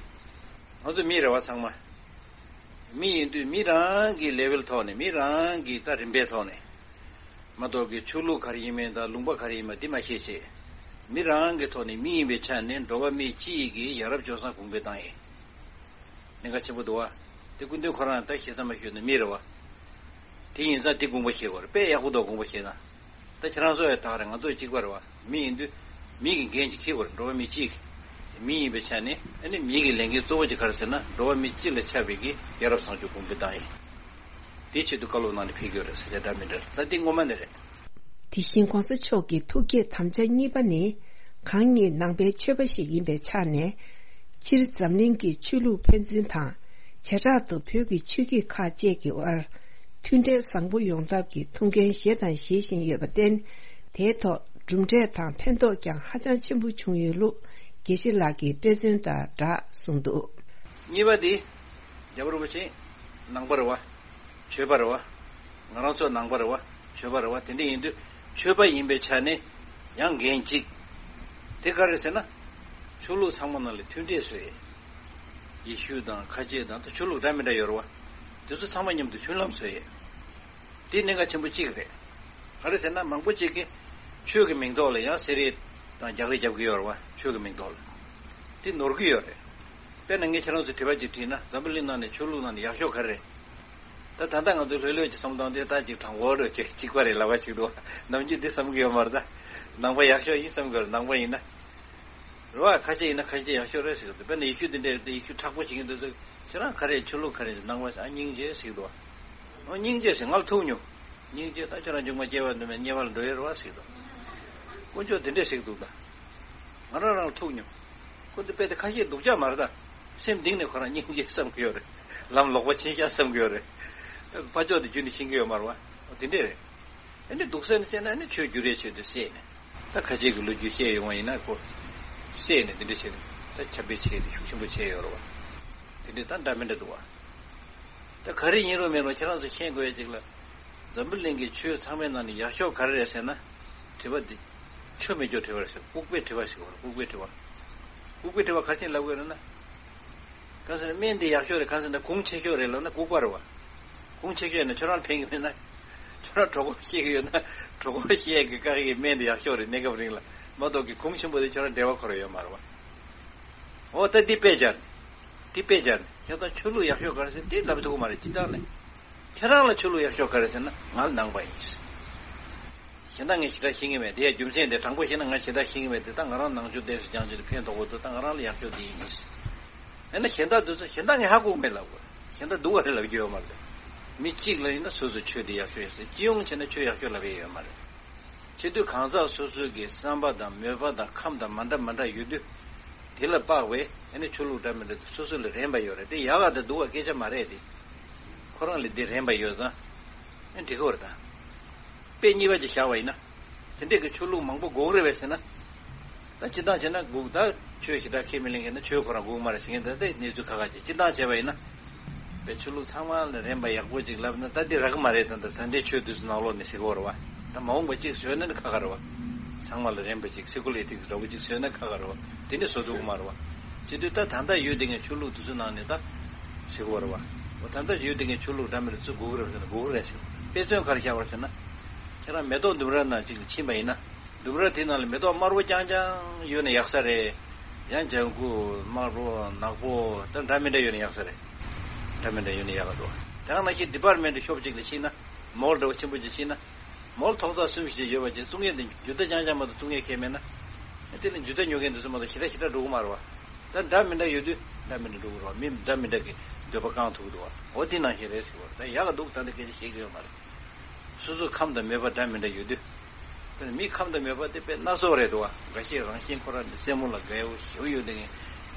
ང་ཚོ་མི་རེད་བ་ཚང་མ། མི་ཡིན་དུས་མི་རང་གི་ལེ་ཝལ་ཐོག་ནས། མི་རང་གི་ད་རིམ་པའི་ཐོག་ནས། མ་གཏོགས་ཀྱི་ཆོས་ལུགས་ག་རེ་ཡིན་མིན་དང་ལུང་པ་ག་རེ་ཡིན་མིན་དེ་མ་ཤེས་བྱས། མི་རང་གི་ཐོག་ནས་མི་ཡིན་པའི་ཆ་ནས་འགྲོ་བ་མི་སྤྱི་ཡི་གི་ཡ་རབས་སྤྱོད་བཟང་གོང་འཕེལ་བཏང་ཡས། གནད་འགག་ཆེན་པོ་འདུག་བ། དེ་སྐུ་མདུན་ཁོ་རང་ད་ཞེ་ས་མ་ཞུས་ན་མི་རེད་བ། དེ་ཡིན་ཙང་དེ་དགོངས་པ་བཞེས་དགོས་རེད། དཔེ་ཡག་པོ་འདུག་དགོངས་པ་བཞེས་ན། ད་ཁྱེད་རང་ཚོ་ཡང་ད་ག་རེད། ང་ཚོ་གཅིག་པ་རེད་བ། མི་ཡིན་དུས་མི་གི་འགན་ཅིག་འཁྱེར་དགོས་རེད། འགྲོ་བ་མི་སྤྱི་གི། མི་ཡིན་པའི་ཆ་ནས་ཨ་ནི་མི་གི་ལས་འགན་གཙོ་བོ་ཅིག་ག་རེ་ཟེར་ན། འགྲོ་བ་མི་སྤྱི་ལ་ཆགས་པའི་གི་ཡ་རབས་བཟང་སྤྱོད་གོང་འཕེལ་བཏང་ཡས། དེའི་ཆེད་དུ་བཀའ་སློབ་གནང་ནས་ཕེབས་ཀྱི་ཡོད་རེད་ཟེར་བྱས་འདྲ་མི་འདྲ་རེད། ད་འདི་ངོ་མ་ནས་རེད། དེ་བཞིན་༸གོང་ས་མཆོག་གི་ཐུགས་བསྐྱེད་དམ་བཅའ་གཉིས་པ་ནི། གང་ཉིད་ནང་པའི་ཆོས་པ་ཞིག་ཡིན་པའི་ཆ་ནས། སྤྱིར་འཛམ་གླིང་གི་ཆོས་ལུགས་ཕན་ཚུན་དང་། བྱེ་བྲག་ཏུ་བོད་ཀྱི་ཆོས་བརྒྱུད་ཁག་བཅས་ཀྱི་དབར་མཐུན་འབྲེལ་བཟང་པོ་ཡོང་ཐབས་ཀྱི་ཐུགས་འགན་བཞེས་དང་བཞེས་བཞིན་ཡོད་པར་བརྟེན། དེའི་ཐོག་གྲུབ་འབྲས་དང་ཕན་ཐོགས་ཀྱང་ཧ་ཅང་ཆེན་པོ་བྱུང་ཡོད་ལུགས་དགེ་བཤེས་ལགས་ཀྱིས་དཔེ་མཚོན་དང་སྦྲགས་གསུངས་འདུག། གཉིས་པ་དེ། རྒྱལ་བ་རིན་པོ་ཆེ་ནང་པ་རེད་བ། ཆོས་པ་རེད་བ། ང་རང་ཚོ་ནང་པ་རེད་བ། ཆོས་པ་རེད་བ། དེ་འདྲ་ཡིན་དུས་ཆོས་པ་ཡིན་པའི་ཆ་ནས་ཡང་འགན་གཅིག། དེ་ག་རེ་ཟེར་ན། ཆོས་ལུགས་ཚང་མ་ནང་ལ་མཐུན་འབྲེལ་བཟོ་ཡས། ཡེ་ཤུ་དང་ཁ་ཆེ་དང་ད་ཆོས་ལུགས་འདྲ་མི་འདྲ་ཡོད་རེད་བ། དེ་ཚོ་ཚང་མ་མཉམ་དུ་མཐུན་ལམ་བཟོ་ཡས། དེ་གནད་འགག་ཆེན་པོ་གཅིག་རེད། ག་རེ་ཟེར་ན་མང་པོ་གཅིག་གིས་ཆོས་ཀྱི་མིང་ཐོག་ལ་ཡང་བསད་རེས་དང་རྒྱག་རེས་རྒྱབ་ཀྱི་ཡོད་རེད་བ། ཆོས་ཀྱི་མིང་ཐོག་ལ། དེ་ནོར་གྱི་ཡོད་རེད། དཔེར་ན་ངས་ཁྱེད་རང་ཚོ་དྲི་བ་ཅིག་དྲིས་ན། འཛམ་བུ་གླིང་ནང་ནས་ཆོས་ལུགས་ནང་ནས་ཡག་ཤོས་ག་རེ་རེད། ད་ད་ལྟ་ང་ཚོ་ལྷོད་ལྷོད་ཀྱི་བསམ་སྟངས་དེ་ད་ཅིག་དྲང་པོ་རེད་ཅེས་གཅིག་པ་རེད་ལབ་པ་ཞིག་འདུག། ནམ་རྒྱུན་འདི་བསམ་གྱི་ཡོད་མ་རེད་ད། ནང་པ་ཡག་ཤོས་ཡིན་བསམ་གྱི་ཡོད་རེད། ནང་པ་ཡིན་ན། རེད་བ། ཁ་ཆེ་ཡིན་ན་ཁ་ཆེ་ཡག་ཤོས་རེད་ཟེར་གྱི་འདུག། དཔེར་ན་ཡེ་ཤུ་དེ་འདྲ་རེད་དེ། ཡེ་ཤུ་མཁྲེགས་པོ་བྱེད་ཀྱི་འདུག་ཟེར། ཁྱེད་རང་ག་རེ། ཆོས་ལུགས་ག་རེ། ནང་པ། ཨ། སྙིང་རྗེ་ཟེར་གྱི་འདུག། ཨོ། སྙིང་རྗེ་ཟེར། ང་ལ་ཐུག་མྱོང་། སྙིང་རྗེ། ད་ཁྱེད་རང་མཇུག་མ་སྐྱེ་བ་འདི་མེད། དམྱལ་བ་ལ་འགྲོ་ཡས་རེད་བ་ཟེར་གྱི་འདུག། དཀོན་མཆོག་དེ་འདྲས་ཟེར་གྱི་འདུག་ད། ང་རང་རང་ལ་ཐུག་མྱོང་། ཁོ་འདི་དཔེ་དེ་ཁ་ཤས་སྡུག་ཅག་མ་རེད་ད། སེམས་གཏིང་ནས་ཁོ་རང་སྙིང་རྗེ་བསམ་གྱི་ཡོད་རེད། ལམ་ལོག་པ་ཕྱིན་ཤག་བསམ་གྱི་ཡོད་རེད། ཕར་ཕྱོགས་དེ་རྒྱུན་དུ་ཕྱིན་གྱི་ཡོད་མ་རེད་བ། ཨོ། དེ་འདྲས་རེད། ཨ་ནི་སྡུག་ས་ནས་བཤད་ན། ཨ་ནི་ཆོས་བསྒྱུར་ཡས་ཆེད་དུ་བཤད་ནས། ད་ཁ་ཆེ་གི་ལོ་རྒྱུས་བཤད་ཡོང་བ་ཡིན་ན། ཁོ་བཤད་ནས་དེ་འདྲ་བྱས་ནས་ད་ཁྱབ་སྤེལ་བྱས་ཏེ་ཤུགས་ཆེན་པོ་བྱས་ཡོད་རེད་བ། དེ་འདྲའི་ད་འདྲ་མི་འདྲ་འདུག་བ། ད་ག་རེ་ཡིན་རུང་མིན་རུང་ཁྱེད་རང་ཚོ་ཤེས་དགོས་ཡ་ཅིག་ལ། འཛམ་བུ་གླིང་གི་ཆོས་ཚང་མའི་ནང་ནས་ཡག་ཤོས་ག་རེ་རེད་ཟེར་ན། དྲི་བ་འདི། ཆོས་མི་སྐྱོ་དྲི་བ་རེད་ཟེར། ལྐུགས་པའི་དྲི་བ་ཞིག་བར་ལྐུགས་པའི་དྲི་བ། ལྐུགས་པའི་དྲི་བ་ག་རེ་བྱས་ལབ་དགོས་རེད་ན། གང་ཟེར་ན་སྨན་འདི་ཡག་ཤོས་རེད། གང་ཟེར་ན་གོང་ཆེ་ཤོས་རེད་ལབ་ན་ལྐུགས་པ་རེད་བ། གོང་ཆེ་ཤོས་ཡིན་ན་ཁྱོད་རང་ལ་ཕན་གྱི་མེད་ན། ཁྱོད་རང་གྲོད་ཁོག་བཤལ་གྱི་ཡོད་ན། གྲོད་ཁོག་བཤལ་གྱི་བཀག་གི་སྨན་འདི་ཡག་ཤོས་རེད་གནས་སྐབས་རིང་ལ། མ་གཏོགས་ཀྱི་གོང་ཆེན་པོ་དེ་ཁྱོད་རང་འབྲེལ་བ་ཁོ་རང་ཡོད་མ་རེད་བ། འོ་ད་འདི་དཔེ་སྦྱར་ནས། འདི་དཔེ་སྦྱར་ནས་ཁྱེད་ཚོ་ཆོས་ལུགས་ཡག་ཤོས་ག་རེ་ཟེར་འདི་ལབ་ཐུབ་ཀྱི་མ་རེད་སྤྱིར་བཏང་ནས། ཁྱེད་རང་ལ་ཆོས་ལུགས་ཡག་ཤོས་ག་རེ་ཟེར་ན་ང་ནང་པ་ཡིན། གཞན་དག་ངས་ཞེ་དྲག་ཤེས་ཀྱི་མེད། དེ་ཡང་རྒྱུ་མཚན་དེ་དྲང་པོ་བཤད་ན་ང་ཞེ་དྲག་ཤེས་ཀྱི་མེད་དེ། ད་ང་རང་ནང་ཆོས་ཏོག་ཙམ་སྦྱང་རྒྱུ་དེ་ཕན་ཐོགས་པོ་འདུག་ད་ང་རང་ལ་ཡག་ཤོས་དེ་ཡིན། ཡིན་ན་གཞན་དག་འདི་ཚོ་གཞན་དག་ངས་ཧ་གོ་གི་མེད་ལབ་དགོས། གཞན་དག་སྡུག་པ་རེད་ལབ་རྒྱུ་ཡོད་མ་རེད། མི་གཅིག་ལ་ཡིན་ན་སོ་སོའི་ཆོས་དེ་ཡག་ཤོས་ཡོད་ཟེར། སྤྱི་ཡོངས་བྱས་ན་ཆོས་ཡག་ཤོས་ལབ་ཡས་ཡོད་མ་རེད། བྱེད་དུས་གང་ཟག་སོ་སོའི་གི་བསམ་པ་དང་མོས་པ་དང་ཁམས་དང་མ་འདྲ་མ་འདྲ་ཡོད་དུས། དེ་ལ་དཔག་པའི་ཨ་ནི་ཆོས་ལུགས་འདྲ་མི་འདྲ་དེ་སོ་སོ་ལ་རན་པ་ཡོད་རེད། དེ་ཡག་ག་དང་སྡུག་ག་སྐད་ཆ་མ་རེད་དེ། ཁོ་རང་ལ་དེ་རན་པ་ཡོད་ཙང་ཨ་འགྲིག་གི་རེད་ད། དཔེ་གཉིས་པ་ཅིག་བཞག་པ་ཡིན་ན། དེ་འདྲས་ཀྱི་ཆོས་ལུགས་མང་པོ་དགོས་ཀྱི་རེད་པས་ཟེར་ན། ད་སྤྱིར་བཏང་བྱས་ན་དགོས། ད་ཆོས་ཞེ་དྲག་ཁས་མི་ལེན་མཁན་ན་ཆོས་ཁོ་རང་དགོས་ཀྱི་མ་རེད་ཟེར་མཁན་ད་ལྟའི་གནས་ཚུལ་ཁག་ཁག་ཅིག་སྤྱིར་བཏང་བྱས་པ་ཡིན་ན། པའི་ཆོས་ལུགས་ཚང་མ་ལ་རན་པ་ཡག་པོ་ཅིག་ལབ་ན་ད་འདི་རག་གི་མ་རེད། ད་ད་ད་ལྟའི་ཆོས་འདི་ཚོ་ནང་ལོགས་ནས་ཟེར་གི་ཡོད་རེད་པ། ད་མ་འོངས་པ་ཅིག་བཟོས་ན་ནི་ཁག་ཁག་རེད་པ། ཚང་མ་ལ་རན་པ་ཅིག་སེ་ཀུ་ལར་ཨེ་ཐིག་སི་འདྲ་པོ་ཅིག་བཟོས་ན་ཁག་ཁག་རེད་པ། དེ་ནི་བཟོ་ཐུབ་ཀྱི་མ་རེད་པ། བྱེད་དུས་ད་ད་ལྟ་ཡོད་བསྡད་མཁན་ཆོས་ལུགས་འདི་ཚོ་ནང་ནས་ད་ཟེར་གི་ཡོད་རེད་པ། འོ་ད་ལྟ་ཡོད་བསྡད་མཁན་ཆོས་ལུགས་འདྲ་མི་འདྲ་ཚོ་དགོས་ཀྱི་རེད་ཟེར་ན་དགོས་ཀྱི་རེད་ཟེར། དཔེ་མཚོན་ག་རེ་བཞག་པ་རེད་ཟེར་ན། ཁྱེད་རང་མེ་ཏོག་ལྡུམ་ར་ནང་ཅིག་ལ་ཕྱིན་པ་ཡིན་ན། ལྡུམ་ར་དེ་ནང་ལ་མེ་ཏོག་དམར་པོ་རྐྱང་རྐྱང་ཡོད་ན་ཡག་ས་རེད། ཡང་ལྗང་ཁུ་དམར་པོ་ནག་པོ་ད་འདྲ་མི་འདྲ་ཡོད་ན་ཡག་ས་རེད། འདྲ་མི་འདྲ་ཡོད་ན་ཡག་ག་འདུག་དེ་ག་ནང་བཞིན་ཌི་པར་མེན་ཊི་ཤོབ་ཅིག་ལ་ཕྱིན་ན། མོལ་འདྲ་པོ་ཆེན་པོ་ཅིག་ཕྱིན་ན། མོལ་ཐོག་བརྩེགས་གསུམ་བཞི་ཅིག་ཡོད་པ་ཅིག་བཙོང་མཁན་དེ་འཇུ་བདག་རྐྱང་རྐྱང་མ་གཏོགས་བཙོང་མཁན་གང་ཡང་མེད་ན། དེ་ལ་འཇུ་བདག་ཉོ་མཁན་དེ་ཚོ་མ་གཏོགས་ཞེ་དྲག་ཞེ་དྲག་འགྲོ་གི་མ་རེད་པ། ད་འདྲ་མི་འདྲ་ཡོད་དུས་འདྲ་མི་འདྲ་འགྲོ་གི་རེད་པ། མི་འདྲ་མི་འདྲ་གི་འདོད་པ་བསྐང་ཐུབ་ཀྱི་འདུག་པ། འོ་དེ་ནང་བཞིན་རེད་ཟེར་བ་རེད། ད་ཡག་ག་འདུག་ད་འདི་སྐད་ཆ་བཤད་ཀྱི་ཡོད་མ་རེད། སོ་སོའི་ཁམས་དང་མོས་པ་འདྲ་མི་འདྲ་ཡོད་དུས། དཔེར་ན་མིའི་ཁམས་དང་མོས་པ་དེ་དཔེ་སྣ་ཚོགས་རེད་འདུག་པ། འགའ་ཤས་རང་བཞིན་ཁོ་རང་ནི་སེན་མོ་ལ་དགའ་བོ་ཞེ་པོ་ཡོད་བསྡད་མཁན།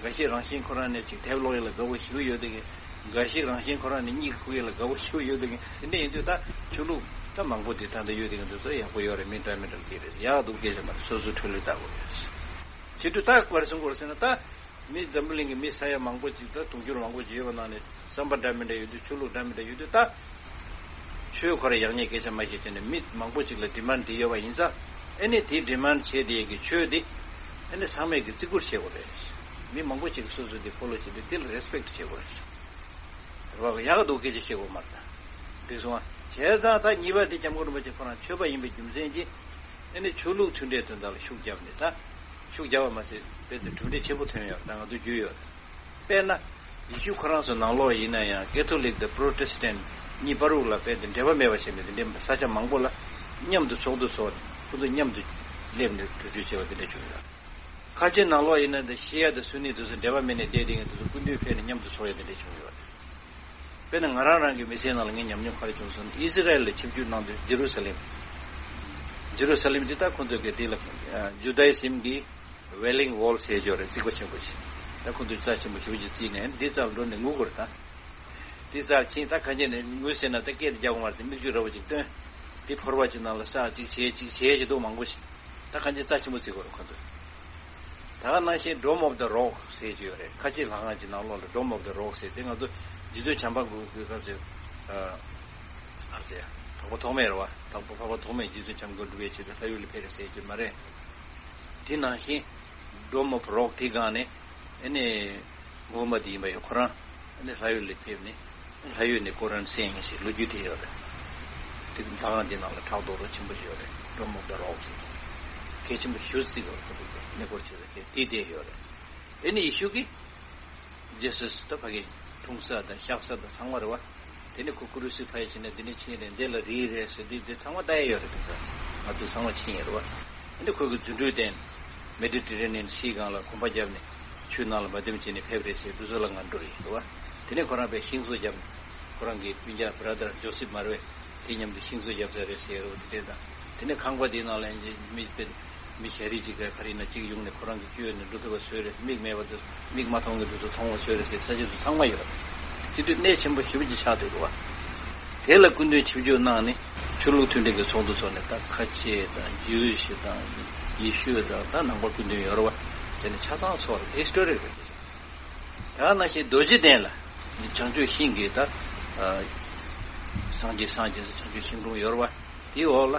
འགའ་ཤས་རང་བཞིན་ཁོ་རང་ནི་ཅིག་དེབ་ཀློག་ཡས་ལ་དགའ་བོ་ཞེ་པོ་ཡོད་བསྡད་མཁན། འགའ་ཤས་རང་བཞིན་ཁོ་རང་ནི་གཉིད་ཁུག་ཡས་ལ་དགའ་བོ་ཞེ་པོ་ཡོད་བསྡད་མཁན། དེ་འདྲ་ཡིན་དུས་ད་ཆོས་ལུགས་ད་མང་པོ་དེ་ད་ལྟ་ཡོད་བསྡད་མཁན་དེ་ཚོ་ཡག་པོ་ཡོད་རེད། མི་འདྲ་མི་འདྲ་ལ་དེ་རེད། ཡག་འདུག་སྐད་ཆ་མ་རེད། སོ་སོའི་འཕྲོད་བསླད་ལྟ་དགོས་རེད། བྱེད་དུས་ད་ག་རེ་གསུང་དགོས་རེད་ཟེར་ན། ད་མི་འཛམ་བུ་གླིང་གི་མི་ས་ཡ་མང་པོ་ཅིག་ད་དུང་ཕྱུར་མང་པོ་ཅིག་ཡོད་པ་ནང་ནས་བསམ་པ་འདྲ་མི་འདྲ་ཡོད་དུས། ཆོས་ལུགས་འདྲ་མི་འདྲ་ཡོད་དུས། ད་ཆོས་ཁོ་རང་ཡག་ཉེས་སྐད་ཆ་མ་བཤད་བྱས་ནས་མི་མང་པོ་ཅིག་ལ་ཌི་མན་ཌི་དེ་ཡོད་པ་ཡིན་ཙང་། ཨ་ནི་དེ་ཌི་མན་ཌི་བྱས་བསྡད་ཡས་ཀྱི་ཆོས་དེ་ཨ་ནི་ཚང་མས་ཀྱི་བརྩི་བཀུར་བྱེད་དགོས་རེད། མི་མང་པོ་ཅིག་གིས་སོ་སོ་དེ་ཕོ་ལོ་བྱས་ཏེ་དེ་ལ་རེ་སི་པེག་ཊི་བྱེད་དགོས་རེད། རེད་པ། ཡག་ག་འདུག་སྐད་ཆ་བཤད་དགོས་མ་རེད། ད་འགྲིག་སོང་ཨ། བྱས་ཙང་ད་གཉིས་པ་དེ་སྐྱབས་མགོན་རིན་པོ་ཆེ་ཁོ་རང་ཆོས་པ་ཡིན་པའི་རྒྱུ་མཚན་གྱིས་ཨ་ནི་ཆོས་ལུགས་མཐུན་འབྲེལ་དོན་དག་ལ་ཤུགས་བརྒྱབ་ནས། ད་ཤུགས་བརྒྱབ་པ་མ་ཟད་དཔེ་དེ་གྲུབ་འབྲས་ཆེན་པོ་ཐོན་ཡོད། ད་ང་ཚོ་རྒྱུས་ཡོད། དཔེར་ན། ཡེ་ཤུ་ཁོ་རང་ཚོ་ནང་ལོགས་ཡིན་ན་ཡང་ཀེ་ཐོ་ལིག་དང་པྲོ་ཊེ་སི་ཊན་གཉིས་བར་དུ་ལ་དཔེ་དེ་འབྲེལ་བ་མེད་པ་བྱས་ནས། དེ་འདྲའི་ས་ཆ་མང་པོ་ལ་མཉམ་དུ་ཚོགས་འདུ་ཚོགས་ནས་ཁོ་ཚོ་མཉམ་དུ་སླེབས་ནས་གྲོས་ཆོད་བྱས་པ་དེ་འདྲ་བྱུང་ཡོད། ཁ་ཆེ་ནང་ལོགས་ཡིན་ན་འདི་ཤི་ཡ་དང་སུ་ནི་དེ་ཚོ་འབྲེལ་བ་མེད་ནས་བསྡད་བསྡད་མཁན་དེ་ཚོ་སྐུ་མདུན་ཕེབས་ནས་མཉམ་དུ་ཚོགས་ཡ་དེ་འདྲ་བྱུང་ཡོད་རེད། དཔེར་ན་ང་རང་རང་གི་མི་ཚེའི་ནང་ལ་ངས་ཉམས་མྱོང་ག་རེ་བྱུང་ཟེར་ན། ཨི་ཟི་རལ་ལ་ཆིབས་བསྒྱུར་གནང་དུས་ཇེ་རུ་ས་ལེམ། ཇེ་རུ་ས་ལེམ་འདི་ད་ཁོང་ཚོ་གི་དེ་ལ་ཇུ་དཱ་ཡི་ཛིམ་གྱི་ཝེ་ལིང་ཝོལ་ཟེར་ཡོད་རེད། རྩིག་པ་ཆེན་པོ་ཞིག་ད་ཁོང་ཚོས་རྩ་ཆེན་པོ་ཞེ་པོ་ཅིག་བརྩིགས་ནས་འདི་རྩ་ལ་འགྲོ་ནས་ངུ་དགོས་རེད་ད། དེ་རྩར་ཕྱིན། ད་གང་ཅི་ནས་ངུས་ཟེར་ན་ད་སྐད་དེ་རྒྱག་དགོས་མ་རེད་དེ། མིག་ཆུ་འདྲ་པོ་ཅིག་བཏོན། དེ་ཕོར་པ་ཅིག་ནང་ལ་བསགས། ཅིག་བྱས་ཅིག་བྱས་ཅིག་འདུག་མང་པོ་ཞིག་ད་གང་ཅི་རྩ་ཆེན་པོ་བརྩི་དགོས་རེད་ཁོ་ཚོས། ད་ག་ནང་བཞིན་Dome of the Rock ཟེར་གྱི་ཡོད་རེད། ཁ་ཆེ་ལྷ་ཁང་གི་ནང་ལོགས་ལ་Dome of the Rock ཟེར་དེ། ང་ཚོ་རྗེ་བཙུན་བྱམས་པ་མགོན་གྱི་སྐབས་སུ་ཨ་ཨ་ཙི་དྭགས་པོ་ཐོགས་མེད་རེད་པ། དྭགས་པོ་འཕགས་པ་ཐོགས་མེད་རྗེ་བཙུན་བྱམས་མགོན་སྒྲུབ་པའི་ཆེད་དུ་ལྷ་ཡུལ་ལ་ཕེབས་རེད་ཟེར་གྱི་མ་རེད། དེ་ནང་བཞིན་Dome of Rock དེའི་སྒང་ནས་ཨ་ནི། མུ་ཧམ་མད་ཡིན་པ་ཡང་ཁོ་རང་ཨ་ནི་ལྷ་ཡུལ་ལ་ཕེབས་ནས་ལྷ་ཡུལ་ནས་ཀོ་རཱན་གསན་ཡིན་ཞེས་ལོ་རྒྱུས་དེ་ཡོད་རེད། དེ་ལྷ་ཁང་དེ་ནང་ལ་ཕྲག་དོག་དོག་ཆེན་པོ་ཞིག་ཡོད་རེད། Dome of the Rock ཟེར། གལ་ཆེན་པོ་ཞེ་པོ་བརྩི་གི་ཡོད་རེད། ཁོ་ཚོ་གནས་སྐོར་བྱེད་ས་དེ་དེ་བསྡད་ཡོད་རེད། ཨ་ནི་ཡེ་ཤུ་གིས་ཇི་སཱས་ད་ཕ་གི་འཁྲུངས་ས་དང་གཤེགས་ས་དང་ཚང་མ་རེད་པ། དེ་ནས་ཁོ་ཀུ་རུ་སི་ཕའི་བྱས་ནས་འདི་ནས་ཕྱིན་རེད། འདི་ལ་རིལ་རེད་ཟེར། འདི་འདི་ཚང་མ་ལྟ་ཡ་ཡོད་རེད། དེ་ཚོ་ང་ཚོ་ཚང་མ་ཕྱིན་ཡོད་རེད་པ། འདི་ཁོ་གི་རྫུ་འཕྲུལ་བསྟན། མེ་ཌི་ཊི་རེ་ནི་ཡན་སིའི་སྒང་ལ་གོམ་པ་བརྒྱབ་ནས་ཆུའི་ནང་ལ་མ་བསྡམས་བྱས་ནས་ཕེབས་རེད་ཟེར། འདི་ཚོ་ལ་ང་འགྲོ་ཡིན་རེད་པ། དེ་ནས་ཁོ་རང་པའི་ཤིང་བཟོ་བརྒྱབ་ནས་ཁོ་རང་གི་སྤུན་ཀྱག་བྷ་ར་དར་ཇོ་སིབ་མར་བས་དེ་མཉམ་དུ་ཤིང་བཟོ་བརྒྱབ་ཚར་རེད་ཟེར་རོ། དེ་དེ་དང་དེ་ནས་ཁང་པ་དེའི་ནང་ལ་མི་དཔེ། མི་ཞ་རི་གཅིག་ག་ག་རེ་ཡིན་ན་གཅིག་ཡོང་ནས་ཁོ་རང་གི་སྐྱོན་ནས་འགྲོ་ཐུབ་པ་བཟོས་རེད། མིག་མེད་པ་དེ་མིག་མ་མཐོང་གི་དུས་སུ་མཐོང་བ་བཟོས་རེད་ཟེར། ས་ཆ་དེ་ཚང་མ་ཡོད་རེད། དེ་དུས་གནད་ཆེན་པོ་ཞེ་པོ་ཅིག་ཆགས་འདུག་རེད་པ། དེ་ལ་སྐུ་མདུན་ཆིབས་བསྒྱུར་གནང་ནས་ཆོས་ལུགས་མཐུན་སྒྲིལ་གྱི་ཚོགས་འདུ་ཚོགས་ནས། ད་ཁ་ཆེ་དང་ཇུའུ་ཤི་དང་ཡེ་ཤུ་དང་ད་ནང་པ་སྐུ་མདུན་ཡོད་རེད་པ། དེ་ནས་ཆ་ཚང་ཚོགས་རེད། ཧི་སི་ཊོ་རི་རེད། ད་ནང་བཞིན་རྡོ་རྗེ་གདན་ལ་བྱང་ཆུབ་ཤིང་གི་ད་སངས་རྒྱས་སངས་རྒྱས་སུ་བྱང་ཆུབ་ཤིང་དྲུང་ཡོད་རེད་བ། དེའི་འོག་ལ་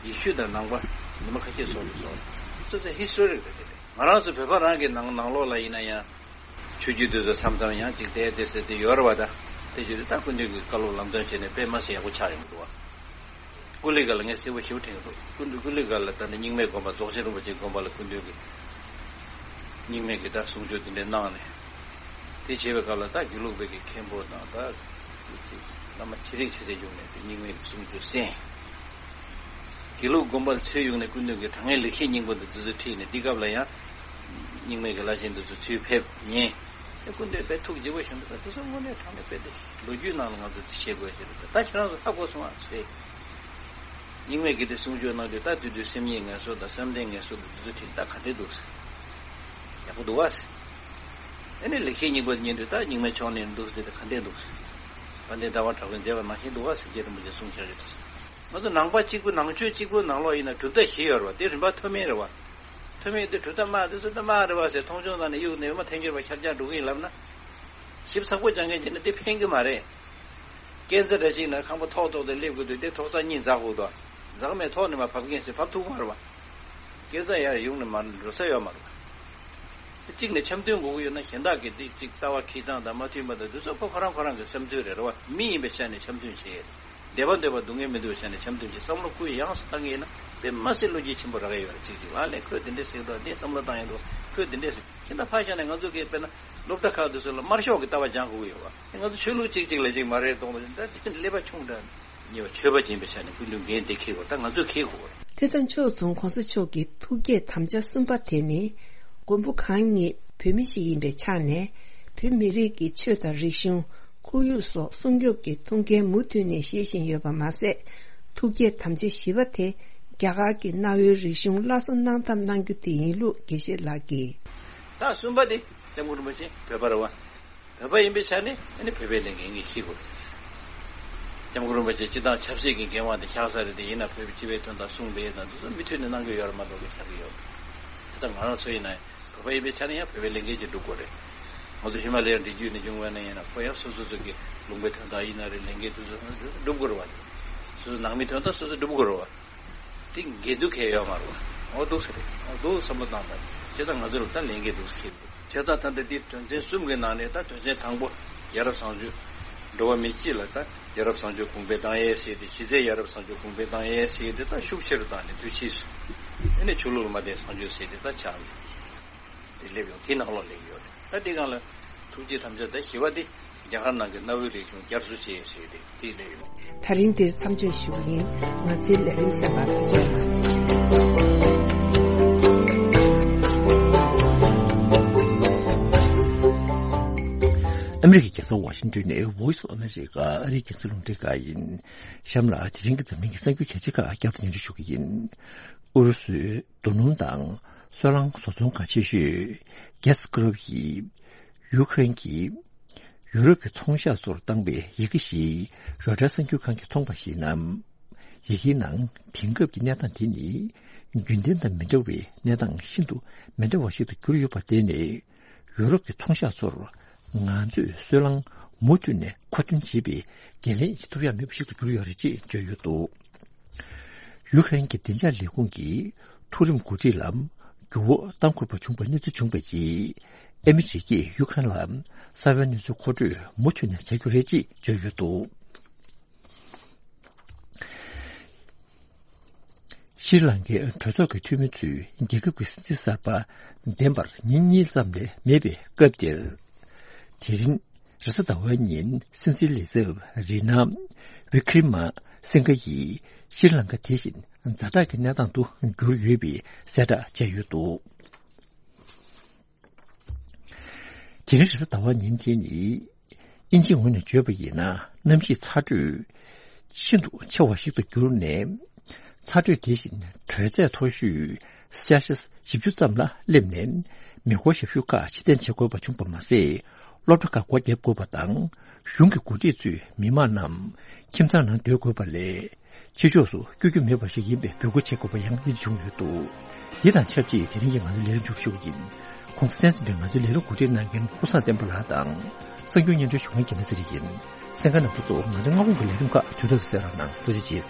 ཡེ་ཤུ་དང་ནང་པ་ཉི་མ་ཁ་ཤས་སོགས་ལ་སོགས་ཚོ་ཚོ་ཧི་སི་ཊོ་རི་རེད། དེ་རེད། ང་རང་ཚོ་བོད་པ་རང་གི་ནང་ནང་ལོགས་ལ་ཡིན་ན་ཡང་ཆོས་བརྒྱུད་དེ་ཚོ་མཚམས་མཚམས་ཡང་ཅིག་བལྟས་བལྟས་ཟེར་དེ་ཡོད་རེད་བ། ད་དེ་བརྒྱུད་དེ་ད་སྐུ་མདུན་གྱི་བཀའ་སློབ་ལམ་སྟོན་བྱས་ནས་དཔེ་མ་སྲིད་ཡག་པོ་ཆགས་ཡོང་གི་འདུག་བ། ཀུ་ལི་ག་ལ་ངས་གསལ་པོ་ཞེ་པོ་དྲན་གྱི་འདུག་ཀུ་ལི་ཀུ་ལི་ག་ལ་ད་ནི་རྙིང་མའི་དགོན་པ་རྫོགས་ཆེན་རིན་པོ་ཆེའི་དགོན་པ་ལ་སྐུ་མདུན་གྱིས་རྙིང་མའི་གི་ད་གསུང་ཆོས་དེ་འདྲ་གནང་ནས། དེ་བྱས་པའི་སྐབས་ལ་ད་དགེ་ལུགས་པའི་གི་མཁན་པོ་དང་ད་བླ་མ་ཆེ་རིང་ཆེ་ཚད་བྱུང་ནས་དེ་རྙིང་མའི་གི་གསུང་ཆོས་གསན། དགེ་ལུགས་དགོན་པ་ལ་ཚུར་ཡོང་ནས་སྐུ་མདུན་གྱིས་དྲང་ངེས་ལེགས་བཤད་སྙིང་པོ་འདི་དེ་ཚོ་ཁྲིད་ནས་འདི་སྐབས་ལ་ཡང་རྙིང་མའི་གི་བླ་ཆེན་འདི་ཚོ་ཚུར་ཕེབས་ཉན། ཨེ་སྐུ་མདུན་དཔེ་ཐུགས་དགྱེས་པོ་བྱུང་འདུག་དེ་ཚོ་དངོས་གནས་དྲང་གནས་དཔེ་དེ་ལོ་རྒྱུས་ནང་ལ་ང་ཚོ་དེ་བཤད་དགོས་ཀྱི་རེད། ད་ཁྱེད་རང་ཚོ་ཧ་གོ་སོང་ཨ་ཟེར། རྙིང་མའི་གི་དེ་གསུང་ཆོས་གནང་དུས་ད་དུས་དུས་སེམས་ཉིད་ངལ་གསོ་དང་བསམ་གཏན་ངལ་གསོ་དང་དེ་ཚོ་ཁྲིད་ད་ག་འདྲས་འདུག་ཟེར། ཡག་པོ་འདུག་བ་ཟེར། ཨེ་ནི་ལེགས་བཤད་སྙིང་པོ་ཉན་དུས་ད་རྙིང་མའི་ཕྱོགས་ནས་འདུག་ཟེར་དེ་ག་འདྲས་འདུག་ཟེར། དཔལ་ལྡན་ཟླ་བ་གྲགས་པས་མཛད་པ་ནང་བཞིན་འདུག་བ་ཟེར་རྗེ་རིན་པོ་ཆེས་གསུངས་བཞག་ཡོད་དེ། ང་ཚོ་ནང་པ་གཅིག་པུ་ནང་ཆོས་གཅིག་པུ་ནང་ལོགས་ཡིན་ན་གྲུབ་མཐའ་བཞི་ཡོད་རེད་བ། དེ་རིམ་པ་མཐོ་དམན་རེད་བ། མཐོ་དམན་དེ་གྲུབ་མཐའ་དམའ་དེ་ཚོ་ད་དམའ་རེད་བ་ཟེར་མཐོང་ཆུང་བཏང་ནས་གཡུག་ནས་ཡོད་མ་ཐལ་འགྱུར་བ་ཤར་རྒྱག་འགྲོ་གི་ཡིན་ལབ་ན། ཞིབ་ཚགས་པོ་སྦྱང་མཁན་བྱས་ན་དེ་ཕན་གི་མ་རེད། སྐས་འཛེག་འདྲ་ཅིག་ན་ཁང་པ་ཐོག་ཐོག་ཏུ་སླེབས་དགོས་དུས་དེ་ཐོག་རྩེག་གཉིས་འཛེག་དགོས་དོ། འཛེག་མེད་ཐོག་ནས་མར་བབས་མཁན་ཞིག་བབས་ཐུབ་མ་རེད་བ། སྐས་འཛེག་ཡར་ཡོང་ནས་མར་འགྲོ་ས་ཡོད་མ་རེད་བ། གཅིག་ནས་འཆམ་མཐུན་དགོས་ཀྱི་ཡོད་ན་གཞན་དག་གིས་དེ་གཅིག་ལྟ་བ་ཁེ་གྲགས་དང་མ་མཐུན་པ་དང་དེ་ཚོ་ཁོ་ཁོ་རང་ཁོ་རང་གི་བསམ་ཚུལ་རེད་རེད་བ། མི་ཡིན་པའི་ཆ་ནས་འཆམ་མཐུན་བྱེད། བདེ་བ་འདོད་པ་སྡུག་བསྔལ་མི་འདོད་པའི་ཆ་ནས་འཆམ་མཐུན་གྱི་བསམ་བློ་ཀུན་ཡངས་སུ་བཏང་གི་ཡིན་ན་དཔེ་མ་སྲིད་བློ་སྐྱེད་ཆེན་པོ་རག་གི་ཡོད་རེད། གཅིག་གཅིག་ལ་ལས་ཁོས་དེ་འདྲས་ཟེར་འདུག་འདི་བསམ་བློ་བཏང་ཡོང་འདུག་ཁོས་དེ་འདྲས་ཟེར། ཁྱེད་ད་ཕར་བཞག་ནས་ང་ཚོ་གིས་དཔེར་ན་སློབ་གྲྭ་ཁག་དེ་ཚོ་ལ་དམར་ཤོག་གི་ལྟ་བ་སྦྱང་དགོས་ཀྱི་ཡོད་བ། ང་ཚོ་ཆོས་ལུགས་གཅིག་གཅིག་ལ་གཅིག་མ་རེད་གཏོང་དུས་ད་དེ་ཀླད་པ་ཆུང་དྲགས་ཉེས་པ་ཆོས་པ་ཡིན་པའི་ཆ་ནས་སྐུ་མདུན་འགན་དེ་འཁྱེར་དགོས། ད་ང་ཚོས་འཁྱེར་དགོས་རེད། དེ་དང་ཕྱོགས་མཚུངས་གོང་ས་མཆོག་གི་ཐུགས་བསྐྱེད་དམ་བཅའ་གསུམ་པ་དེ་ནི་མགོན་པོ་གང་ཉིད་བོད་མི་ཞིག་ཡིན་པའི་ཆ་ནས་བོད་མི་རིགས་ཀྱི་ཆོས་དང་རིག་གཞུང་། ཁོར་ཡུག་སོགས་སྲུང་སྐྱོབ་ཀྱི་ཐུགས་འགན་མུ་མཐུད་ནས་བཞེས་བཞིན་ཡོད་པ་མ་ཟད། ཐུགས་བསྐྱེད་དམ་བཅའ་བཞི་པ་དེ་རྒྱ་གར་གྱི་གནའ་བོའི་རིག་གཞུང་སླར་གསོ་གནང་ཐབས་གནང་རྒྱུ་དེ་ཡིན་ལུགས་དགེ་བཤེས་ལགས་ཀྱིས། ད་གསུམ་པ་དེ་སྐྱབས་མགོན་རིན་པོ་ཆེ་བོད་པ་རེད་བ། བོད་པ་ཡིན་པའི་ཆ་ནས་ཨ་ནི་བོད་པའི་ལས་འགན་ངས་ཤེས་དགོས་རེད། སྐྱབས་མགོན་རིན་པོ་ཆེ་སྤྱི་བཏང་ཆབ་སྲིད་ཀྱི་འགན་དབང་དེ་བཞག་ས་རེད། དེ་ཡིན་ན་བོད་པའི་སྤྱི་པའི་དོན་དག་གསུངས་པའི་དང་དེ་ཚོ་མུ་མཐུད་ནས་གནང་གི་ཡོད་རེད་མ་གཏོགས་ཀྱི་ཆགས་ཀྱི་ཡོད་རེད། དེ་ལྟར་ང་རང་ཚོ་ཡིན་ན་བོད་པ་ཡིན་པའི་ཆ་ནས་ཡང་བོད་པའི་ལས་འགན་ཅིག་སྒྲུབ་དགོས་རེད། ང་ཚོ་ཧི་མ་ལ་ཡའི་རི་རྒྱུད་ནས་བྱུང་བ་ན་ཡིན་ན་ཁོ་ཡང་སོ་སོ་སོ་གི་ལུང་པའི་དོན་དག་ཡིན་ན་རེད། ལས་འགན་དེ་ཚོ་སྒྲུབ་དགོས་རེད་བ། སོ་སོ་ནང་མིའི་དོན་དག་སོ་སོ་སྒྲུབ་དགོས་རེད་བ། དེ་འགལ་འདུ་གང་ཡང་ཡོད་མ་རེད་བ། འོ་འདུག་ཟེར་རེད། འོ་འདུག་བསམ་བློ་བཏང་དང་། བྱས་ཙང་ང་ཚོ་ལ་ད་ལས་འགན་འདུག་ཟེར་གྱི་འདུག་བྱས་ཙང་ད་ལྟ་འདི་དོན་ཚན་གསུམ་གྱི་ནང་ནས་ད་དོན་ཚན་དང་པོ་ཡ་རབས་བཟང་སྤྱོད། འགྲོ་བ་མི་སྤྱི་ལ་ད་ཡ་རབས་བཟང་སྤྱོད་གོང་འཕེལ་བཏང་ཡས་ཟེར་ཏེ། གཞི་རྩའི་ཡ་རབས་བཟང་སྤྱོད་གོང་འཕེལ་བཏང་ཡས་ཟེར་ཏེ་ད་ཤུགས་ཆེ་རུ་བཏང་ནས་དུས་ཕྱིས་སུ་ཨ་ནི་ཆོས་ལུགས་ལ་མ་བརྟེན་བཟང་སྤྱོད་ཟེར་ཏེ་ད་ཆགས་ནས་དེ་སླེབས་ཡོང་། དེ་ནང་ལོགས་སླེབས་ཡོད་རེད། ད་དེ་སྒང་ལ་ཐུགས་བསྐྱེད་དམ་བཅའ་ད་བཞི་པ་དེ། རྒྱ་གར་ནང་གི་གནའ་བོའི་རིག་གཞུང་བསྐྱར་གསོ་བྱེད་ཟེར་ཏེ་དེ་ལས་ཡོད། ད་རིང་འདིར་མཚམས་གཅོད་ཞུ་གི་ཡིན། ང་ཚོའི་ལས་རིམ་གསན་པར་ཐུགས་རྗེ་གནང་། ཨ་མི་རི་ཀའི་རྒྱལ་ས་ཝ་ཤིང་ཏོན་ནས་Voice of America ཨ་རིའི་རྒྱང་སྲིང་རླུང་འཕྲིན་ཁང་ཡིན། གཤམ་ལ་དེ་རིང་གི་འཛམ་གླིང་གི་གསར་འགྱུར་གལ་ཆེ་ཁག་བསྐྱར་དུ་སྙན་སྒྲོན་ཞུ་གི་ཡིན། ཨུ་རུ་སུའི་རྡོ་སྣུམ་དང་སོལ་རླངས་བཟོ་ཚོང་ཁང་ཆེ་ཤོས་Gazprom ཡིས་ཡུ་ཁ་རེན་གྱིས་ཡུ་རོབ་ཀྱི་ཚོང་ཤག་ཚོར་བཏང་བའི་ཡི་གེ་ཞིག་རོའི་ཊར་གསར་འགྱུར་ཁང་གིས་མཐོང་པར་གཞིགས་ན། ཡི་གེའི་ནང་དེང་སྐབས་ཀྱི་གནས་སྟངས་དེ་ནི་རྒྱུན་ལྡན་དང་མི་འདྲ་བའི་གནས་སྟངས་ཤིན་ཏུ་མི་འདྲ་བ་ཞིག་ཏུ་གྱུར་ཡོད་པར་བརྟེན་ནས། ཡུ་རོབ་ཀྱི་ཚོང་ཤག་ཚོར་ང་ཚོས་སོལ་རླངས་མུ་མཐུད་ནས་མཁོ་འདོན་བྱེད་པའི་འགན་ལེན་བྱེད་ཐུབ་ཡག་མེད་པ་ཞིག་ཏུ་གྱུར་ཡོད་རེད་ཅེས་བརྗོད་ཡོད་འདུག་ཡུ་ཁ་རེན་གྱི་བདེ་འཇགས་ལས་ཁུངས་ཀྱི་མཐོ་རིམ་འགོ་ཁྲིད་ལ་འགྱུར་བ་གཏང་དགོས་པ་བྱུང་བའི་གནས་ཚུལ་བྱུང་བའི་རྗེས། ཨ་མི་རི་ཀས་ཡུ་ཁ་རེན་ལ་གསར་པའི་གནས་ཚུལ་མཁོ་སྤྲོད་མུ་མཐུད་ནས་བྱ་རྒྱུ་རེད་ཅེས་བརྗོད་ཡོད་འདུག་ཤྲི་ལང་ཀའི་གྲོས་ཚོགས་ཀྱི་འཐུས་མི་ཚོས་རྒྱལ་ཁབ་ཀྱི་སྲིད་འཛིན་གསར་པ་འདེམས་པར་ཉིན་གཉིས་ཙམ་ལས་མེད་པའི་སྐབས་འདིར། དེ་རིང་རེས་གཟའ་ཟླ་བའི་ཉིན་སྲིད་འཛིན་ལས་ཚབ་རི་ན་ཝི་ཀྲི་མ་སིང་ག་ཡིས་ཤྲི་ལང་ཀ་དེ་བཞིན་ཛ་དྲག་གི་གནས་སྟངས་སུ་གྱུར་ཡོད་པའི་གསལ་བསྒྲགས་བྱས་ཡོད་འདུག་དེ་རིང་རེས་གཟའ་ཟླ་བ་ཉིན་དེ་ནི། དབྱིན་ཇིའི་ངོས་ནས་བརྗོད་པ་ཡིན་ན། གནམ་གཤིས་ཚ་དྲོད་ཤིན་ཏུ་ཆེ་བ་ཞིག་ཏུ་གྱུར་ནས། ཚ་དྲོད་དེ་བཞིན་དྲོད་ཚད་མཐོ་ཤོས་སེལ་ཤི་ཡས་བཞི་བཅུ་ཙམ་ལ་སླེབས་ནས། མེ་འཁོར་ཞབས་ཞུ་ཁག་ཕྱིར་འཐེན་བྱེད་དགོས་པ་བྱུང་བ་མ་ཟད། སློབ་གྲྭ་ཁག་སྒོ་བརྒྱབ་དགོས་པ་དང་། གཞུང་གི་འགོ་ཁྲིད་ཚོས་མི་མང་རྣམས་ཁྱིམ་ཚང་ནང་སྡོད་དགོས་པ་ལས། ཕྱི་ཕྱོགས་སུ་བསྐྱོད་རྒྱུ་མེད་པ་ཞིག་ཡིན་པའི་འབོད་སྐུལ་བྱེད་དགོས་པ་ཡང་ཡིད་བྱུང་ཡོད་འདུག་འདི་དང་ཆབས་ཅིག་དེ་རིང་གི་ང་ཚོའི་ལས་རིམ་མཇུག་ཞུ་བ་ཡིན། གོང་ས་མཆོག་གིས་ང་ཚོའི་ལས་རིམ་གོ་སྒྲིག་གནང་མཁན་ཀུན་བཟང་བསྟན་པ་ལགས་དང་། གསར་འགྱུར་སྙན་སྒྲོན་ཞུ་མཁན་རྒྱལ་མཚན་ཚེ་རིང་ཡིན། གསན་མཁན་རྣམ་པ་ཚོ་ང་ཚོའི་སྔ་དགོང་གི་ལས་རིམ་ཁག་དུས་ཐོག་ཏུ་གསན་རོགས་གནང་། ཐུགས་རྗེ་ཆེ།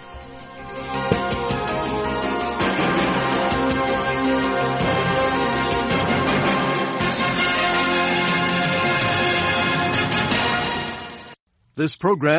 This program